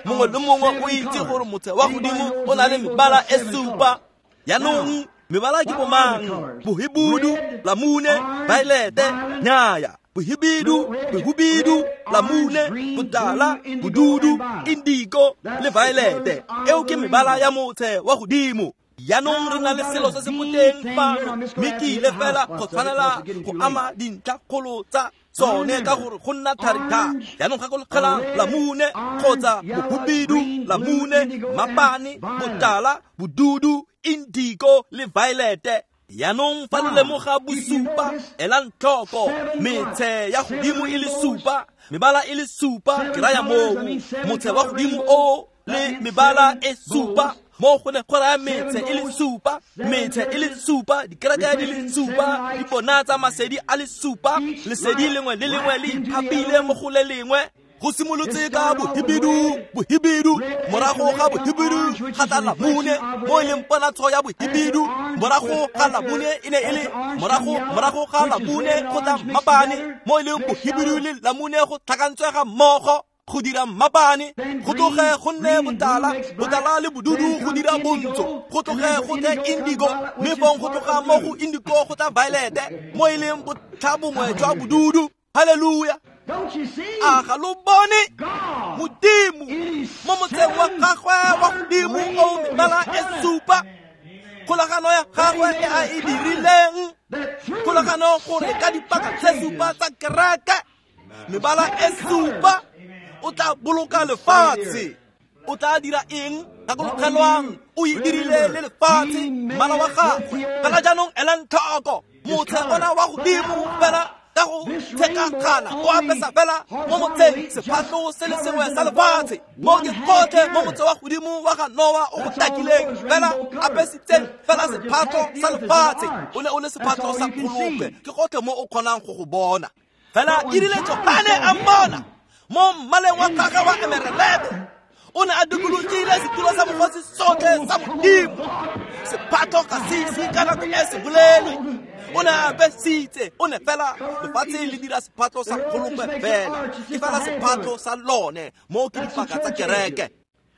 Mongwe le mongwe o itse gore motse wa godimo o na le mebala e supa. Jaanong mebala ke bomang? Bohibidu, lamune, violete, nyaya. Bohibidu, bohubidu, lamune, botala, bodudu, indigo le violete. Eo ke mebala ya motse wa godimo. Jaanong re na le selo se se moteng fano, mme ke ile fela go tshwanela go ama dintlhakgolo tsa sone ka gore go nna thari thata. Jaanong gakologelang lamune kgotsa bohubidu, lamune, mapane, botala, bodudu, indigo le violete. Jaanong fa lo lemoga bosupa, elang tlhoko metshe ya godimo e le supa, mebala e le supa, ke raya moo motshe wa godimo o le mebala e supa. Mo go ne go raya metse e le supa, metse e le supa, dikereke di le supa, dipona tsa masedi a le supa, lesedi lengwe le lengwe le iphapile mo go le lengwe. Go simolotse ka bohibidu, bohibidu, morago ga bohibidu ga tla lamune, mo e leng ponatsho ya bohibidu. Morago ga lamune e ne e le morago morago ga lamune go tla mapane, mo e leng bohibidu le lamune go tlhakantswe ga mmogo. go dira mmapane, go tloge go nne botala, botala le bodudu go dira bontsho, go tloge go tle indigo, mme fong go tloga mo go indigo go tla violete, mo e leng botlha bongwe jwa bodudu. Haleluya! A ga lo bone Modimo mo motseng wa gagwe wa godimo o mebala e supa, kgolagano ya gagwe e a e dirileng, kgolagano gore ka dipaka tse supa tsa kereke, mebala e supa, o tla boloka lefatshe. O tla dira eng? Gakologelwang, o e dirile le lefatshe, mmala wa gagwe. Fela jaanong elang tlhoko, motse ona wa godimo fela ka go tshekagana, o apesa fela mo motseng sephatlo se le sengwe sa lefatshe. Mo ke gotlhe mo motse wa godimo wa ga Noa o go takileng, fela apesitseng fela sephatlo sa lefatshe. O ne o le sephatlo sa kgolokwe, ke gotlhe mo o kgonang go go bona. Fela e rile Johane a mmona mo mmaleng wa gagwe wa emeralete, o ne a dikologile setulo sa bogosi sotlhe sa Modimo. Sephatlo ga se ise ka nako e se bolelwe. O ne a apesitse, o ne fela lefatshe le dira sephatlo sa kgolokwe fela, ke fela sephatlo sa lone, mo ke dipaka tsa kereke.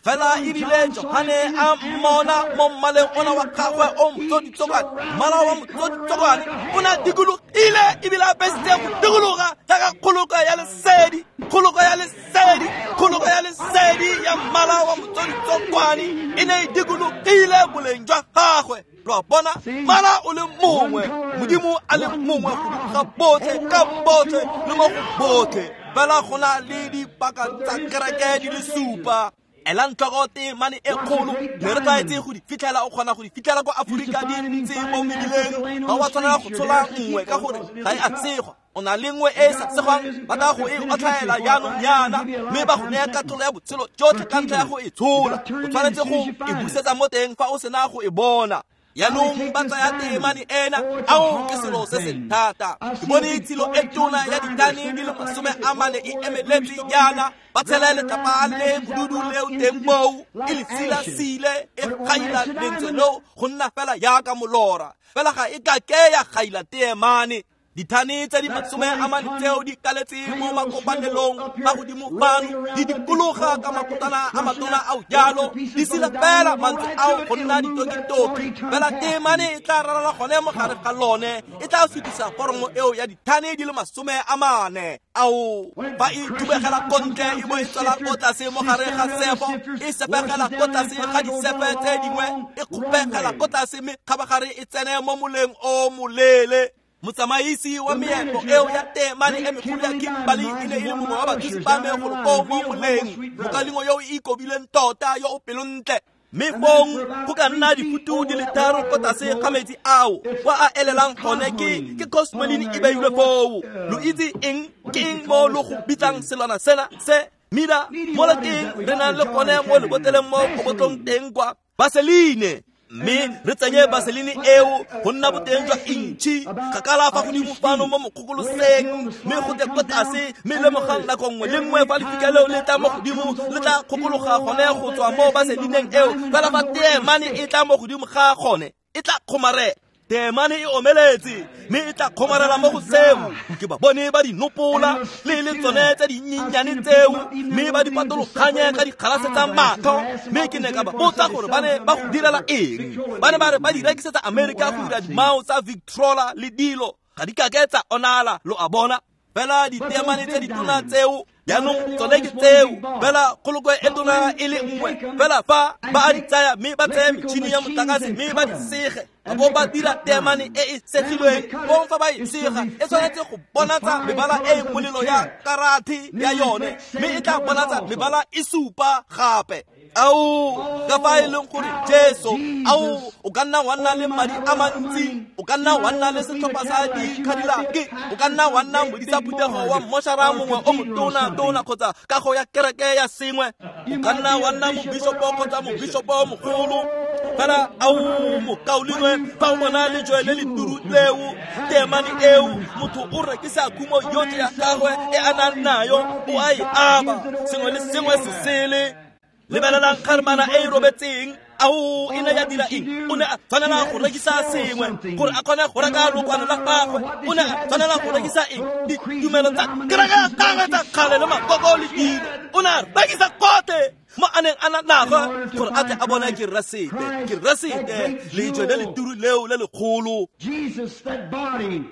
Fela e rile Johane a mmona mo mmaleng ona wa gagwe o motsoditsokwane, mmala wa motsoditsokwane, o ne a dikologile ebile a apesitse go dikologa jaaka kgolokwe ya lesedi, kgolokwe ya lesedi, kgolokwe ya lesedi ya mmala wa motsoditsokwane e ne e dikologile boleng jwa gagwe. Lo a bona, mmala o le mongwe, Modimo a le mongwe godimo ga botlhe, ka botlhe le mo go botlhe. Fela go na le dipaka tsa kereke di le supa. Elang tlhoko temane e kgolo, mme re tlwaetse go di fitlhela, o kgona go di fitlhela kwa Aforika di ntse mo mebileng. Ga wa tshwanela go tshola nngwe ka gore ga e a tshegwa. O na le nngwe e e sa tshegwang, ba tla go e otlhaela jaanong jaana, mme ba go naya katlholo ya botshelo jotlhe ka ntlha ya go e tshola. O tshwanetse go e busetsa mo teng fa o sena go e bona. Jaanong ba tsaya temane ena, ao ke selo se se thata. Ke bone tshilo e tona ya ditane di le masome a mane e emeletse jaana, ba tshela letlapa le bodudu leo teng moo, e le sila-sile, e gaila lentswe leo go nna fela jaaka molora. Fela ga e ka ke ya gaila teemane. Dithane tse di masome a mane tseo di kaletse mo makopanelong a godimo fano, di dikologa ka makotana a matona ao jalo, di sila fela mantswe ao go nna ditokitoki. Fela temane e tla ralala gone mo gare ga lone, e tla sutisa foromo eo ya dithane di le masome a mane. Ao, fa e thubegela ko ntle e bo e tswela ko tlase mo gare ga sefo, e sepegela ko tlase ga disefe tse dingwe, e kgopegela ko tlase mme kgabagare e tsene mo moleng o moleele. Motsamaisi wa meepo eo ya temane e megolo ya Kimberley e ne e le mongwe wa bathusi ba me golo koo mo moleng, mokalengwe yo o ikobileng tota yo o pelontle. Mme fong go ka nna difutu di le tharo ko tlase ga metsi ao, kwa a elelang gone ke ke cosmoline e beilwe foo. Lo itse eng ke eng mo lo go bitsang selwana sena se mida mo le teng re nang le gone mo leboteleng mo kobotlong teng kwa Vaseline. Mme re tsenye vaseline eo go nna boteng jwa intšhi kgakala fa godimo fano mo mokgokoloseng, mme go tle ko tlase, mme lemogang nako nngwe le nngwe fa lefika leo le tla mo godimo, le tla kgokologa gone go tswa mo vaselineng eo. Fela fa teemane e tla mo godimo ga gone, e tla kgomarela. Teemane e omeletse, mme e tla kgomarela mo go seo. Ke ba bone ba di nopola le le tsone tse dinyenyane tseo, mme ba di patologanye ka dikgalase tsa matlho. Mme ke ne ka ba botsa gore ba ne ba go direla eng. Ba ne ba re ba di rekisetsa Amerika go dira dimao tsa Victrola le dilo, ga di kake tsa onala, lo a bona. Fela diteemane tse ditona tseo jaanong tsone ke tseo, fela kgolokwe e tona e le nngwe. Fela fa ba a di tsaya mme ba tseye metšhini ya motlakase mme ba di sege, ba bo ba dira teemane e e segilweng. Fong fa ba e sega, e tshwanetse go bonatsa mebala e e molelo ya karate ya yone, mme e tla bonatsa mebala e supa gape. Ao, ka fa e leng gore Jesu, ao, o ka nna wa nna le madi a mantsi, o ka nna wa nna le setlhopha sa dikgadilake, o ka nna wa nna modisa phuthego wa mmošara mongwe o motona-tona kgotsa kago ya kereke ya sengwe, o ka nna wa nna mobishopo kgotsa mobishopo mogolo. Fela ao, mokaulengwe, fa o bona lejwe le le turu leo, teemane eo, motho o rekisa khumo yotlhe ya gagwe e a nang nayo, o a e aba, sengwe le sengwe se sele. Lebelelang kgarmana e e robetseng, Ao e ne ya dira eng? O ne a tshwanela go rekisa sengwe gore a kgone go reka lokwalo la gagwe. O ne a tshwanela go rekisa eng? Ditumelo tsa kereke ya gagwe tsa kgale le makoko le dilo. O ne a rekisa gotlhe mo a neng a na nago gore a tle a bone Keresete. Keresete, lejwe le le turu leo le lekgolo. Jesus, that body.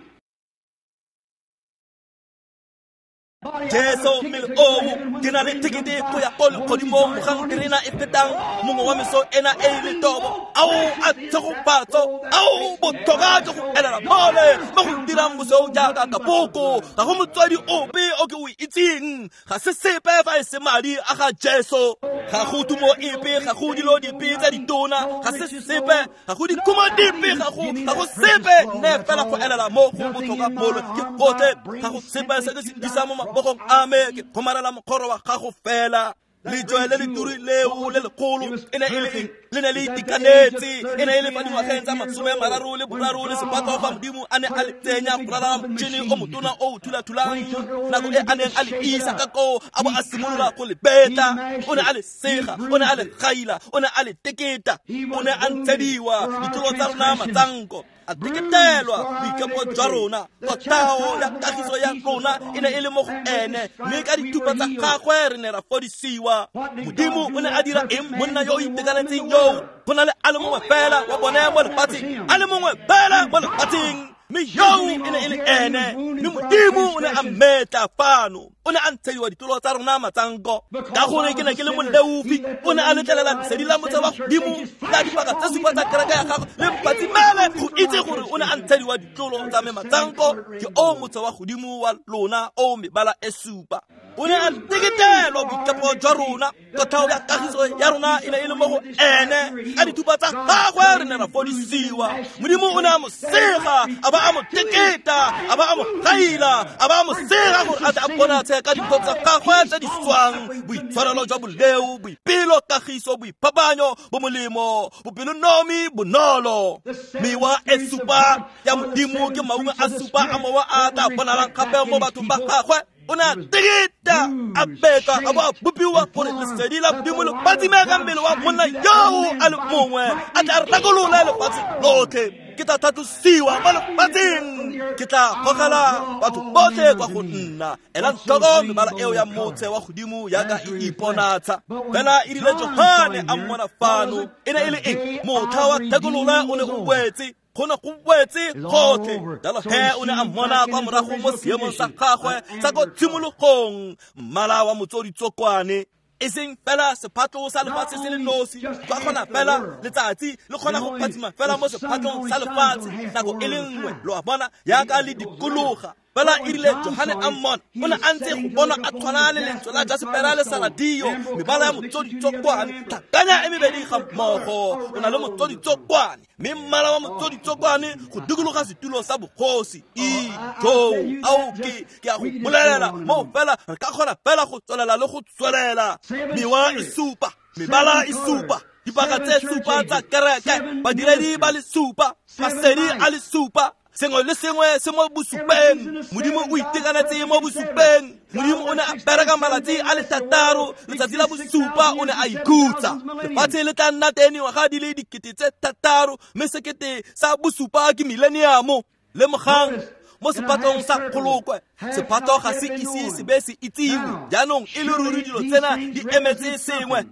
Jesu mmele oo ke na le tekete go ya ko legodimong mogang terena e fetang mongwe wa meso ena e le tobo. Ao a tshegofatso, ao botlhokwa jwa go elela mole mo go dirang bosweu jaaka kapoko. Ga go motswadi ope o ke o itseng, ga se sepe fa e se madi a ga Jesu. Ga go tumo epe, ga go dilo dipe tsa ditona, ga se sepe, ga go dikhumo dipe, ga go ga go sepe. Nne fela go elela mo go botlhokwa mole ke gotlhe. Ga go sepe se ke se disang mo mabogong a me, ke kgomarela mokgoro wa gago fela. Lejwe le le turi leo le lekgolo e ne e le eng? Le ne le itekanetse. E ne e le fa dingwageng tsa masome a mararo le boraro le sepatlo fa Modimo a ne a le tsenya go ralala motšhini o motona o o thula-thulang. Nako e a neng a le isa ka koo a bo a simolola go le betla. O ne a le sega, o ne a le gaila, o ne a le teketa. O ne a ntshediwa ditlolo tsa rona matsanko, a teketelwa boikepo jwa rona. Kotao ya kagiso ya rona e ne e le mo go ene, mme ka dithupa tsa gagwe re ne ra fodisiwa. Modimo o ne a dira eng monna yo o itekanetseng yoo? Go na le a le mongwe fela wa bone mo lefatsheng, a le mongwe fela mo lefatsheng, mme yoo e ne e le ene. Mme Modimo o ne a mmetla fano. O ne a ntshediwa ditlolo tsa rona matsanko. Ka gore ke ne ke le moleofi, o ne a letlelela lesedi la motse wa godimo la dipaka tse supa tsa kereke ya gagwe le mpatsimele go itse gore o ne a ntshediwa ditlolo tsa me matsanko. Ke o motse wa godimo wa lona o mebala e supa. O ne a teketelwa boikepo jwa rona. Kotlhao ya kagiso ya rona e ne e le mo go ene. Ka dithupa tsa gagwe re ne ra fodisiwa. Modimo o ne a mo sega, a ba a mo teketa, a ba a mo gaila, a ba a mo sega gore a tle a bonatshe ka dipho tsa gagwe tse di swang, boitshwarelo jwa boleo, boipelo, kagiso, boiphapanyo, bomolemo, bopelonomi, bonolo. Mewa e supa ya Modimo ke maungo a supa a mowa a tla bonalang gape mo bathong ba gagwe. O ne a teketa, a betwa, a bo a bopiwa gore lesedi la Modimo le phatsime ka mmele wa monna yoo a le mongwe, a tla rekolola lefatshe lotlhe. Ke tla tlhatlosiwa mo lefatsheng, ke tla gogela batho botlhe kwa go nna. Elang tlhoko mebala eo ya motse wa godimo jaaka e iponatsha. Fela e rile Johane a mmona fano, e ne e le eng? Motlha wa thekololo o ne o wetse. Go ne go wetse gotlhe. Jalo he o ne a mmona kwa morago mo seemong sa gagwe sa ko tshimologong, mmala wa motsoditsokwane. E seng fela sephatlo sa lefatshe se le nosi, ba kgona fela letsatsi le kgona go phatsima fela mo sephatlong sa lefatshe nako e le nngwe, lo a bona, jaaka le dikologa. Fela e rile Johane a mmona, o ne a ntse go bona a tshwana le lentswe la jasepera le saladio, mebala ya motsoditsokwane, tlhakanya e mebedi ga mmogo. O na le motsoditsokwane, mme mmala wa motsoditsokwane go dikologa setulo sa bogosi. Ijoo, ao ke ke a go bolelela moo fela re ka kgona fela go tswelela le go tswelela. Mewa e supa, mebala e supa, dipaka tse supa tsa kereke, badiredi ba le supa, masedi a le supa. Sengwe le sengwe se mo bosupeng. Modimo o itekanetse mo bosupeng. Modimo o ne a bereka malatsi a le thataro, letsatsi la bosupa o ne a ikhutsa. Lefatshe le tla nna teng dingwaga di le dikete tse thataro, mme sekete sa bosupa ke mileniamo. Lemogang mo sephatlong sa kgolokwe, sephatlo ga se ise se be se itsiwe. Jaanong e le ruri dilo tsena di emetse sengwe.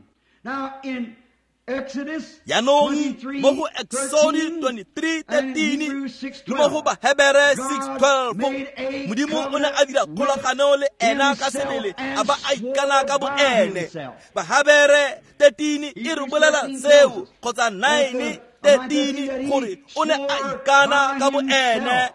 Jaanong mo go Exodus twenty-three thirteen le mo go Bahebere six twelve, Modimo o ne a dira kgolagano le ena ka sebele, a ba a ikana ka bo ene. Bahebere thirteen e re bolela seo, kgotsa nine thirteen, gore o ne a ikana ka bo ene.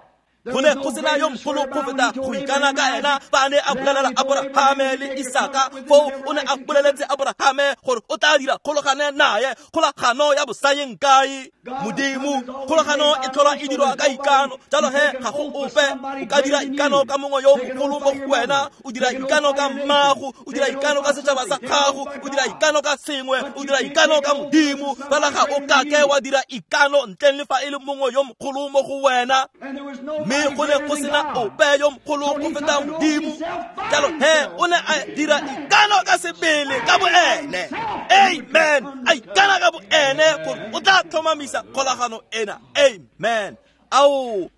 Go ne go sena yo mogolo go feta go ikana ka ena fa a ne a bolelela Aborahame le Isaka. Foo o ne a boleletse Aborahame gore o tla dira kgolagano naye, kgolagano ya bosayeng kae. Modimo, kgolagano e tlhola e dirwa ka ikano. Jalo he ga go ope o ka dira ikano ka mongwe yo mogolo mo go wena. O dira ikano ka mmago, o dira ikano ka setšhaba sa gago, o dira ikano ka sengwe, o dira ikano ka Modimo. Fela ga o kake wa dira ikano ntleng le fa e le mongwe yo mogolo mo go wena. Mme go ne go sena ope yo mogolo go feta Modimo. Jalo he o ne a dira ikano ka sebele ka bo ene. Amen. A ikana ka bo ene gore o tla tlhomamisa kgolagano ena. Amen. Ao,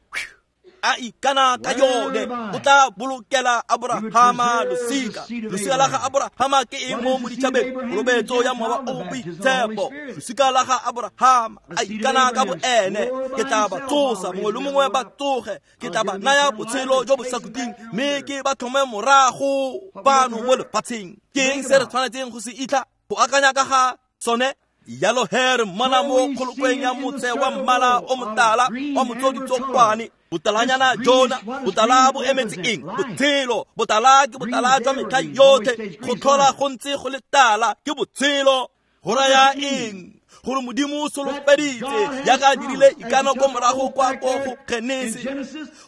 a ikana ka yone o tla bolokela Aborahama losika. Losika la ga Aborahama ke eng mo moditšhabeng? Kolobetso ya Mowa o Boitshepo. Losika la ga Aborahama a ikana ka bo ene, ke tla ba tsosa, mongwe le mongwe ba tsoge, ke tla ba naya botshelo jo bo sa khutleng, mme ke ba tlhome morago fano mo lefatsheng. Ke eng se re tshwanetseng go se itlha go akanya ka ga sone? Yalo he re mmona mo kgolokweng ya motse wa mmala o motala wa motsoditsokwane. Botalanyana jona, botala bo emetse eng? Botshelo. Botala ke botala jwa metlha yotlhe, go tlhola go ntse go le tala ke botshelo. Go raya eng? Gore Modimo o solofeditse jaaka a dirile ikano ko morago kwa ko go Genesi,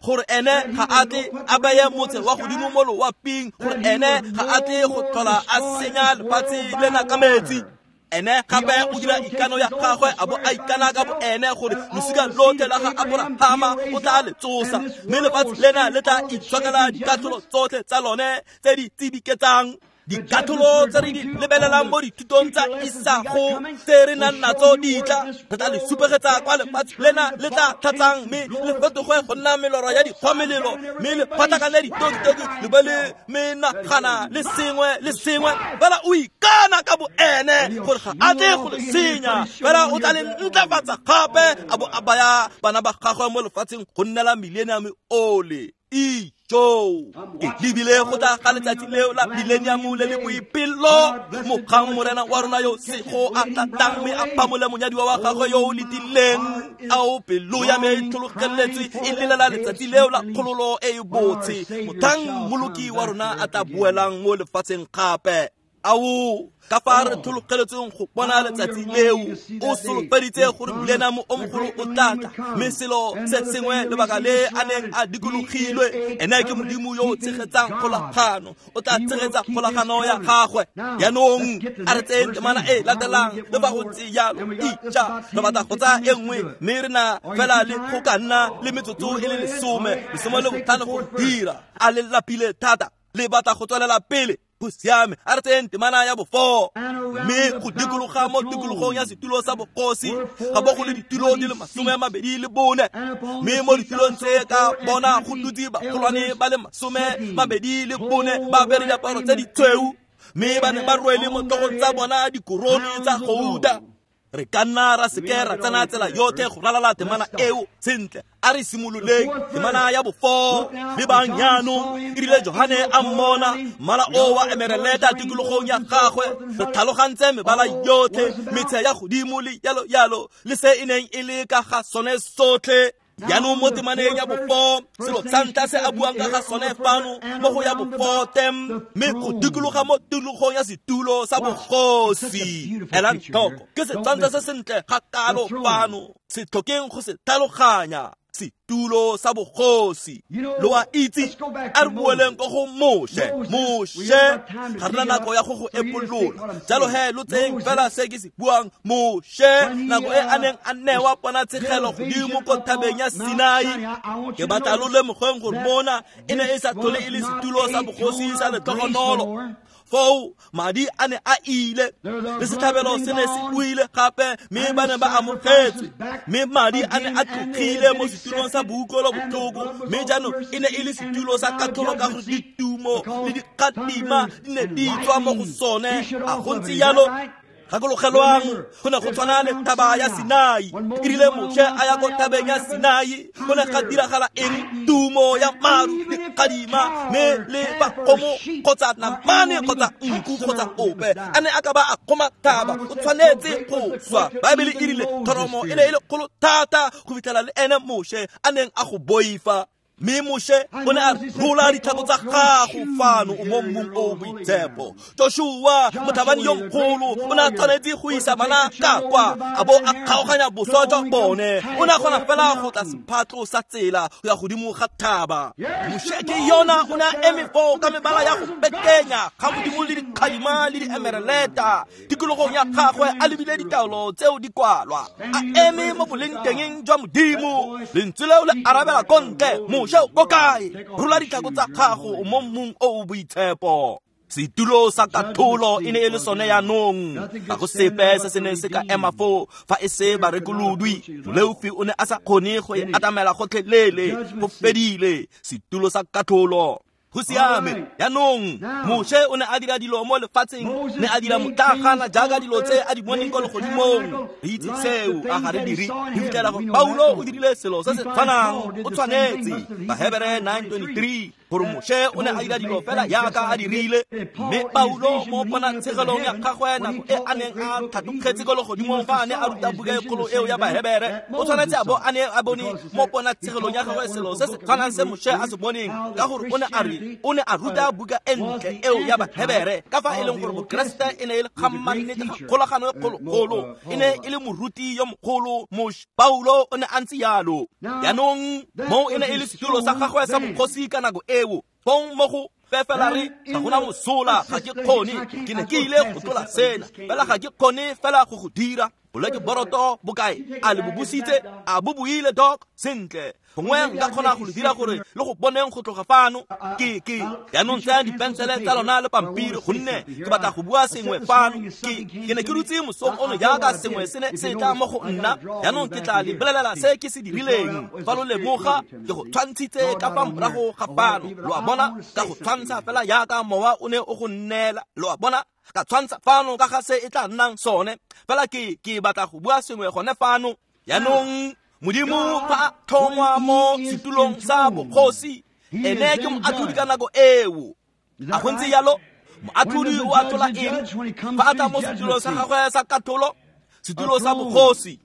gore ene ga a tle a beye motse wa godimo mo loaping, gore ene ga a tle go tlhola a senya lefatshe lena ka metsi. Ene gape o dira ikano ya gagwe a bo a ikana ka bo ene gore losika lotlhe la ga Aborahama o tla le tsosa, mme lefatshe lena le tla itshokela dikatlholo tsotlhe tsa lone tse di tsibiketsang. Dikatlholo tse re di lebelelang mo dithutong tsa isago tse re nang natso di tla, re tla le supegetsa kwa lefatshe lena le tla tlhatsang, mme le fetoge go nna melora ya dikgwamelelo, mme le phatlakane ditokitoki le be le menagana le sengwe le sengwe. Fela o ikana ka bo ene gore ga a tle go le senya, fela o tla le ntlafatsa gape a bo a baya bana ba gagwe mo lefatsheng go nnela millennium ole. Ijo, ke lebile go tla ga letsatsi leo la millennium le le boipelo, mogang Morena wa rona yo sego a tlatang mme a phamole monyadiwa wa gagwe yo o letileng. Ao, pelo ya me e tlhologeletswe e lelela letsatsi leo la kgololo e e botse, mothang Mmoloki wa rona a tla boelang mo lefatsheng gape. Ao, ka fa re tlhologeletsweng go bona letsatsi leo, o solofeditse gore millennium o mogolo o tla tla, mme selo se sengwe lebaka le a neng a dikologilwe, ene ke Modimo yo o tshegetsang kgolagano, o tla tshegetsa kgolagano ya gagwe. Jaanong a re tseyeng temana e latelang, le fa go ntse jalo ija re batla go tsaya e nngwe, mme re na fela le go ka nna le metsotso e le lesome, lesome le botlhano go dira. A le lapile thata, le batla go tswelela pele. Go siame, a re tseyeng temana ya bofo. Mme go dikologa mo tikologong ya setulo sa bogosi ga bo go le ditulo di le masome a mabedi le bone, mme mo ditulong tse ka bona go dutse bagolwane ba le masome mabedi le bone ba apere diaparo tse ditshweu, mme ba ne ba rwele mo tlhogong tsa bona dikorone tsa gouta. Re ka nna ra seke ra tsena tsela yotlhe go ralala temana eo sentle. A re simololeng temana ya bofo. Lebang jaanong, e rile Johane a mmona mmala o wa emereleta tikologong ya gagwe, re tlhalogantse mebala yotlhe, metshe ya godimo le yalo yalo, le se e neng e le ka ga sone sotlhe. Jaanong mo temaneng ya bofo, selo sa ntlha se a buang ka ga sone fano mo go ya bofote, mme go dikologa mo tikologong ya setulo sa bogosi. Elang tlhoko, ke setshwantsho se sentle ga kalo fano, se tlhokeng go se tlhaloganya. Setulo sa bogosi. Lo a itse, a re boeleng ko go Moshe. Moshe, ga re na nako ya go go epolola, jalo he lo tseyeng fela se ke se buang. Moshe, nako e a neng a newa ponatshegelo godimo ko thabeng ya Sinai, ke batla lo lemogeng gore mona e ne e sa tlhole e le setulo sa bogosi sa letlhogonolo. Foo madi a ne a ile, le setlhabelo se ne se buile gape, mme ba ne ba amogetswe, mme madi a ne a tlogile mo setulong sa boutlwelo botlhoko, mme jaanong e ne e le setulo sa katlholo ka gore ditumo le dikgadima di ne di tswa mo go sone. A go ntse jalo? Gakologelwang, go ne go tshwana le thaba ya Sinai. E rile Moshe a ya ko thabeng ya Sinai, go ne ga diragala eng? Tumo ya maru, dikgadima, mme le bakgomo kgotsa namane kgotsa nku kgotsa ope a ne a ka ba a kgoma thaba, o tshwanetse go swa. Baebele e rile thoromo e ne e le kgolo thata go fitlhela le ene Moshe a neng a go boifa. Mme Moshe o ne a rola ditlhako tsa gago fano o mo mmung o boitshepo. Joshua motlhabani yo mogolo o ne a tshwanetse go isa bana ka kwa a bo a kgaoganya boswa jwa bone. O ne a kgona fela go tla sephatlo sa tsela go ya godimo ga thaba. Moshe ke yona o ne a eme foo ka mebala ya go pekenya ga modimo le dikgadima le diemereleta tikologong ya gagwe a lebile ditaolo tseo di kwalwa a eme mo bolengtengeng jwa modimo. Lentswe leo le arabela ko ntle. Moshe ko kae? Rola ditlhako tsa gago mo mmung o o boitshepo. Setulo sa katlholo e ne e le sone yaanong. Ga go sepe se se neng se ka ema foo fa e se barekolodwi. Moleofi o ne a sa kgone go e atamela gotlhelele. Go fedile. Setulo sa katlholo. Go siame. Yaanong Moshe o ne a dira dilo mo lefatsheng, ne a dira motlagana jaaka dilo tse a di boneng ko legodimong. Re itse seo, a ga re dire. Re fitlhela gore Paulo o dirile selo se se tshwanang. O tshwanetse. Bahebere nine twenty-three gore Moshe o ne a dira dilo fela jaaka a dirile. Mme Paulo mo ponatshegelong ya gagwe nako e a neng a tlhatlogetse ko legodimong fa a ne a ruta buka e kgolo eo ya Bahebere, o tshwanetse a bo a ne a bone mo ponatshegelong ya gagwe selo se se tshwanang se Moshe a se boneng, ka gore o ne a re o ne a ruta buka e ntle eo ya Bahebere ka fa e leng gore Bokeresete e ne e le kgammannete ga kgolagano e kgologolo, e ne e le moruti yo mogolo. Moshe Paulo o ne a ntse jalo. Yaanong moo e ne e le setulo sa gagwe sa bogosi ka nako eo. Fong mo go fela re ga gona mosola, ga ke kgone, ke ne ke ile go tlola sena fela ga ke kgone fela go go dira. Boleke boroto bokae? A le bo busitse? A bo buile doc? Sentle. Gongwe nka kgona go le dira gore le go boneng go tloga fano. Ke ke yaanong tsaya dipensele tsa lona le pampiri gonne ke batla go bua sengwe fano. Ke ke ne ke dutse mosong ono jaaka sengwe se ne se tla mo go nna. Yaanong ke tla le bolelela se ke se dirileng. Fa lo lemoga ke go tshwantshitse ka fa morago ga fano. Lo a bona, ka go tshwantsha fela jaaka mowa o ne o go nneela. Lo a bona, ka tshwantsha fano ka ga se e tla nnang sone. Fela ke ke batla go bua sengwe gone fano. Yaanong Modimo fa a tlhongwa mo setulong sa bogosi, ene ke moatlhodi ka nako eo. A go ntse jalo? Moatlhodi o atlhola eng fa a tla mo setulong sa gagwe sa katlholo, setulo sa bogosi?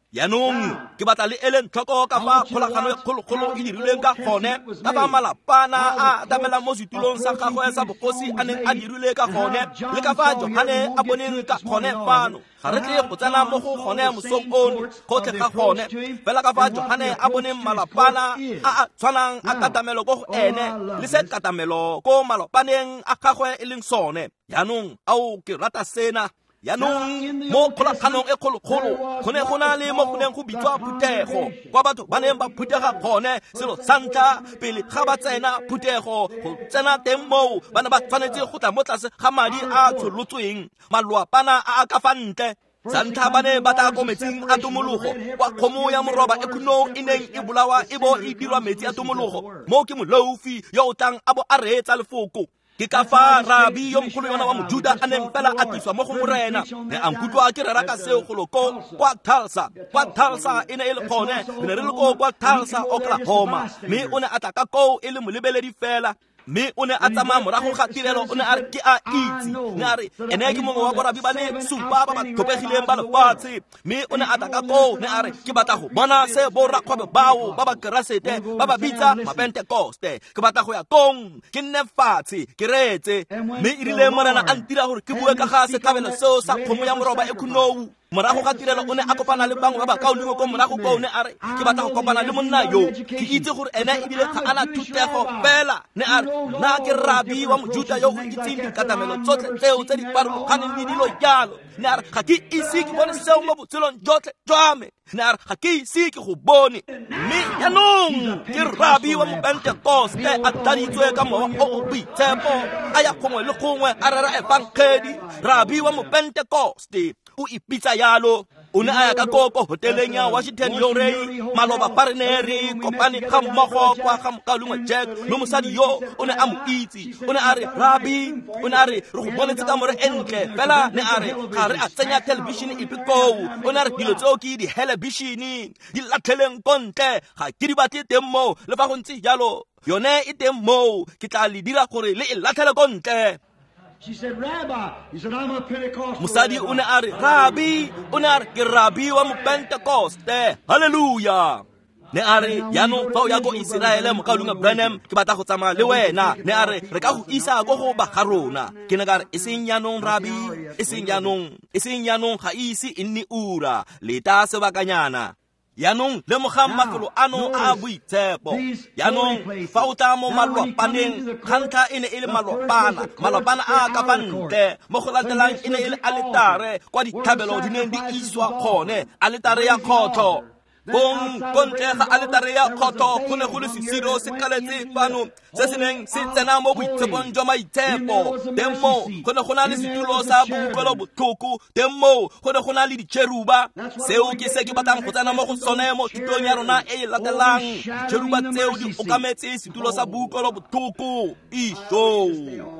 Yaanong ke batla le eleng tlhoko ka fa kgolagano e kgologolo e dirilweng ka gone, ka fa malapana a atamelang mo setulong sa gagwe sa bogosi a neng a dirile ka gone, le ka fa Johane a boneng ka gone fano. Ga re tle go tsena mo go gone mosong ono gotlhe ga gone, fela ka fa Johane a boneng malapana a a tshwanang a katamelo ko go ene le se katamelo ko malopaneng a gagwe e leng sone. Yaanong ao ke rata sena. Yaanong mo kgolaganong e kgologolo go ne go na le mo go neng go bitswa phuthego, kwa batho ba neng ba phuthega gone. Selo sa ntlha pele ga ba tsena phuthego, go tsena teng moo ba ne ba tshwanetse go tla mo tlase ga madi a tsholotsweng, malwapana a a ka fa ntle. Sa ntlha ba ne ba tla ko metsing a tomologo, kwa kgomo ya moroba e khunong e neng e bolawa e bo e dirwa metsi a tomologo. Moo ke moleofi yo o tlang a bo a reetsa lefoko. Ke ka fa rabi yo mogolo yona wa Mojuda a neng fela a tliswa mo go Morena. Ne a nkutlwa ke rera ka seo golo ko kwa Tulsa. Kwa Tulsa e ne e le gone, re ne re le ko kwa Tulsa, Oklahoma. Mme o ne a tla ka koo e le molebeledi fela. Mme o ne a tsamaya morago ga tirelo, o ne a re ke a itse. Ne a re ene ke mongwe wa borabi ba le supa ba ba tlhophegileng ba lefatshe. Mme o ne a tla ka koo, ne a re ke batla go bona se borakgwebo bao ba ba Keresete ba ba bitsa Mapentekoste. Ke batla go ya kong, ke nne fatshe, ke reetse. Mme e rile Morena a ntira gore ke bue ka ga setlhabelo seo sa kgomo ya moroba e khunou. Morago ga tirelo o ne a kopana le bangwe ba bakaulengwe ko morago koo, ne a re ke batla go kopana le monna yo, ke itse gore ene ebile ga ana thutego fela. Ne a re nna ke rabi wa Mojuda yo o itseng dikatamelo tsotlhe tseo tse di farologaneng le dilo jalo. Ne a re ga ke ise ke bone seo mo botshelong jotlhe jwa me. Ne a re ga ke ise ke go bone. Mme yaanong ke rabi wa Mopentekoste a tladitswe ka mowa o o boitshepo, a ya gongwe le gongwe a rera efangedi. Rabi wa Mopentekoste o ipitsa yalo. O ne a ya ka ko ko hoteleng ya Washington Yorei maloba fa re ne re kopane ga mmogo kwa ga mokaulengwe Jack, mme mosadi yo o ne a mo itse. O ne a re rabi, o ne a re re go bonetse kamore e ntle fela. Ne a re ga re a tsenya television epe koo. O ne a re dilo tseo ke di-helebishene di latlheleng ko ntle, ga ke di batle teng moo. Le fa go ntse jalo yone e teng moo, ke tla le dira gore le e latlhele ko ntle. She said, Rabbi. He said, I'm a Pentecostal. Mosadi o ne a re rabi, o ne a re ke rabi wa Mopentekoste. Hallelujah. Ne a re, jaanong fa o ya ko Iseraele, mokaulengwe Branham, ke batla go tsamaya le wena. Ne a re, re ka go isa ko go ba ga rona. Ke ne ka re, e seng jaanong, rabi, e seng jaanong, e seng jaanong, ga e ise e nne ura, leta sebakanyana. Jaanong lemogang mafelo ano a boitshepo. Jaanong fa o tla mo malwapaneng, ga ntlha e ne e le malwapana, malwapana a ka fa ntle. Mo go latelang e ne e le aletare kwa ditlhabelo di neng di iswa gone, aletare ya kgotlho. Bong ko ntle ga aletare ya kgotlho go ne go le sesiro se kaletse fano se se neng se tsena mo boitshepong jwa maitshepo. Teng moo go ne go na le setulo sa boutlwelo botlhoko, teng moo go ne go na le ditšheruba. Seo ke se ke batlang go tsena mo go sone mo thutong ya rona e e latelang. Ditšheruba tseo di okametse setulo sa boutlwelo botlhoko. Isho,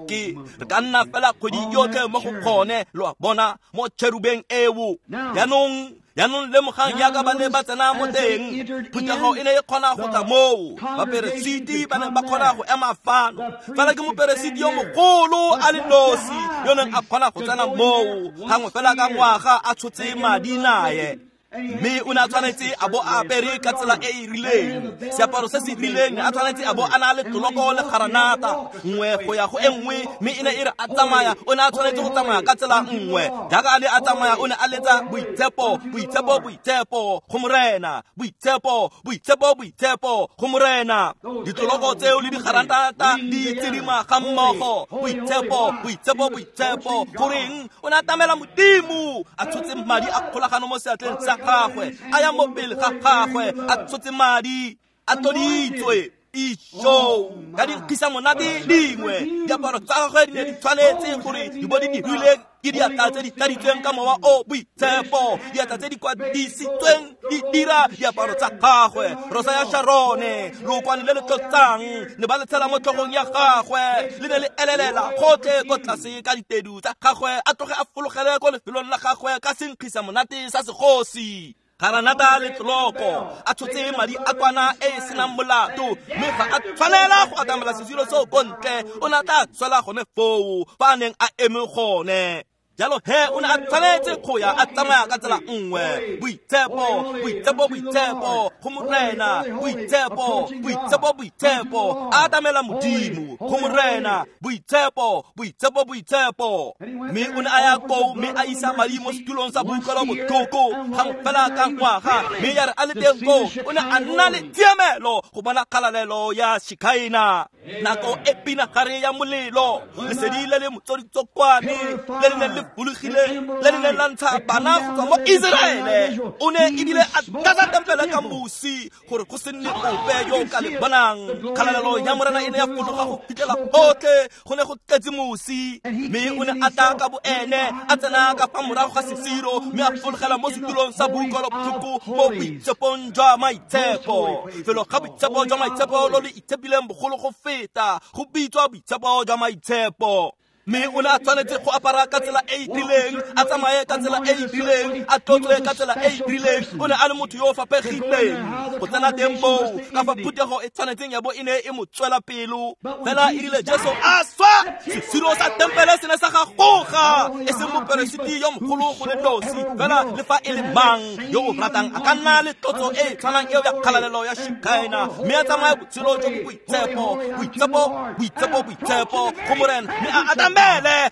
ke re ka nna fela kgwedi yotlhe mo go kgone, lo a bona, mo tšherubeng eo. Jaanong jaanong lemogang jaaka ba ne ba tsena mo teng, phuthego e ne e kgona go tla moo. Baperesiti ba ne ba kgona go ema fano, fela ke moperesiti yo mogolo a le nosi yo neng a kgona go tsena moo gangwe fela ka ngwaga a tshotse madi naye. Mme o ne a tshwanetse a bo a apere ka tsela e e rileng, seaparo se se rileng, a tshwanetse a bo a na le tloloko le garanata nngwe go ya go e nngwe. Mme e ne e re a tsamaya, o ne a tshwanetse go tsamaya ka tsela nngwe. Jaaka a ne a tsamaya, o ne a letsa boitshepo, boitshepo, boitshepo go Morena, boitshepo, boitshepo, boitshepo go Morena. Ditloloko tseo le digaranata di tsidima ga mmogo, boitshepo, boitshepo, boitshepo. Goreng? O ne a tamela Modimo, a tshotse madi a kgolagano mo seatleng sa gagwe, a ya mo pele ga gagwe, a tshotse madi, a tloditswe. Isho, ka dinkgisa monate dingwe, diaparo tsa gagwe di ne di tshwanetse gore di bo di dirilwe ke diatla tse di tladitsweng ka mowa o boitshepo, diatla tse di kwadisitsweng di dira diaparo tsa gagwe. Rosa ya Sharone, lookwane le le tlotsang, ne ba le tshela mo tlhogong ya gagwe, le ne le elelela gotlhe ko tlase ka ditedu tsa gagwe, a tloge a fologele ko lefelong la gagwe ka senkgisa monate sa segosi. Garanata le tloloko, a tshotse madi a kwana e e senang molato, mme ga a tshwanela go atamela sesiro seo ko ntle, o ne a tla tswela gone foo fa a neng a eme gone. Jalo he o ne a tshwanetse go ya a tsamaya ka tsela nngwe. Boitshepo, boitshepo, boitshepo go Morena, boitshepo, boitshepo, boitshepo, a atamela Modimo go Morena, boitshepo, boitshepo, boitshepo. Mme o ne a ya koo mme a isa madi mo setulong sa boutlwelo botlhoko gangwe fela ka ngwaga. Mme ya re a le teng koo, o ne a nna le tshiamelo go bona kgalalelo ya Shikaina. Nako e pinagare ya molelo, lesedi le le motsoditsokwane le le neng le fologile, le le neng la ntsha bana go tswa mo Iseraele. O ne ebile a tlatsa tempele ka mosi gore go se nne ope yo o ka le bonang. Kgalalelo ya Morena e ne ya fologa go fitlhela gotlhe go ne go tletse mosi. Mme o ne a tla ka boene, a tsena ka fa morago ga sesiro, mme a fologela mo setulong sa boutlwelo botlhoko mo boitshepong jwa maitshepo. Felo ga boitshepo jwa maitshepo lo le itshepileng bogolo go feta, go bitswa boitshepo jwa maitshepo. Mme o ne a tshwanetse go apara ka tsela e e rileng, a tsamaye ka tsela e e rileng, a tlotlwe ka tsela e e rileng. O ne a le motho yo o fapegileng go tsena teng moo, ka fa phuthego e tshwanetseng ya bo e ne e mo tswela pelo. Fela e rile Jesu a swa, sesiro sa tempele se ne sa gagoga, e seng moperesiti yo mogolo go le nosi, fela le fa e le mang yo o ratang a ka nna le tlotso e e tshwanang eo ya kgalalelo ya Shikaina, mme a tsamaya botshelo jo bo boitshepo, boitshepo, boitshepo, boitshepo go Morena, mme a atamele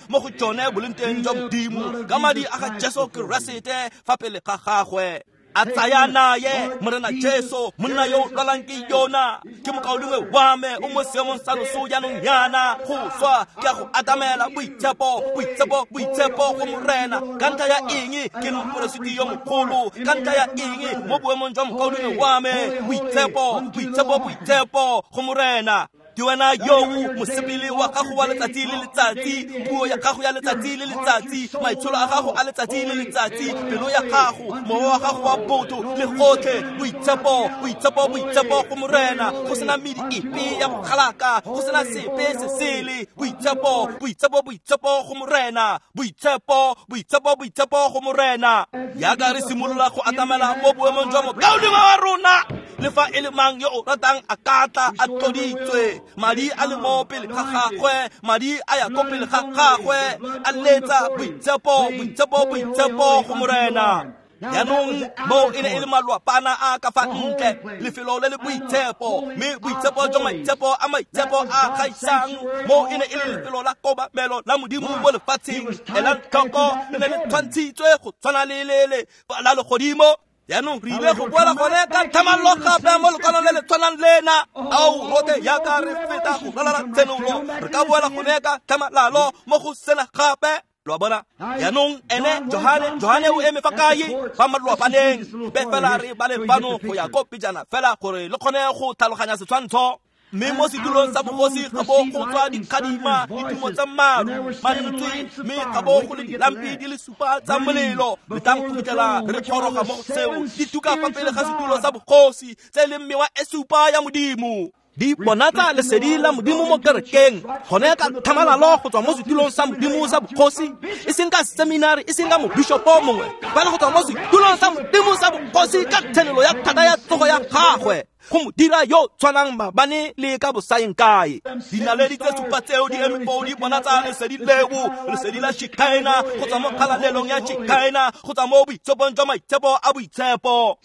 mo go tsone boleng jwa Modimo ka madi a ga Jesu Keresete fa pele ga gagwe. A tsaya naye Morena Jesu, monna yo o lwalang ke yona, ke mokaulengwe wa me, o mo seemong sa loso jaanong yana go swa. Ke a go atamela boitshepo, boitshepo, boitshepo go Morena. Ka ntlha ya eng ke le moperesiti yo mogolo? Ka ntlha ya eng mo boemong jwa mokaulengwe wa me? Boitshepo, boitshepo, boitshepo go Morena. Ke wena yo mosepele wa gago wa letsatsi le letsatsi, puo ya gago ya letsatsi le letsatsi, maitsholo a gago a letsatsi le letsatsi, pelo ya gago, mowa wa gago wa botho le gotlhe, boitshepo, boitshepo, boitshepo go Morena. Go sena medi epe ya bogalaka, go sena sepe se sele. Boitshepo, boitshepo, boitshepo go Morena, boitshepo, boitshepo, boitshepo go Morena. Jaaka re simolola go atamela mo boemong jwa mokaulengwe wa rona, le fa e le mang yo o ratang a ka tla a tloditswe. Madi a le mo pele ga gagwe, madi a ya ko pele ga gagwe, a letsa boitshepo, boitshepo, boitshepo go Morena. Jaanong moo e ne e le malwapana a ka fa ntle, lefelo le le boitshepo, mme boitshepo jwa maitshepo a maitshepo a gaisang. Moo e ne e le lefelo la kobamelo la Modimo mo lefatsheng. Elang tlhoko, le ne le tshwantshitswe go tshwana le le le la legodimo. Jaanong re ile go boela gone ka tlhamallo gape mo lekwalong le le tshwanang lena. Ao rotlhe jaaka re feta go ralala tshenolo, re ka boela gone ka tlhamalalo mo go sena gape. Lo a bona? Jaanong ene Johane, Johane o eme fa kae? Fa malwapaneng. Be fela re bale fano go ya ko pejana fela gore le kgone go tlhaloganya setshwantsho. Mme mo setulong sa bogosi ga bo go tswa dikgadima, ditumo tsa maru, mantswe, mme ga bo go le dilampi di le supa tsa molelo. Letang go fitlhela re goroga mo go seo, di tuka fa pele ga setulo sa bogosi tse e leng mewa e supa ya Modimo. Di bonatsa lesedi la Modimo mo kerekeng, gone ka tlhamalalo go tswa mo setulong sa Modimo sa bogosi, e seng ka seminari, e seng ka mobishopo mongwe, fela go tswa mo setulong sa Modimo sa bogosi ka tshenolo ya thata ya tsogo ya gagwe, go mo dira yo tshwanang maabane le ka bosaeng kae. Dinaledi tse supa tseo di eme foo di bonatsa lesedi leo, lesedi la Shekinah, go tswa mo kgalalelong ya Shekinah, go tswa mo boitshepong jwa maitshepo a boitshepo.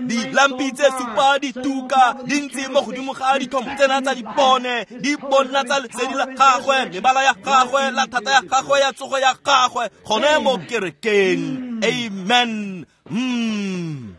Dilampi tse supa di tuka di ntse mo godimo ga dithomo tsena tsa dipone, di bonatsa lesedi la gagwe, mebala ya gagwe, la thata ya gagwe ya tsogo ya gagwe, gone mo kerekeng. Amen. Mm.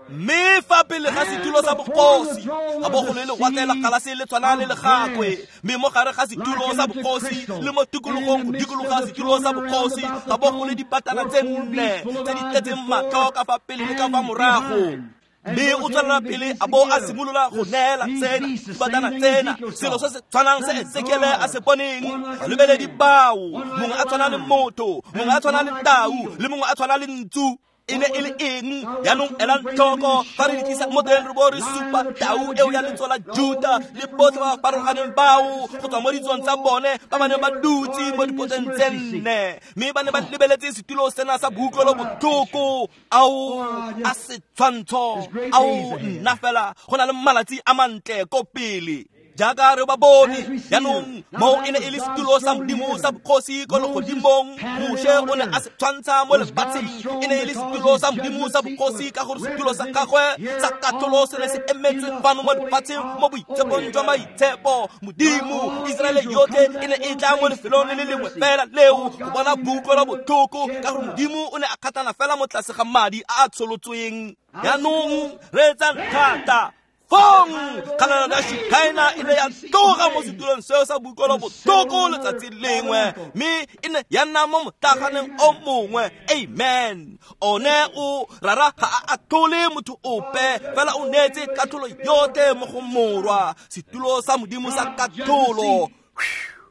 Mme fa pele ga setulo sa bogosi ga bo go le lewatle la galase le tshwana le legakwe, mme mo gare ga setulo sa bogosi le mo tikologong go dikologa setulo sa bogosi ga bo go le dipatana tse nne tse di tletseng matlho ka fa pele le ka fa morago. Mme o tswelela pele a bo a simolola go neela tsena dibatana tsena, selo se se tshwanang se Ezekiele a se boneng. Balebeledi bao, mongwe a tshwana le motho, mongwe a tshwana le tau, le mongwe a tshwana le ntsu. E ne e le eng? Jaanong elang tlhoko, fa re di tlisa mo teng re bo re supa tau eo ya letso la Juta le botlhe ba ba farologaneng bao go tswa mo ditsong tsa bone ba ba neng ba dutse mo dipoteng tse nne, mme ba ne ba lebeletse setulo sena sa boutlwelo botlhoko. Ao a setshwantsho, ao nna fela go na le malatsi a mantle ko pele. Jaaka re ba bone, jaanong moo e ne e le setulo sa Modimo sa bogosi ko legodimong. Moshe o ne a se tshwantsha mo lefatsheng, e ne e le setulo sa Modimo sa bogosi ka gore setulo sa gagwe sa katlholo se ne se emetswe fano mo lefatsheng mo boitshepong jwa maitshepo. Modimo, Iseraele yotlhe e ne e tla mo lefelong le le lengwe fela leo go bona boutlwelo botlhoko, ka gore Modimo o ne a kgatlhana fela mo tlase ga madi a a tsholotsweng. Jaanong reetsang thata. Fong kgalalelo ya Shekinah e ne ya tloga mo setulong seo sa boutlwelo botlhoko letsatsi lengwe, mme e ne ya nna mo motlaganeng o mongwe. Amen. One o rara ga a atlhole motho ope, fela o neetse katlholo yotlhe mo go Morwa, setulo sa Modimo sa katlholo.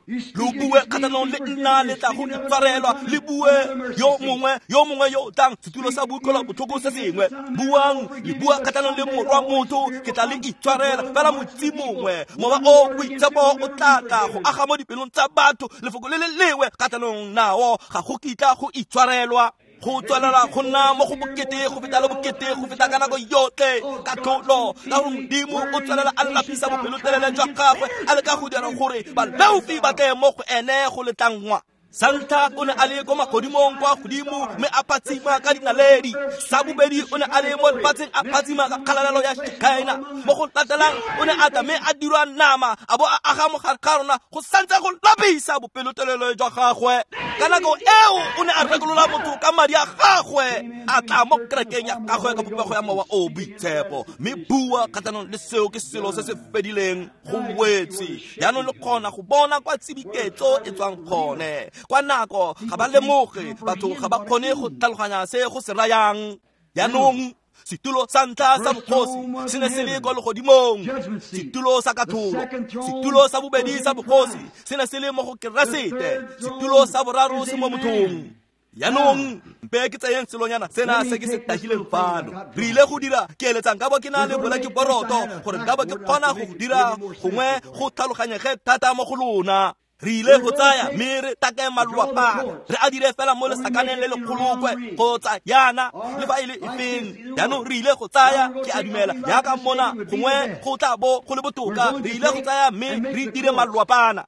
Lo bue kgatlhanong le nna le tla go itshwarelwa, le bue yo mongwe yo mongwe yo o tlang setulo sa boutlwelo botlhoko se sengwe. Buang, le bua kgatlhanong le Morwa motho, ke tla le itshwarela. Fela motsi mongwe, mowa o boitshepo o tla tla go aga mo dipelong tsa batho, lefoko le le lengwe kgatlhanong nao ga go kitla go itshwarelwa. Go tswelela go nna mo go bokete go feta le bokete go feta ka nako yotlhe katlholo, ka gore Modimo o tswelela a lapisa bopelotelele jwa gagwe, a leka go dira gore baleofi ba tle mo go ene go letlangwa. Sa ntlha o ne a le ko magodimong kwa godimo mme a phatsima ka dinaledi. Sa bobedi o ne a le mo lefatsheng a phatsima ka kgalalelo ya Shekinah. Mo go latelang o ne a tla mme a dirwa nama a bo a aga mo gare ga rona, go santse go lapisa bopelotelele jwa gagwe. Ka nako eo o ne a rekolola motho ka madi a gagwe, a tla mo kerekeng ya gagwe ka popego ya mowa o boitshepo. Mme bua kgatlhanong le seo ke selo se se fedileng go wetse. Jaanong le kgona go bona kwa tsibiketso e tswang gone. Kwa nako ga ba lemoge, batho ga ba kgone go tlhaloganya se go se rayang. Jaanong setulo sa ntlha sa bogosi se ne se le ko legodimong, setulo sa katlholo. Setulo sa bobedi sa bogosi se ne se le mo go Keresete, setulo sa boraro se mo mothong. Jaanong mpe ke tseyeng selonyana sena se ke se tagileng fano. Re ile go dira, ke eletsang ka bo ke na le bolakeboroto gore nka bo ke kgona go dira gongwe go tlhaloganyege thata mo go lona. Re ile go tsaya mme re take malwapana, re a dire fela mo lesakaneng le lekgolokwe kgotsa yana le fa e le efeng. Jaanong re ile go tsaya, ke a dumela jaaka mona gongwe go tla bo go le botoka, re ile go tsaya mme re dire malwapana.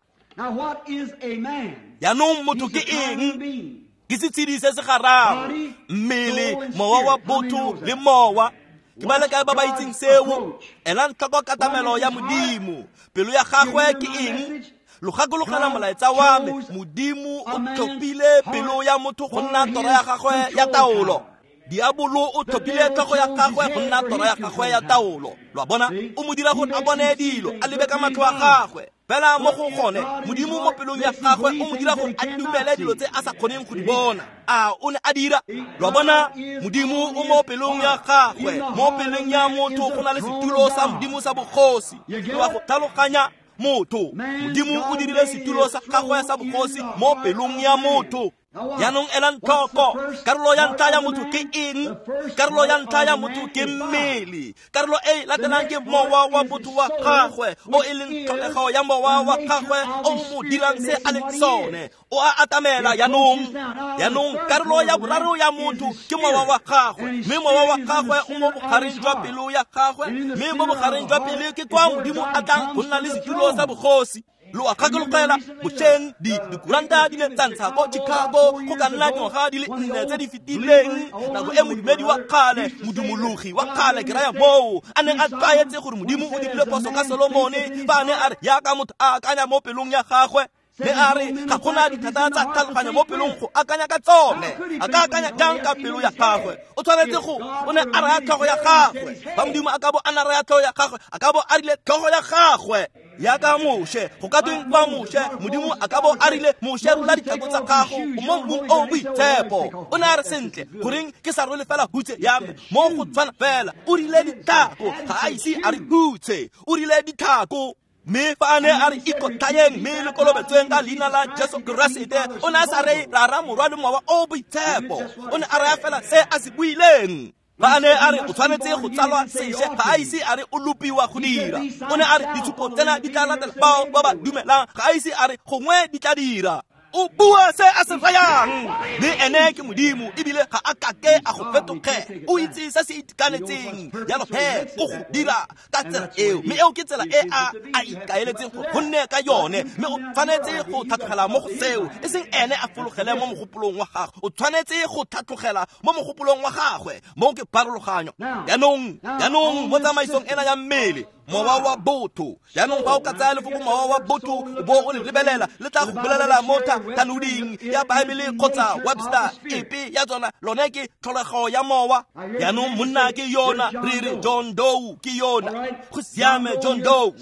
Jaanong motho ke eng? Ke setshedi se se gararo, mmele, mowa wa botho le mowa. Ke ba le kae ba ba itseng seo? Elang tlhoko katamelo ya Modimo. Pelo ya gagwe ke eng? Lo gakologela molaetsa wa me. Modimo o tlhophile pelo ya motho go nna tora ya gagwe ya taolo. Diabolo o tlhophile tlhogo ya gagwe go nna tora ya gagwe ya taolo. Lo a bona? O mo dira gore a bone dilo, a lebe ka matlho a gagwe. Fela mo go gone, Modimo mo pelong ya gagwe o mo dira gore a dumele dilo tse a sa kgoneng go di bona. A o ne a dira? Lo a bona? Modimo o mo pelong ya gagwe. Mo pelong ya motho go na le setulo sa Modimo sa bogosi. Lo a go tlhaloganya? Motho, Modimo o dirile setulo sa gagwe sa bogosi mo pelong ya motho. Jaanong elang tlhoko, karolo ya ntlha ya motho ke eng? Karolo ya ntlha ya motho ke mmele. Karolo e latelang ke mowa wa botho wa gagwe, o e leng tlholego ya mowa wa gagwe o mo dirang se a leng sone. O a atamela jaanong. Jaanong karolo ya boraro ya motho ke mowa wa gagwe, mme mowa wa gagwe o mo bogareng jwa pelo ya gagwe, mme mo bogareng jwa pelo ke kwa Modimo a tlang go nna le setulo sa bogosi. Lo a gakologela bošeng di dikuranta di ne tsa ntsha ko Chicago go ka nna dingwaga di le nne tse di fetileng, nako e modumedi wa kgale, modumologi wa kgale ke raya moo, a neng a tlwaetse gore Modimo o dirile phoso ka Solomone fa a ne a re yaka motho a akanya mo pelong ya gagwe. Mme a re ga gona dithata tsa tlhaloganyo mo pelong go akanya ka tsone. A ka akanya jang ka pelo ya gagwe? O tshwanetse go o ne a raya tlhogo ya gagwe. Fa Modimo a ka bo a na raya tlhogo ya gagwe, a ka bo a rile tlhogo ya gagwe. Yaka Moshe, go ka tweng kwa Moshe, Modimo a ka bo a rile Moshe rola ditlhako tsa gago o mo mmung o boitshepo. O ne a re sentle, goreng ke sa rwele fela hutshe ya me mo go tshwana fela. O rile ditlhako, ga a ise a re hutshe, o rile ditlhako. Mme fa a ne a re ikotlhayeng mme le kolobetsweng ka leina la Jesu Keresete, o ne a sa re rara morwa le mowa o boitshepo. O ne a raya fela se a se buileng. Fa a ne a re o tshwanetse go tsalwa sešwa, ga a ise a re o lopiwa go dira. O ne a re ditshupo tsena di tla latela bao ba ba dumelang, ga a ise a re gongwe di tla dira. O bua se a se rayang, mme ene ke Modimo ebile ga a kake a go fetoge. O itse se se itekanetseng, jalo he o go dira ka tsela eo, mme eo ke tsela e a a ikaeletseng gore go nne ka yone. Mme o tshwanetse go tlhatlogela mo go seo, e seng ene a fologele mo mogopolong wa gagwe. O tshwanetse go tlhatlogela mo mogopolong wa gagwe. Moo ke pharologanyo. Jaanong, jaanong mo tsamaisong ena ya mmele, mowa wa botho. Jaanong fa o ka tsaya lefoko mowa wa botho o bo o le lebelela, le tla go bolelela mo thanoding ya Baebele kgotsa Webster epe ya tsona, lone ke tlholego ya mowa. Jaanong monna ke yona, re re John Doe ke yona, go siame John Doe,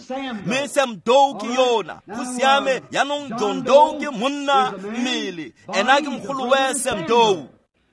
mme Sam Doe ke yona, go siame. Jaanong John Doe ke monna mmele, ena ke mogolowe Sam Doe.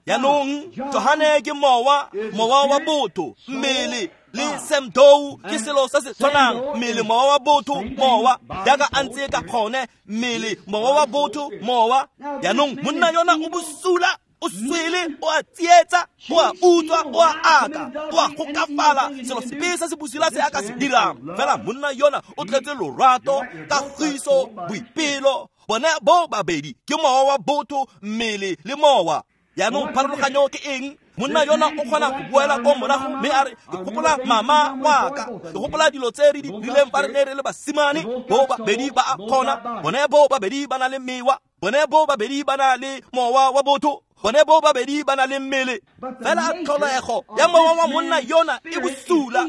Jaanong Johane ke mowa, mowa wa botho, mmele le Sam Doe ke selo se se tshwanang, mmele mowa wa botho mowa, jaaka a ntse ka gone, mmele mowa wa botho mowa. Jaanong monna yona o bosula, o swele, o a tsietsa, o a utswa, o a aka, o a gokafala, selo sepe se se bosula se a ka se dirang. Fela monna yona o tletse lorato, kagiso, boipelo. Bone bo babedi ke mowa wa botho, mmele le mowa. Jaanong pharologanyo ke eng? Monna yona o kgona go boela ko morago mme a re ke gopola mama wa ka, ke gopola dilo tse re di dirileng fa re ne re le basimane. Bo babedi ba a kgona, bone bo babedi ba na le mewa, bone bo babedi ba na le mowa wa botho, bone bo babedi ba na le mmele. Fela tlholego ya mowa wa monna yona e bosula,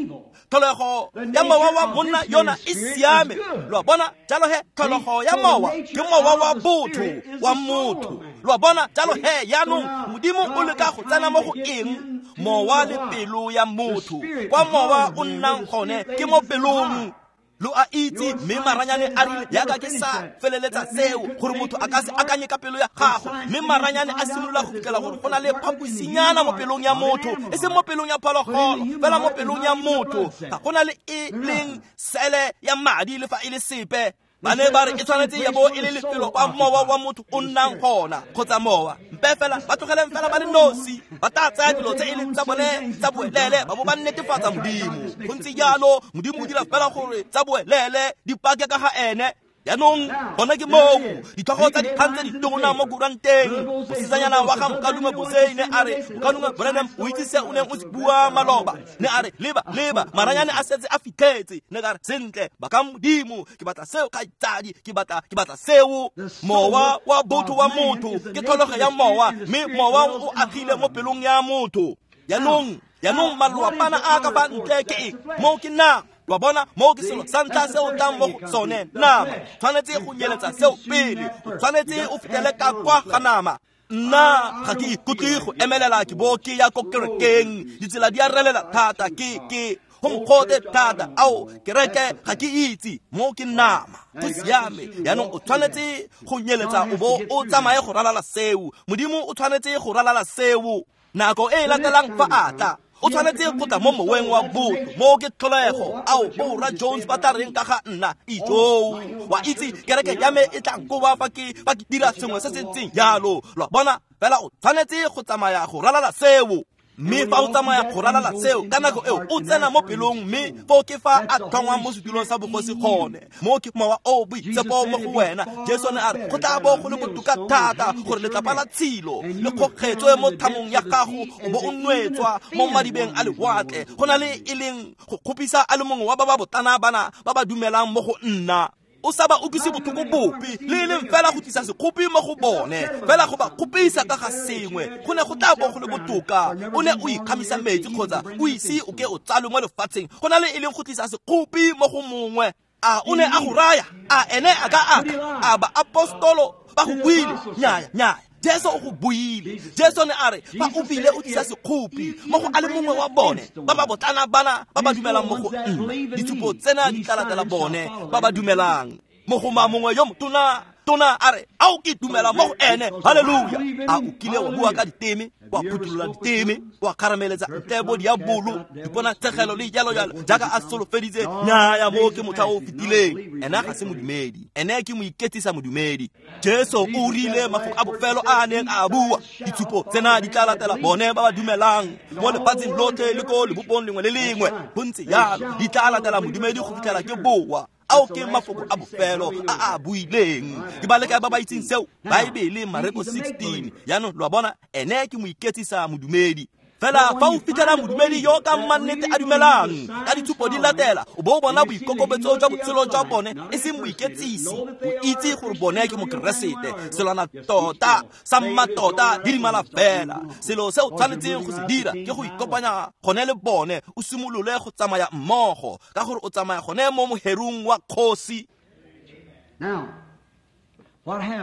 tlholego ya mowa wa monna yona e siame. Lo a bona? Jalo he tlholego ya mowa ke mowa wa botho wa motho. Lo a bona? Jalo he jaanong Modimo o leka go tsena mo go eng? Mowa le pelo ya motho. Kwa mowa o nnang gone ke mo pelong. Lo a itse, mme maranyane a rile yaka ke sa feleletsa seo gore motho a ka se akanye ka pelo ya gagwe. Mme maranyane a simolola go fitlhela gore go na le phaposinyana mo pelong ya motho, e seng mo pelong ya phologolo, fela mo pelong ya motho. Ga go na le e leng sele ya madi le fa e le sepe. Ba ne ba re e tshwanetse ya bo e le lefelo kwa mowa wa motho o nnang gona, kgotsa mowa. Mpe fela ba tlogeleng fela ba le nosi, ba tla tsaya dilo tse e leng tsa bone tsa boelele, ba bo ba netefatsa Modimo. Go ntse jalo, Modimo o dira fela gore tsa boelele di pake ka ga ene. Jaanong gona ke moo ditlhogo tsa dikgang tse di tona mo kuranteng. Mosetsanyana wa ga Mokalume Bosei ne a re, Mokalume Branham, o itse se o neng o se bua maloba. Ne a re, leba, leba, maranyane a setse a fitlhetse. Ne ka re, sentle, baka Modimo, ke batla seo kgaitsadi, ke batla, ke batla seo. Mowa wa botho wa motho ke tlholego ya mowa, mme mowa o agile mo pelong ya motho. Jaanong, jaanong malwapana a ka fa ntle ke eng? Moo ke nama. Lo a bona, moo ke selo sa ntlha se o tlang mo go sone, nama. Tshwanetse go nyeletsa seo pele, o tshwanetse o fetele ka kwa ga nama. Nna ga ke ikutlwe go emelela ke bo ke ya ko kerekeng, ditsela di a relela thata, ke ke go mogote thata, ao kereke ga ke itse, moo ke nama. Go siame, jaanong o tshwanetse go nyeletsa o bo o tsamaye go ralala seo. Modimo o tshwanetse go ralala seo. Nako e e latelang fa a tla, o tshwanetse go tla mo moweng wa botho, moo ke tlholego. Ao borra Jones ba tla reng ka ga nna? Ijoo, wa itse kereke ya me e tla nkoba fa ke fa ke dira sengwe se se ntseng jalo. Lo a bona, fela o tshwanetse go tsamaya go ralala seo. Mme fa o tsamaya go ralala seo, ka nako eo o tsena mo pelong, mme foo ke fa a tlhongwang mo setulong sa bogosi gone. Moo ke mowa o boitshepo mo go wena. Jesu ne a re, go tla bo go le botoka thata gore letlapa la tshilo le kgokgetswe mo thamong ya gago, o bo o nwetswa mo madibeng a lewatle, go na le e leng go kgopisa a le mongwe wa ba ba botana bana ba ba dumelang mo go nna. O sa ba utlwise botlhoko bope, le e leng fela go tlisa sekgopi mo go bone, fela go ba kgopisa ka ga sengwe. Go ne go tla bo go le botoka o ne o ikgamisa metsi kgotsa o ise o ke o tsalwe mo lefatsheng, go na le e leng go tlisa sekgopi mo go mongwe. A o ne a go raya? A ene a ka aka? A baapostolo ba go buile? Nnyaya, nnyaya. Jesu o go buile. Jesu ne a re, fa o bile o tlisa sekgopi mo go a le mongwe wa bone ba ba botlana bana ba ba dumelang mo go nna, ditshupo tsena di tla latela bone ba ba dumelang. Mogoma mongwe yo motona tona a re, ao ke dumela mo go ene. Haleluya. A o kile wa bua ka diteme, wa phuthulola diteme, wa kgarameletsa ntle bo diabolo, diponatshegelo le jalo jalo, jaaka a solofeditse? Nnyaya, moo ke motlha o fetileng. Ena ga se modumedi, ene ke moiketsisa modumedi. Jesu o rile mafoko a bofelo a a neng a bua, ditshupo tsena di tla latela bone ba ba dumelang mo lefatsheng lotlhe le ko lebopong lengwe le lengwe. Go ntse jalo, di tla latela modumedi go fitlhela ke boa. Ao ke mafoko a bofelo a a buileng. Ke ba le kae ba ba itseng seo? Baebele, Mareko sixteen. Jaanong lo a bona, ene ke moiketsisa modumedi. Fela fa o fitlhela modumedi yo ka mannete a dumelang, ka ditshupo di latela, o bo o bona boikokobetso jwa botshelo jwa bone, e seng moiketsisi. O itse gore bone ke mokeresete. Selwana tota sa mmatota di dimala fela. Selo se o tshwanetseng go se dira ke go ikopanya gone le bone, o simolole go tsamaya mmogo, ka gore o tsamaya gone mo moherung wa kgosi.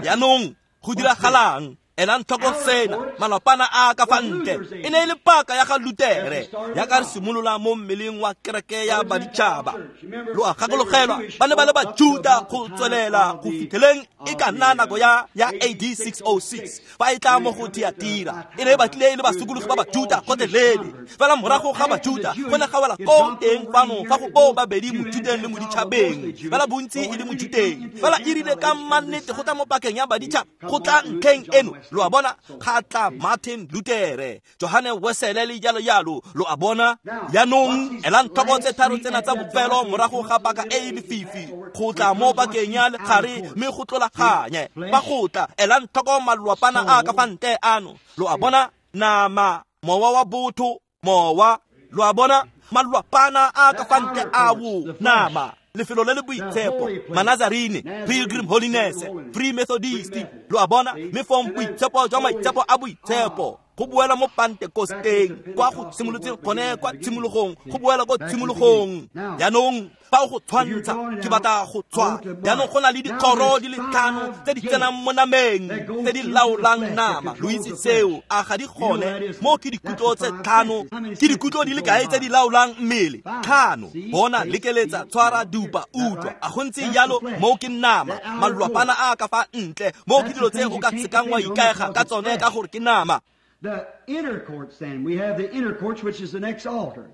Jaanong go diragalang? Elang tlhoko sena, malapana a ka fa ntle e ne e le paka ya ga Lutere, ya ka re simolola mo mmeleng wa kereke ya baditšhaba. Lo a gakologelwa, ba ne ba le Bajuda go tswelela go fitlheleng e ka nna nako ya ya A D six oh six, fa e tla mo go Thiatira. E ne e batlile e le basokologi ba Bajuda gotlhelele. Fela morago ga Bajuda go ne ga wela ko teng fano fa go bo babedi, Mojudeng le moditšhabeng, fela bontsi e le Mojudeng. Fela e rile ka mannete go tla mo pakeng ya baditšhaba, go tla ntlheng eno. Lo a bona, ga tla Martin Luther, Johanne Wesley le jalo jalo. Lo a bona, jaanong elang tlhoko tse tharo tsena tsa bofelo morago ga paka e e lefifi, go tla mo pakeng ya legare mme go tlolaganye. Fa go tla, elang tlhoko malwapana a ka fa ntle ano. Lo a bona, nama, mowa wa botho, mowa. Lo a bona, malwapana a ka fa ntle ao, nama, lefelo le le boitshepo, Manazarene, Pilgrim Holiness, Free Methodist. Lo a bona, mme fong boitshepo jwa maitshepo a boitshepo, go boela mo Pentekosteng, kwa go simolotseng gone kwa tshimologong, go boela ko tshimologong. Jaanong fa o go tshwantsha, ke batla go tshwa. Jaanong go na le dikgoro di le tlhano tse di tsenang mo nameng, tse di laolang nama. Lo itse seo, a ga di gone? Mo ke dikutlo tse tlhano, ke dikutlo di le kae tse di laolang mmele? Tlhano. Bona, lekeletsa, tshwara, dupa, utlwa. A go ntse jalo? Mo ke nama, malwapana a ka fa ntle. Mo ke dilo tse o ka sekang wa ikaega ka tsone ka gore ke nama. The inner courts, then. We have the inner courts, which is the next altar.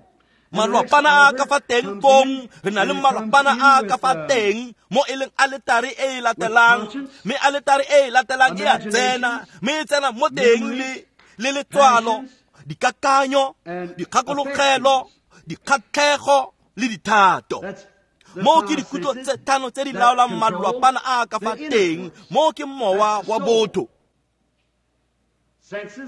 Malwapana a ka fa teng fong, re na le malwapana a ka fa teng mo e leng aletare e e latelang, mme aletare e e latelang e a tsena, mme e tsena mo teng le le letswalo, dikakanyo, dikgakologelo, dikgatlhego le dithato. Moo ke dikutlo tse tlhano tse di laolang malwapana a ka fa teng. Moo ke mowa wa botho.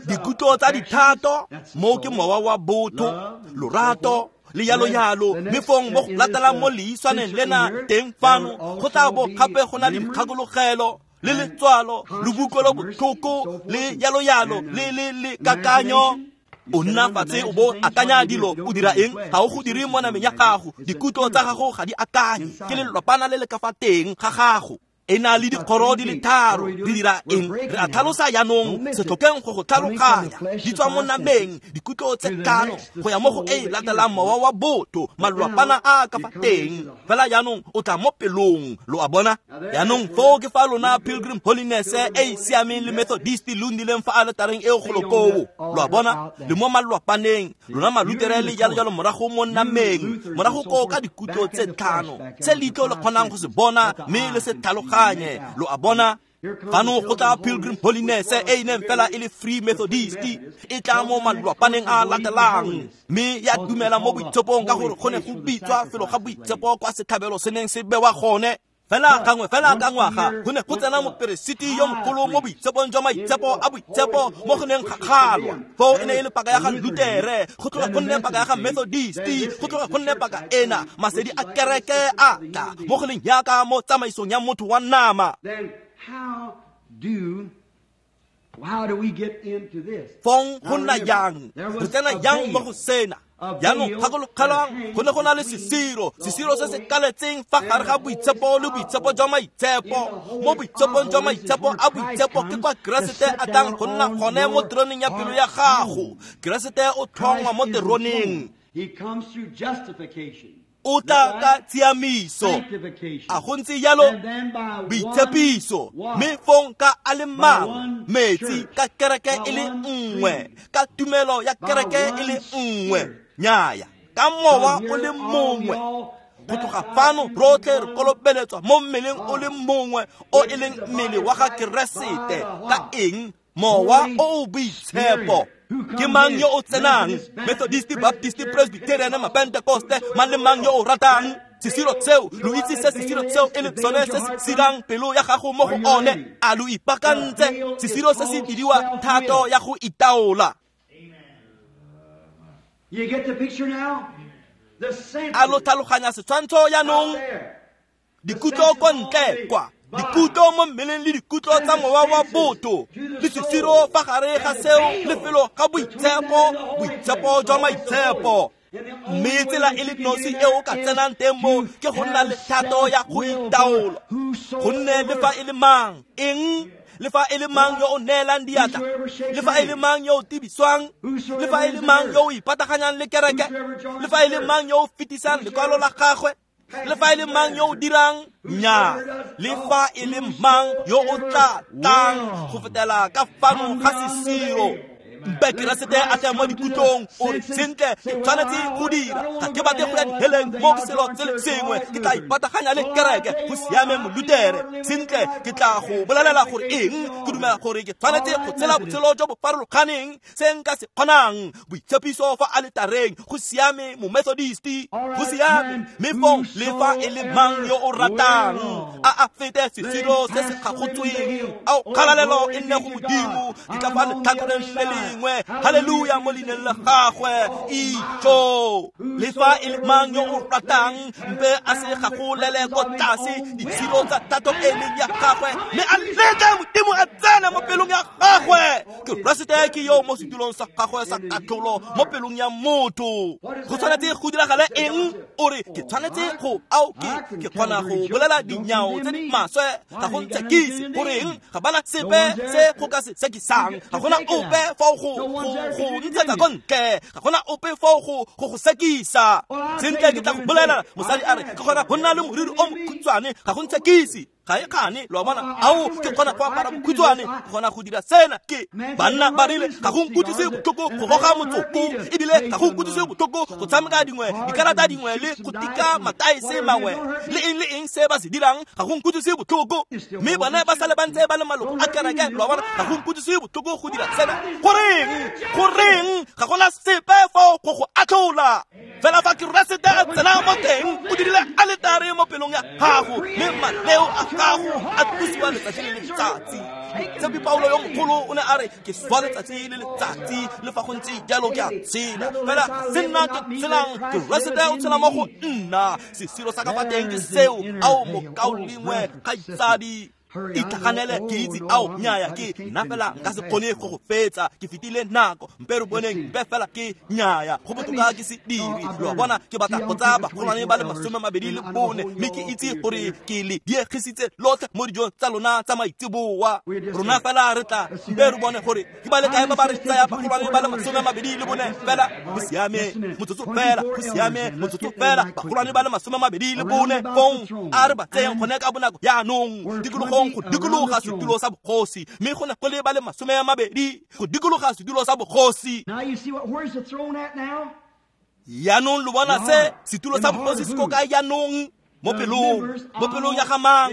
Dikutlo tsa dithato, moo ke mowa wa botho, lorato le yalo yalo. Mme fong mo go latelang mo leiswaneng lena teng fano go tla bo gape go na le dikgakologelo le letswalo le bokutlwelo botlhoko le yalo yalo le le le kakanyo. O nna fatshe o bo akanya dilo, o dira eng? Ga o go dire mo nameng ya gago. Dikutlo tsa gago ga di akanye, ke lelwapana le le ka fa teng ga gago. E na le dikgoro di le tharo. Re dira eng? Re a tlhalosa jaanong, se tlhokeng go go tlhaloganya. Di tswa mo nameng, dikutlo tse tlhano go ya mo go e latelang mowa wa botho, malwapana a ka fa teng. Fela jaanong o tla mo pelong, lo a bona? Jaanong foo ke fa lona Pilgrim Holiness e e siameng le Methodist lo nnileng fa aletareng eo golo koo, lo a bona? Le mo malwapaneng, lona Malutere le jalo jalo morago mo nameng, morago koo ka dikutlo tse tlhano tse leitlho le kgonang go se bona mme le se tlhaloganye, lo a bona? Fano go tla Pilgrim Holiness e e neng fela e le Free Methodist, e tla mo malwapaneng a latelang mme ya dumela mo boitshepong ka gore go ne go bitswa felo ga boitshepo kwa setlhabelo se neng se bewa gone. Fela gangwe fela ka ngwaga go ne go tsena moperesiti yo mogolo mo boitshepong jwa maitshepo a boitshepo mo go neng ga kgalwa. Foo e ne e le paka ya ga Lutere, go tloga go nne paka ya ga Methodist, go tloga go nne paka ena. Masedi a kereke a tla mo go leng yaka mo tsamaisong ya motho wa nama. Fong go nna jang? Re tsena jang mo go sena? Jaanong gakologelwang, go ne go na le sesiro, sesiro se se kaletseng fa gare ga boitshepo le boitshepo jwa maitshepo. Mo boitshepong jwa maitshepo a boitshepo ke kwa Keresete a tlang go nna gone mo teroneng ya pelo ya gago. Keresete o tlhongwa mo teroneng. O tla ka tshiamiso, a go ntse jalo boitshepiso, mme fong ka a le mangwe metsi ka kereke e le nngwe, ka tumelo ya kereke e le nngwe, nnyaya ka mowa o le mongwe. Go tloga fano rotlhe re kolobeletswa mo mmeleng o le mongwe o e leng mmele wa ga Keresete. Ka eng? Mowa o o boitshepo. Ke mang yo o tsenang? Methodist, Baptist, Presbyterian, Mapentekoste, mang le mang yo o ratang. Sesiro seo, lo itse se sesiro seo e le sone se se sirang pelo ya gago mo go one. A lo ipaakantse? Sesiro se se bidiwa thato ya go itaola. A lo tlhaloganya setshwantsho jaanong? Dikutlo ko ntle kwa, dikutlo mo mmeleng le dikutlo tsa mowa wa botho, le sesiro fa gare ga seo lefelo ga boitshepo, boitshepo jwa maitshepo. Mme tsela e le nosi e o ka tsenang teng mo ke go nna le thato ya go itaola. Gonne le fa e le mang, eng? Le fa e le mang yo o neelang diatla, le fa e le mang yo o tibiswang, le fa e le mang yo o ipataganyang le kereke, le fa e le mang yo o fetisang lekwalo la gagwe, le fa e le mang yo o dirang nnyaa, le fa e le mang yo o tla tlang go fetela ka fano ga sesiro. Mpe Keresete a tle mo dikutlong, o re sentle ke tshwanetse go dira, ga ke batle go ya diheleng mo ke selo se le sengwe, ke tla ipataganya le kereke. Go siame Molutere, sentle ke tla go bolelela gore eng, ke dumela gore ke tshwanetse go tshela botshelo jo bo farologaneng se nka se kgonang. Boitshepiso fa aletareng, go siame Momethodist, go siame. Mme fong le fa e le mang yo o ratang a a fete sesiro se se kgagotsweng. Ao kgalalelo e nne go Modimo, ke tla fa letlhakoreng le lengwe. Haleluya mo leineng la gagwe. Itjo le fa e le mang yo o ratang, mpe a se gagolele ko tlase ditshiro tsa thato e leng ya gagwe, mme a letle Modimo a tsene mo pelong ya gagwe. Keresete ke yo mo setulong sa gagwe sa katlholo mo pelong ya motho. Go tshwanetse go diragale eng? O re ke tshwanetse go ao ke ke kgona go bolela dinyao tse di maswe, ga go ntshekise. Goreng? Ga bana sepe se go ka se sekisang, ga gona ope fa go go ntshetsa ko ntle, ga gona ope fa go go go sekisa. Sentle ke tla go bolela, mosadi a re ke kgona go nna le moriri o mokhutshwane, ga go ntshekise. Ga e kgane, lo a bona. Ao, ke kgona go apara bokhutshwane, ke kgona go dira sena. Ke banna ba rile ga go nkutlwise botlhoko go goga motsoko, ebile ga go nkutlwise botlhoko go tshameka dingwe dikarata dingwe le go tika mataese mangwe le eng le eng se ba se dirang, ga go nkutlwise botlhoko. Mme bone ba sale ba ntse ba le maloko a kereke, lo a bona. Ga go nkutlwise botlhoko go dira sena. Goreng? Goreng? Ga gona sepe fao go go atlhola. Fela fa Keresete a tsena mo teng, o dirile aletare mo pelong ya gago, mme maleo a gago a tlosiwa letsatsi le letsatsi. Moitshepi Paulo yo mogolo o ne a re, ke swa letsatsi le letsatsi, le fa go ntse jalo ke a tshela. Fela se nna ke tshelang, Keresete o tshela mo go nna. Sesiro sa ka fa teng ke seo. Ao mokaulengwe, kgaitsadi, itlhaganele, ke itse ao nnyaya ke nna fela nka se kgone go go fetsa, ke fetile nako, mpe re boneng, mpe fela ke nnyaya, go botoka ke se dire. Lo a bona, ke batla go tsaya bagolwane ba le masome mabedi le bone, mme ke itse gore ke le diegisitse lotlhe mo dijong tsa lona tsa maitseboa. Rona fela re tla mpe re bone gore ke ba le kae ba ba re tsaya bagolwane ba le masome mabedi le bone. Fela go siame motsotso fela, go siame motsotso fela, bagolwane ba le masome mabedi le bone. Fong a re ba tseyeng gone ka bonako jaanong, tikologong go dikologa setulo sa bogosi, mme go ne go le ba le masome a mabedi go dikologa setulo sa bogosi. Jaanong lo bona se setulo sa bogosi se ko kae jaanong? Mo pelong, mo pelong ya ga mang?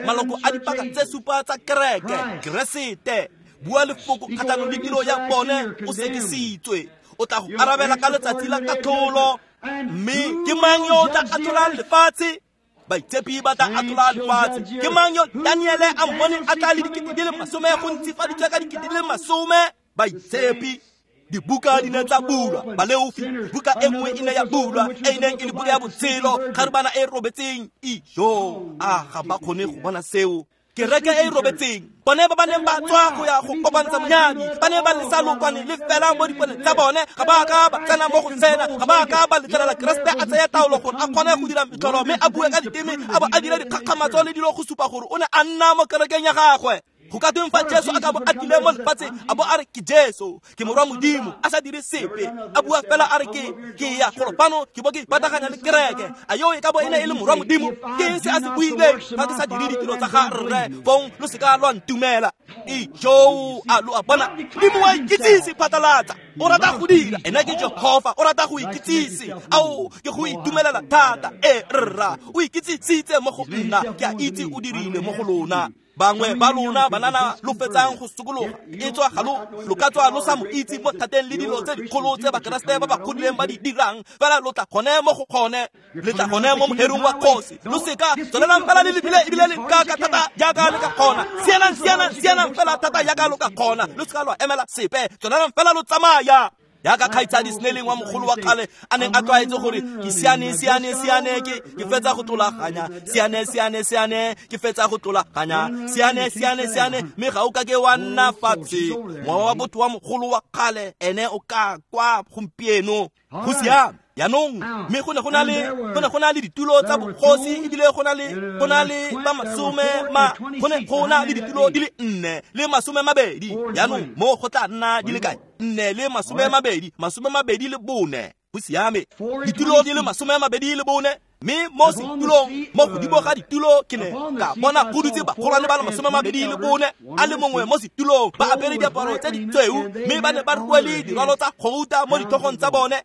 Maloko a dipaka tse supa tsa kereke, Keresete. Bua lefoko kgatlhanong le tiro ya bone, o sekisitswe. O tla go arabela ka letsatsi la katlholo. Mme ke mang yo o tla atlholang lefatshe? Baitshepi ba tla atlhola lefatshe. Ke mang yo Daniele a mmone a tla le dikete di le masome go ntsifaditswe ka dikete di le masome? Baitshepi. Dibuka di ne tsa bulwa, baleofi. Buka e nngwe e ne ya bulwa, e e neng e le buka ya botshelo, kgarebana e robetseng. Ijo, a ga ba kgone go bona seo. Kereke e robetseng, bone ba ba neng ba tswa go ya go kopantsha monyadi, ba ne ba lesa lokwane le fela mo diponeng tsa bone. Ga ba ka ba tsena mo go tsena, ga ba ka ba letlelela Keresete a tsaya taolo gore a kgone go dira metlholo, mme a bue ka diteme, a bo a dira dikgakgamatso le dilo go supa gore o ne a nna mo kerekeng ya gagwe. Go ka tweng fa Jesu a ka bo a tlile mo lefatsheng, a bo a re ke Jesu, ke morwa Modimo, a sa dire sepe, a bua fela a re ke ke ya golo fano, ke bo ke pataganya le kereke, a yo e ka bo e ne e le morwa Modimo? Ke eng se a se buileng? Fa ke sa dire ditiro tsa ga rre, fong lo seka lwa ntumela. Ijo, a lo a bona, Modimo wa ikitsise phatlalatsa. O rata go dira, ena ke Jehofa, o rata go ikitsise. Ao, ke go itumelela thata. E rra, o ikitsisitse mo go nna, ke a itse o dirile mo go lona. Bangwe ba lona banana lo fetsang go sokologa, e tswa ga lo lo ka tswa lo sa mo itse mo thateng le dilo tse dikgolo tse Bakeresete ba ba godileng ba di dirang, fela lo tla gone mo go gone, le tla gone mo moherong wa kgosi. Lo seka tswelelang fela le lebile, ebile le ka ka thata jaaka le ka kgona. Sianang, sianang, sianang fela thata jaaka lo ka kgona. Lo seka lwa emela sepe, tswelelang fela lo tsamaya. Jaaka kgaitsadi Snelling wa mogolo wa kgale a neng a tlwaetse gore ke siane, siane, siane, ke ke fetsa go tlolaganya, siane, siane, siane, ke fetsa go tlolaganya, siane, siane, siane, mme ga o ka ke wa nna fatshe. Mowa wa botho wa mogolo wa kgale ene o ka kwa gompieno. Go siame jaanong. Mme go ne go na le go ne go na le ditulo tsa bogosi, ebile go na le go na le ba masome ma go ne go na le ditulo di le nne le masome mabedi. Jaanong mo go tla nna di le kae? Nne le masome mabedi, masome mabedi le bone. Go siame, ditulo di le masome mabedi le bone. Mme mo setulong, mo godimo ga ditulo, ke ne ka bona go dutse bagolwane ba le masome mabedi le bone, a le mongwe mo setulong, ba apere diaparo tse ditshweu, mme ba ne ba rwele dirwalo tsa gouta mo ditlhogong tsa bone.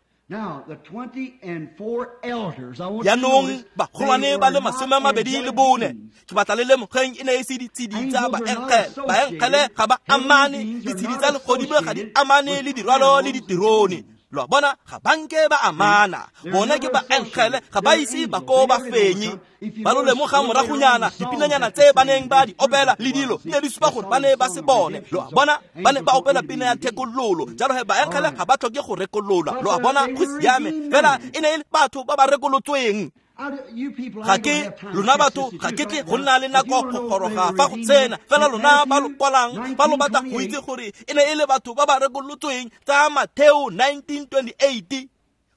Jaanong bagolwane ba le masome a mabedi le bone, ke batla le lemogeng e ne e se ditshedi tsa baengele. Baengele ga ba amane, ditshedi tsa legodimo ga di amane le dirwalo le diterone. Lo a bona, ga ba nke ba amana. Bone ke baengele, ga ba ise ba ko ba fenye. Ba lo lemoga moragonyana, dipinanyana tse ba neng ba di opela le dilo ne di supa gore ba ne ba se bone. Lo a bona, ba ne ba opela pina ya thekololo. Jalo he baengele ga ba tlhoke go rekolola. Lo a bona, go siame. Fela e ne e le batho ba ba rekolotsweng. Ga ke lona batho, ga ke tle go nna le nako go goroga fa go tsena. Fela lona ba lo kwalang, ba lo batla go itse gore e ne e le batho ba ba rekolotsweng tsa Matheo nineteen twenty-eight.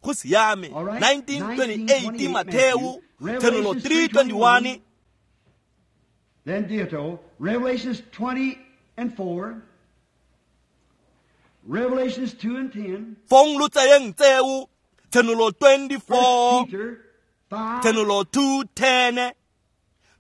Go siame, nineteen twenty-eight Matheo, Tshenolo three twenty-one. Then ditto, Revelations twenty and four, Revelations two and ten. Fong lo tsayeng tseo, Tshenolo twenty-four, Tshenolo two ten,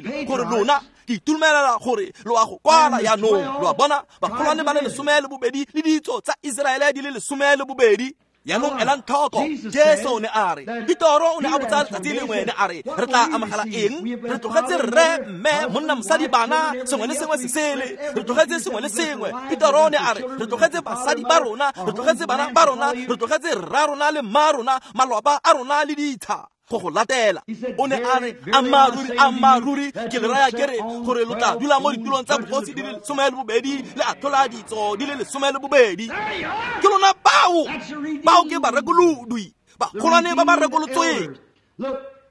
dirile gore lona Ke itumelela gore lo a go kwala jaanong. Lo a bona, bagolwane ba le lesome le bobedi le ditso tsa Iseraele di le lesome le bobedi. Jaanong elang tlhoko, Jesu o ne a re, Petoro o ne a botsa letsatsi lengwe, ne a re, re tla amogela eng? Re tlogetse rre, mme, monna, mosadi, bana, sengwe le sengwe se sele. Re tlogetse sengwe le sengwe. Petoro o ne a re, re tlogetse basadi ba rona, re tlogetse bana ba rona, re tlogetse rra rona le mma rona, malwapa a rona le ditsha go go latela. O ne a re, ammaaruri, ammaaruri, ke le raya ke re gore lo tla dula mo ditulong tsa bogosi di le lesome le bobedi le atlhola ditso di le lesome le bobedi. Ke lona bao, bao ke barekolodwi, bagolwane ba ba rekolotsweng.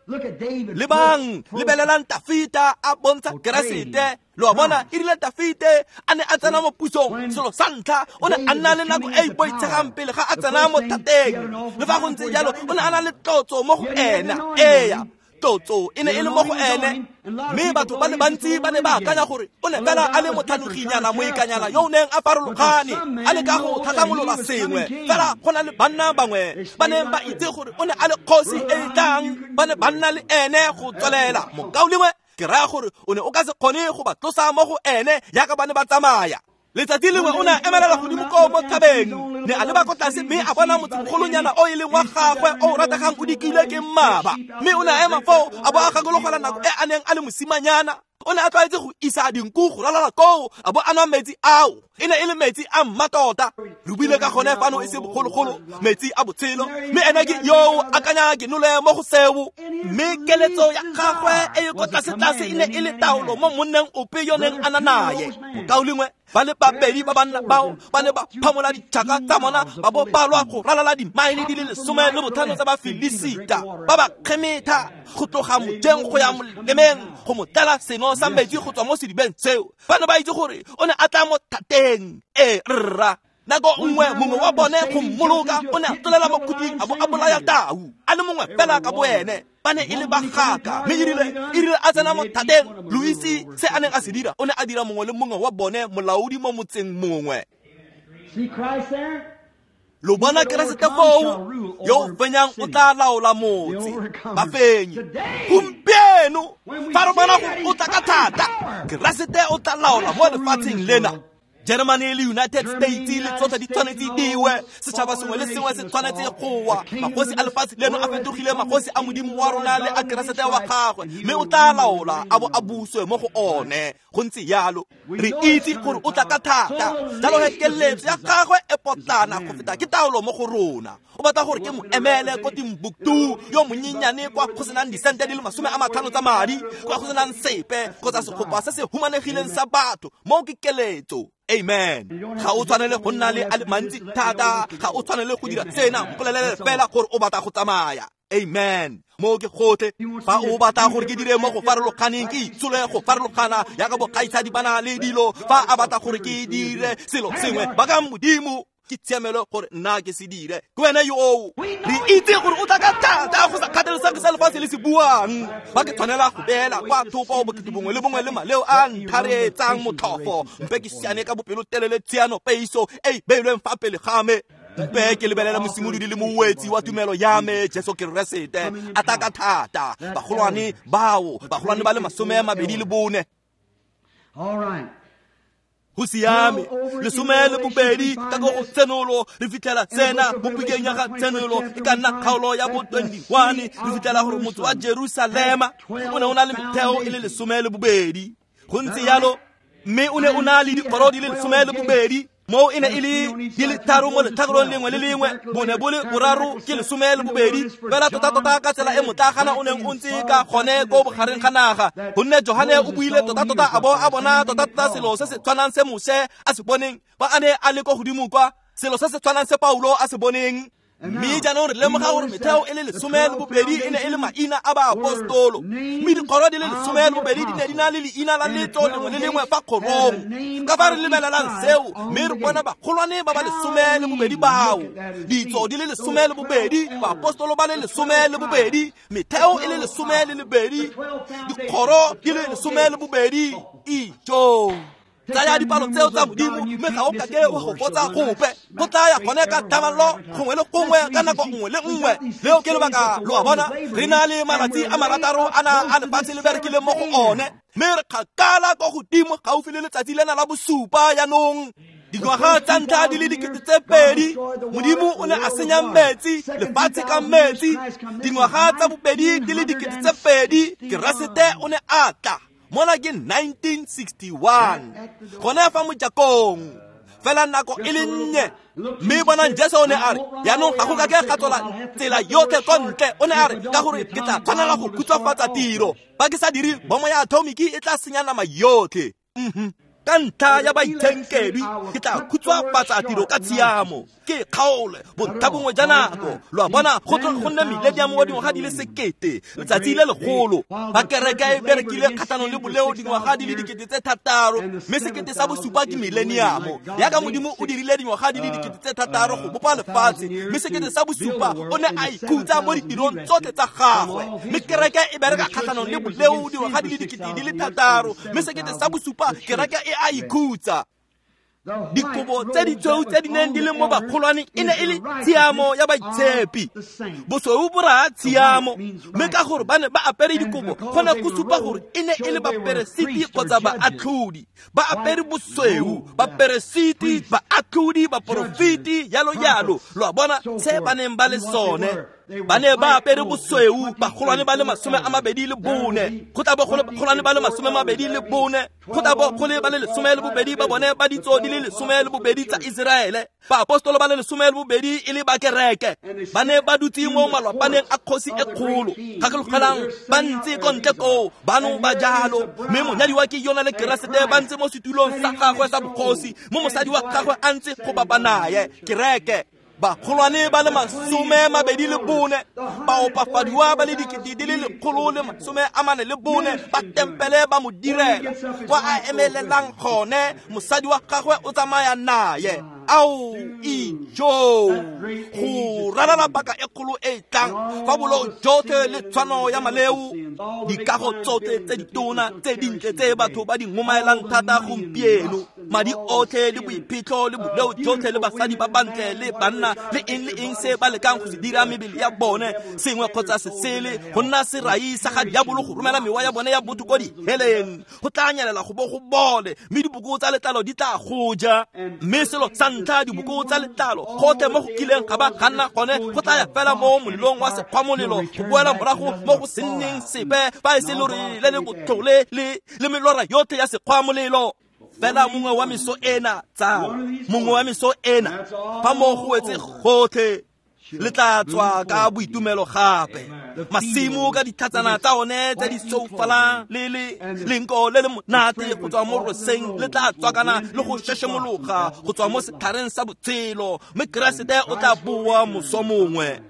Lebang, lebelelang Tafita a bontsha Keresete. Lo a bona, e rile Tafite a ne a tsena mo pusong, selo sa ntlha o ne a nna le nako e e boitshegang pele ga a tsena mo thateng. Le fa go ntse jalo, o ne a na le tlotso mo go ena. Eya, tlotso e ne e le mo go ene. Mme batho ba le bantsi ba ne ba akanya gore o ne fela a le motlhanoginyana, moikanyana yo o neng a farologane, a leka go tlhatlhamolola sengwe. Fela go na le banna bangwe ba neng ba itse gore o ne a le kgosi e e tlang, ba ne ba nna le ene go tswelela. Mokaulengwe, ke raya gore o ne o ka se kgone go ba tlosa mo go ene jaaka ba ne ba tsamaya. Letsatsi lengwe o ne a emelela godimo koo mo thabeng, ne a leba ko tlase mme a bona motsemogolonyana o e leng wa gagwe o o rategang o dikilwe ke mmaba. Mme o ne a ema foo a bo a gakologela nako e a neng a le mosimanyana. O ne a tlwaetse go isa dinku go ralala koo a bo a nwa metsi ao. E ne e le metsi a mmatota. Re buile ka gone fano e se bogologolo, metsi a botshelo. Mme ene ke yo akanya ke nole mo go seo. Mme keletso ya gagwe e e ko tlase-tlase e ne e le taolo mo monneng ope yo neng a na naye. Mokaulengwe, ba le babedi ba banna bao ba ne ba phamola ditšhaka tsa bona ba bo balwa go ralala dimaele di le lesome le botlhano tsa Bafilisita, ba ba kgemetha go tloga mojeng go ya molemeng go mo tlela seno sa metsi go tswa mo sedibeng seo. Ba ne ba itse gore o ne a tla mo thateng. E rra, nako nngwe mongwe wa bone go mmoloka o ne a tlolela mo khuding a bo a bolaya tau a le mongwe fela ka bo ene. Ba ne e le bagaka. Mme erile erile a tsena mo thateng, lo itse se a neng a se dira? O ne a dira mongwe le mongwe wa bone molaodi mo motseng mongwe. Lo bona Keresete foo, yo o fenyang o tla laola motse. Bafenyi gompieno, fa re bona gore o tla ka thata, Keresete o tla laola mo lefatsheng lena. Germany le United States le tsotlhe di tshwanetse diwe, setšhaba sengwe le sengwe se tshwanetse go wa. Magosi a lefatshe leno a fetogile magosi a Modimo wa rona le a Keresete wa gagwe, mme o tla laola a bo a buswe mo go one. Go ntse jalo, re itse gore o tla ka thata. Jalo he keletso ya gagwe e potlana go feta ke taolo mo go rona. O batla gore ke mo emele ko Timbuktu yo monyenyane kwa go senang disente di le masome a matlhano tsa madi, kwa go senang sepe kgotsa segopa se se humanegileng sa batho. Moo ke keletso. Amen. Ga o tshwanele go nna le a le mantsi thata, ga o tshwanele go dira sena, mpolelele fela gore o batla go tsamaya. Amen. Mo ke gotlhe, fa o batla gore ke dire mo go farologaneng, ke itshole go farologana jaaka bokgaitsadi ba na le dilo. Fa a batla gore ke dire selo sengwe, ba ka Modimo ke tshiamelo gore nna ke se dire. Ke wena yo oo. Re itse gore o tla ka thata go sa kgathalesege se lefatshe le se buang. Fa ke tshwanela go beela kwa thoko bokete bongwe le bongwe le maleo a ntharetsang motlhofo, mpe ke siane ka bopelotelele tshiano peiso e e beilweng fa pele ga me. Mpe ke lebelela mosimolodi le mowetsi wa tumelo ya me, Jesu Keresete, a tla ka thata. Bagolwane bao, bagolwane ba le masome a mabedi le bone. Go siame, lesome le bobedi ka go go Tshenolo, re fitlhela tsena mo bukeng ya ga Tshenolo e ka nna kgaolo ya bo twenty-one, re fitlhela gore motse wa Jerusalema o ne o na le metheo e le lesome le bobedi. Go ntse jalo, mme o ne o na le dikgoro di le lesome le bobedi. Moo e ne e le di le tharo mo letlhakorong lengwe le lengwe, bone bo le boraro ke lesome le bobedi. Fela tota-tota ka tsela e motlagana o neng o ntse ka gone ko bogareng ga naga, gonne Johane o buile tota-tota a bo a bona tota-tota selo se se tshwanang se Moshe a se boneng fa a ne a le ko godimo kwa, selo se se tshwanang se Paulo a se boneng. Mme jaanong re lemoga gore metheo e le lesome le bobedi e ne e le maina a baapostolo, mme dikgoro di le lesome le bobedi di ne di na le leina la letso lengwe le lengwe fa kgorong. Ka fa re lebelelang seo, mme re bona bagolwane ba ba lesome le bobedi bao, ditso di le lesome le bobedi, baapostolo ba le lesome le bobedi, metheo e le lesome le lebedi, dikgoro di le lesome le bobedi. Ijo Tsaya dipalo tseo tsa Modimo mme ga o kake wa go botsa gope. Go tlaya gone ka thamallo gongwe le gongwe ka nako nngwe le nngwe. Leo ke lebaka, lo a bona, re na le malatsi a marataro a na a lefatshe le berekile mo go one, mme re kgakala kwa godimo gaufi le letsatsi lena la bosupa jaanong. Dingwaga tsa ntlha di le dikete tse pedi, Modimo o ne a senya metsi, lefatshe ka metsi. Dingwaga tsa bobedi di le dikete tse pedi, Keresete o ne a tla. Mona ke nineteen sixty-one. Gone fa mojakong. Fela nako e le nnye. Mme bonang Jesu o ne a re, jaanong ga go kake ga tswela tsela yotlhe ko ntle. O ne a re, ka gore ke tla tshwanela go khutshwafatsa tiro. Fa ke sa dire, bomo ya atomiki e tla senya nama yotlhe. Mhm. Ka ntlha ya baitshenkedwi, ke tla khutshwafatsa tiro ka tshiamo. Ke kgaole bontlha bongwe ja nako. Lo a bona, go tlo go nne millennium wa dingwaga di le sekete, letsatsi le legolo. Ba kereke e berekile kgatlhanong le boleo dingwaga di le dikete tse thataro, mme sekete sa bosupa ke millennium. Yaka Modimo o dirile dingwaga di le dikete tse thataro go bopa lefatshe, mme sekete sa bosupa o ne a ikhutsa mo ditirong tsotlhe tsa gagwe. Mme kereke e bereka kgatlhanong le boleo dingwaga di le dikete di le thataro, mme sekete sa bosupa kereke e a ikhutsa. Dikobo tse ditshweu tse di neng di le mo bagolwaneng e ne e le tshiamo ya baitshepi. Bosweu bo raya tshiamo, mme ka gore ba ne ba apere dikobo go ne go supa gore e ne e le baperesiti kgotsa baatlhodi. Ba apere bosweu, baperesiti, baatlhodi, baporofeti, jalo jalo. Lo a bona se ba neng ba le sone. Ba ne ba apere bosweu, bagolwane ba le masome a mabedi le bone. Go tla bo go le bagolwane ba le masome a mabedi le bone. Go tla bo go le ba le lesome le bobedi ba bone ba ditso di le lesome le bobedi tsa Iseraele. Baapostolo ba le lesome le bobedi e le ba kereke. Ba ne ba dutse mo malwapaneng a kgosi e kgolo. Gakologelang, ba ntse ko ntle koo, bano ba jalo. Mme monyadiwa ke yona le Keresete ba ntse mo setulong sa gagwe sa bogosi, mo mosadi wa gagwe a ntse go bapa naye, kereke. Bagolwane ba le masome mabedi le bone, baopafadiwa ba le dikete di le lekgolo le masome a mane le bone, ba tempele ba mo direla. Kwa a emelelang gone, mosadi wa gagwe o tsamaya naye. Ao ijo, go ralala paka e kgolo e e tlang, fa boleo jotlhe le tshwano ya maleo, dikago tsotlhe tse ditona tse dintle tse batho ba di ngomaelang thata gompieno, madi otlhe le boiphitlho le boleo jotlhe le basadi ba bantle le banna le eng le eng se ba lekang go se dira mebele ya bone sengwe kgotsa se sele, go nna serai sa ga diabolo go romela mewa ya bone ya botho ko diheleng. Go tla nyelela go bo go bole, mme diboko tsa letlalo di tla go ja. Mme selo sa ntlha, diboko tsa letlalo gotlhe mo go kileng ga ba ga nna gone, go tla ya fela mo molelong wa sekgwamolelo, go boela morago mo go se nneng sepe fa e se lore le le botlhole le le melora yotlhe ya sekgwamolelo. Fela mongwe wa meso ena, tsala, mongwe wa meso ena, fa mo go wetse gotlhe, le tla tswa ka boitumelo gape. Masimo ka ditlhatsana tsa one tse di soufalang le le lenko le le monate go tswa mo roseng le tla tswakana le go šešemologa go tswa mo setlhareng sa botshelo, mme Keresete o tla boa moso mongwe.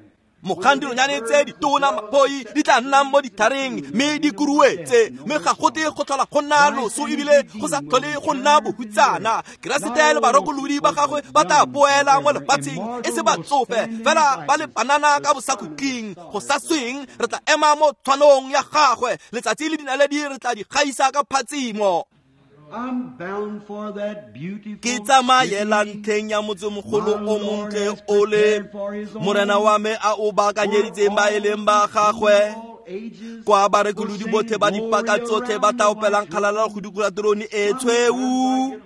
Mogang dinonyane tse ditona mapoi di tla nnang mo ditlhareng mme di kuruetse, mme ga gote go tlhola go nna loso ebile go sa tlhole go nna bohutsana. Keresete le barokolodi ba gagwe ba tla boela mo lefatsheng e se batsofe fela ba le banana ka bosakhutleng. Go sa sweng re tla ema mo tshwanong ya gagwe, letsatsi le dinaledi re tla di gaisa ka phatsimo. Ke tsamaela ntlheng ya motsemogolo o montle o le Morena wa me a o baakanyeditseng ba e leng ba gagwe, kwa barekolodi botlhe ba dipaka tsotlhe ba tla opelang kgalalelo go dikologa terone e tshweu.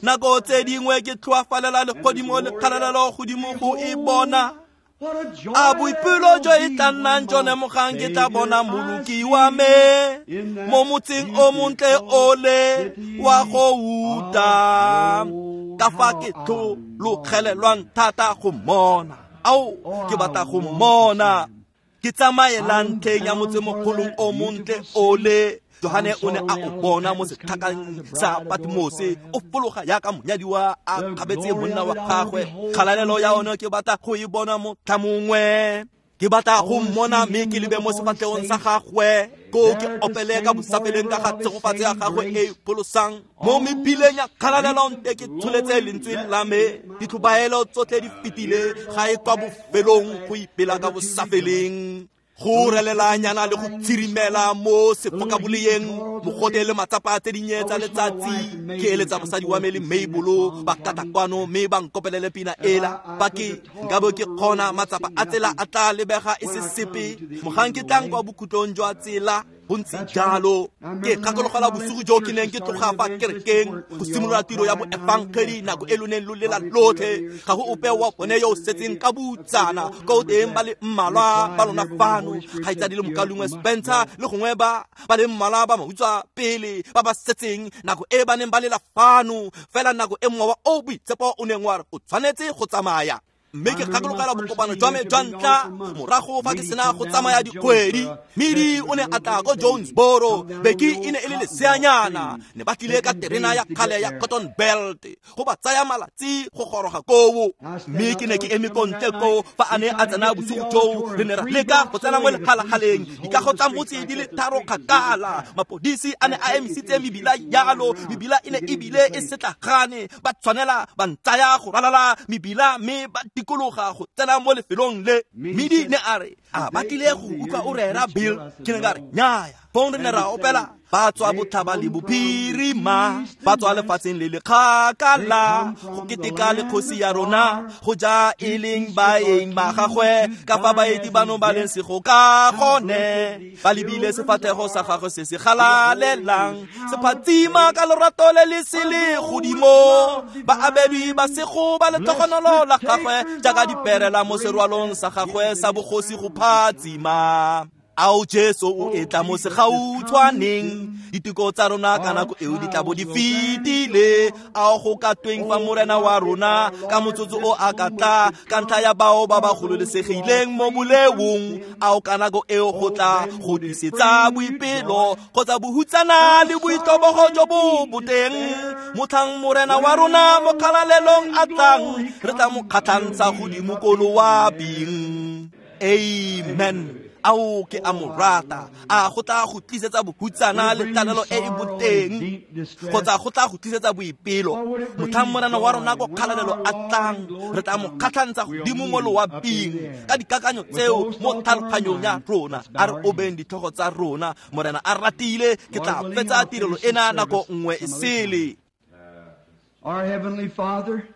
Nako tse dingwe ke tlhoafalela legodimo le kgalalelo godimo go e bona. A boipelo jo e tla nnang jone mogang ke tla bona moloki wa me mo motseng o montle ole wa go uta. Ka fa ke tlhologelelwang thata go mmona, ao ke batla go mmona. Ke tsamaela ntlheng ya motsemogolong o montle ole. Johane o ne a o bona mo setlhakeng sa Patmose, o fologa yaka monyadiwa a kgabetse monna wa gagwe. Kgalalelo ya one ke batla go e bona motlha mongwe. Ke batla go mmona mme ke lebe mo sefatlhegong sa gagwe, ko ke opele ka bosafeleng ka ga tshegofatso ya gagwe e e pholosang. Mo mebileng ya kgalalelo nte ke tsholetse lentswe la me, ditlhobaelo tsotlhe di fetile, ga e kwa bofelong go ipela ka bosafeleng. Go relelanyana le go tsirimela mo sefokaboleyeng mogote le matsapa tse dinnye tsa letsatsi ke eletsa mosadi wa me le Mabelo ba kata kwano mme ba nkopelele pina ela ba ke nka bo ke kgona matsapa a tsela a tla lebega e se sepe mogang ke tlang kwa bokhutlong jwa tsela go ntse jalo. Ke gakologelwa bosigo jo ke neng ke tloga fa kerekeng go simolola tiro ya boefangedi nako e lo neng lo lela lotlhe ga go ope wa bone yo o setseng ka botsana ko teng ba le mmalwa ba lona fano kgaitsadi le mokalungwe Spencer le gongwe ba ba le mmalwa ba mautswa pele ba ba setseng nako e ba neng ba lela fano fela nako e mowa o boitshepo o neng wa re o tshwanetse go tsamaya. Mme ke gakologelwa bokopano jwa me jwa ntlha morago fa ke sena go tsamaya dikgwedi. Medi o ne a tla ko Jonesboro, Beki e ne e le leseanyana, ne ba tlile ka terena ya kgale ya Cotton Belt go ba tsaya malatsi go goroga koo. Mme ke ne ke eme ko ntle koo fa a ne a tsena bosigo joo, re ne ra leka go tsena mo legalagaleng dikago tsa motse di le tharo kgakala. Mapodisi a ne a emisitse mebila yalo, mebila e ne ebile e setlagane, ba tshwanela ba ntsaya go ralala mebila mme ba dikologa go tsena mo lefelong le. Medi ne a re a ba tlile go utlwa o rera Bill. Ke ne ka re nnyaya. Fong re ne ra opela ba tswa botlhaba le bophirima, ba tswa lefatsheng le le kgakala go keteka le kgosi ya rona go ja e leng baeng ba gagwe ka fa baeti bano ba leng sego ka gone ba lebile sefatlhego sa gagwe se se galalelang se phatsima ka lorato le le se le godimo ba abedwi ba sego ba letlhogonolo la gagwe jaaka diperela mo serwalong sa gagwe sa bogosi go phatsima. Ao Jesu o etla mo segautshwaneng, diteko tsa rona ka nako eo di tla bo di fetile. Ao go ka tweng fa morena wa rona ka motsotso o a ka tla ka ntlha ya bao ba ba gololesegileng mo boleong. Ao ka nako eo go tla go disetsa boipelo kgotsa bohutsana le boitlhobogo jo bo boteng. Motlhang morena wa rona mo kgalalelong a tlang, re tla mo kgatlhantsha godimo ko loaping. Amen. Ao ke a mo rata. A go tla go tlisetsa bohutsana le tlalelo e e boteng kgotsa go tla go tlisetsa boipelo. Motlhang morena wa rona ko kgalalelo a tlang, re tla mo kgatlhantsha godimo mo loaping ka dikakanyo tseo mo tlhaloganyong ya rona. A re obeng ditlhogo tsa rona. Morena a ratile ke tla fetsa tirelo ena nako nngwe e sele. Our Heavenly Father,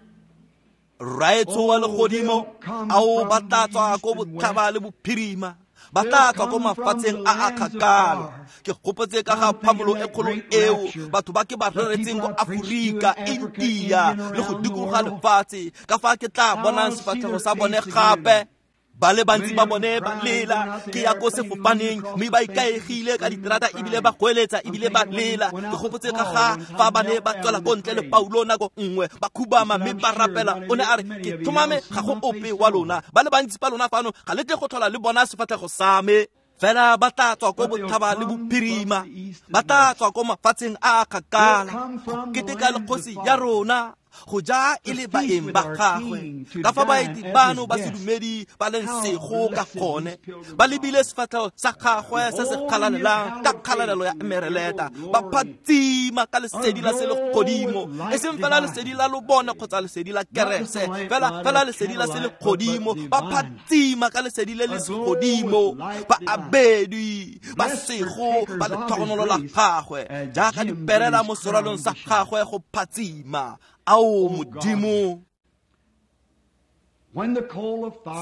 Rraetsho wa legodimo, ao ba tla tswa ko botlhaba le bophirima, ba tla tswa ko mafatsheng a a kgakala. Ke gopotse ka ga phamolo e kgolo eo batho ba ke ba reretseng ko Aforika, India le go dikologa lefatshe, ka fa ke tla bonang sefatlhego sa bone gape. Ba le bantsi ba bone ba lela, ke ya ko sefofaneng mme ba ikaegile ka diterata ebile ba goeletsa ebile ba lela. Ke gopotse ka ga fa ba ne ba tswela ko ntle le Paulo nako nngwe ba khubama mme ba rapela. O ne a re ke tlhomame ga go ope wa lona, ba le bantsi ba lona fano ga le tle go tlhola le bona sefatlhego sa me. Fela ba tla tswa ko botlhaba le bophirima, ba tla tswa ko mafatsheng a a kgakala go keteka le kgosi ya rona go ja e le baeng ba gagwe. Ka fa baeti bano ba sedumedi ba leng sego ka gone, ba lebile sefatlhego sa gagwe se se kgalalelang ka kgalalelo ya emereleta, ba phatsima ka lesedi la selegodimo, e seng fela lesedi la lobone kgotsa lesedi la kerese, fela fela lesedi la selegodimo, ba phatsima ka lesedi le le segodimo, ba abedwi ba sego ba letlhogonolo la gagwe jaaka diperela mo serwalong sa gagwe go phatsima. Ao Modimo,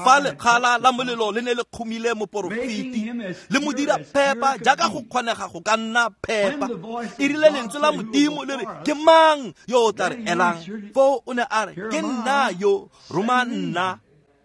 fa lekgala la molelo le ne le kgomile moporofeti le mo dira phepa jaaka go kgonega go ka nna phepa, e rile lentswe la Modimo le re ke mang yo o tla re elang? Foo o ne a re ke nna yo, roma nna.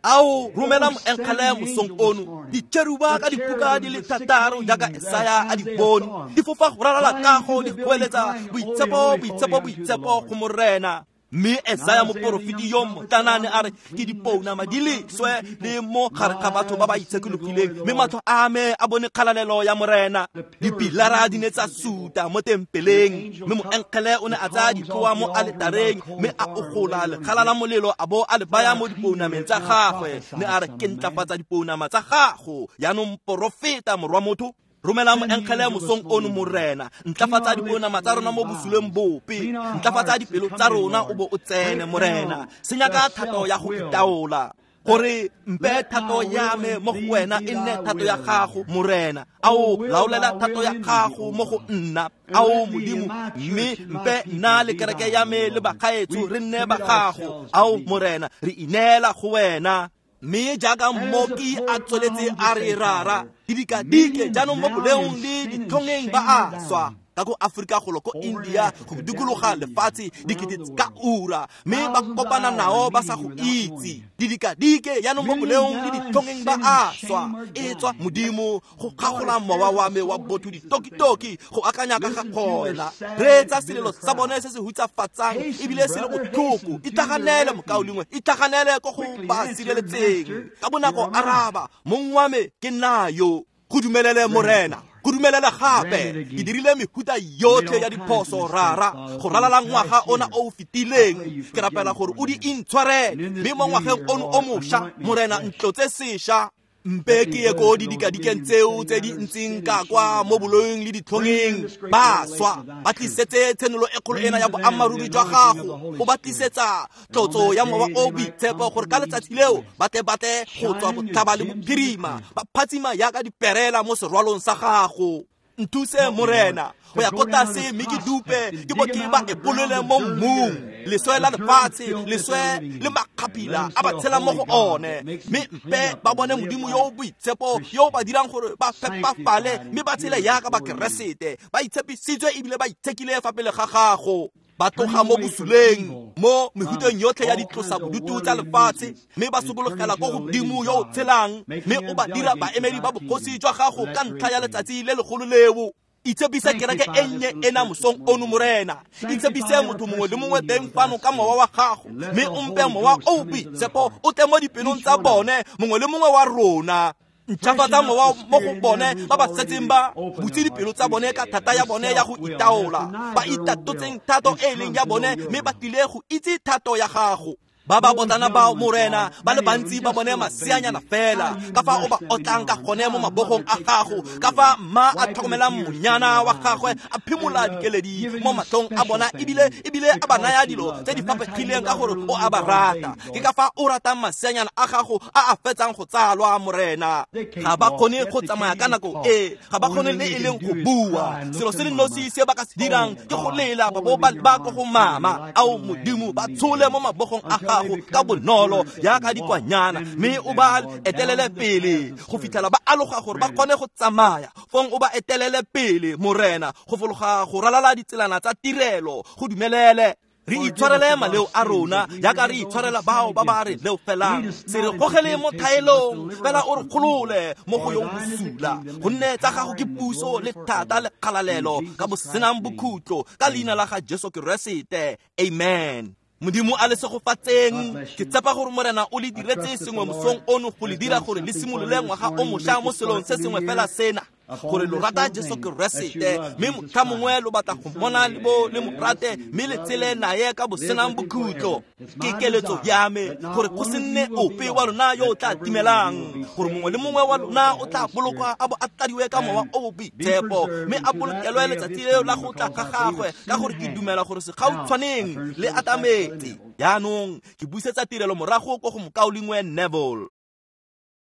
Ao romela moengele mosong ono, ditšheruba ka dipuka di le thataro jaaka Esaya a di bone, di fofa go ralala kago di goeletsa boitshepo, boitshepo, boitshepo go morena. Mme Esaya moporofeti yo motlana ne a re ke dipounama di leswe le mo gare ga batho ba ba itshekologileng, mme matlho a me a bone kgalalelo ya morena. Dipilara di ne tsa suta mo tempeleng, mme moengele o ne a tsaya ditloa mo aletareng mme a ogola lekgala la molelo a bo a le baya mo dipounameng tsa gagwe. Ne a re ke ntlafatsa dipounama tsa gago yaanong porofeta morwa motho. Romela moengele mosong ono morena, ntlafatsa dipounama tsa rona mo bosuleng bope, ntlafatsa dipelo tsa rona o bo o tsene morena, senya ka thato ya go itaola. Gore mpe thato ya me mo go wena e nne thato ya gago Morena. Ao laolela thato ya gago mo go nna. Ao Modimo, mme mpe nna le kereke ya me le bagaetsho re nne ba gago. Ao Morena, re ineela go wena. Mme jaaka mmoki a tsweletse a re rara, didikadike jaanong mo boleong le ditlhongeng ba a swa. Ka ko Afrika golo ko India go dikologa lefatshe dikete ka ura, mme ba kopana nao ba sa go itse. Didikadike jaanong mo boleong le ditlhongeng ba a swa. E tswa Modimo go kgagola mowa wa me wa botho ditokitoki go akanya ka ga gona. Reetsa selelo sa bone se se hutsafatsang ebile se le botlhoko. Itlhaganele mokaulengwe, itlhaganele ko go ba sireletseng. Ka bonako araba, mong wa me ke nna yo. Go dumelele Morena, go dumelele gape. Ke dirile mehuta yotlhe ya diphoso rara go ralala ngwaga ona o o fetileng. Ke rapela gore o di intshwarele, mme mo ngwageng ono o mošwa Morena ntlotse sešwa. Mpe ke ye ko didikadikeng tseo tse di ntseng ka kwa mo boloing le ditlhongeng. Ba swa, ba tlisetse tshenolo e kgolo ena ya boammaaruri jwa gago. O ba tlisetsa tlotso ya mowa o boitshepo gore ka letsatsi leo ba tle ba tle go tswa botlhaba le bophirima, ba phatsima yaka diperela mo serwalong sa gago. Nthuse Morena go ya ko tlase mme ke dupe, ke bo ke ba epolole mo mmung. Leswe la lefatshe, leswe le makgapila a ba tshela mo go one. Mme mpe ba bone Modimo yo o boitshepo yo o ba dirang gore ba phepafale mme ba tshele yaka bakeresete, ba itshepisitswe ebile ba itshekile fa pele ga gago. Ba tloga mo bosuleng, mo mehuteng yotlhe ya ditlosa bodutu tsa lefatshe, mme ba sokologela ko godimo yo o tshelang, mme o ba dira baemedi ba bogosi jwa gago ka ntlha ya letsatsi le legolo leo. Itshepise kereke e nnye ena mosong ono Morena. Itshepise motho mongwe le mongwe teng fano ka mowa wa gago, mme o mpe mowa o o boitshepo o tle mo dipelong tsa bone, mongwe le mongwe wa rona. Ntšhafatsa mowa mo go bone ba ba setseng ba butse dipelo tsa bone ka thata ya bone ya go itaola, ba itatotseng thato e leng ya bone, mme ba tlile go itse thato ya gago. Ba ba botlana bao Morena, ba le bantsi ba bone maseanyana fela, ka fa o ba otlang ka gone mo mabogong a gago, ka fa mma a tlhokomelang monyana wa gagwe a phimola dikeledi mo matlhong a bona, ebile ebile a ba naya dilo tse di fapegileng ka gore o a ba rata. Ke ka fa o ratang maseanyana a gago a a fetsang go tsalwa Morena. Ga ba kgone go tsamaya ka nako e, ga ba kgone le e leng go bua. Selo se le nosi se ba ka se dirang ke go lela ba bo ba ba ko go mama. Ao Modimo, ba tshole mo mabogong a gago ka bonolo yaka dikwanyana, mme o ba etelele pele go fitlhela ba aloga gore ba kgone go tsamaya. Fong o ba etelele pele Morena go fologa go ralala ditselana tsa tirelo. Go dumelele re itshwarele maleo a rona jaaka re itshwarela bao ba ba re leofelang. Se re gogele mo thaelong, fela o re golole mo go yo bosula, gonne tsa gago ke puso le thata le kgalalelo ka bosenang bokhutlo, ka leina la ga Jesu Keresete. Amen. Modimo a le segofatseng. Ke tshepa gore Morena o le diretse sengwe mosong ono go le dira gore le simolole ngwaga o mošwa mo selong se sengwe fela sena, gore lo rata Jesu Keresete, mme motlha mongwe lo batla go mmona le bo le mo rate, mme le tshele naye ka bosenang bokhutlo. Ke keletso ya me gore go se nne ope wa lona yo o tla timelang, gore mongwe le mongwe wa lona o tla bolokwa a bo a tladiwe ka mowa o o boitshepo, mme a bolokelwe letsatsi leo la go tla ga gagwe, ka gore ke dumela gore segautshwaneng le atametse. Jaanong ke busetsa tirelo morago ko go mokaulengwe Neville.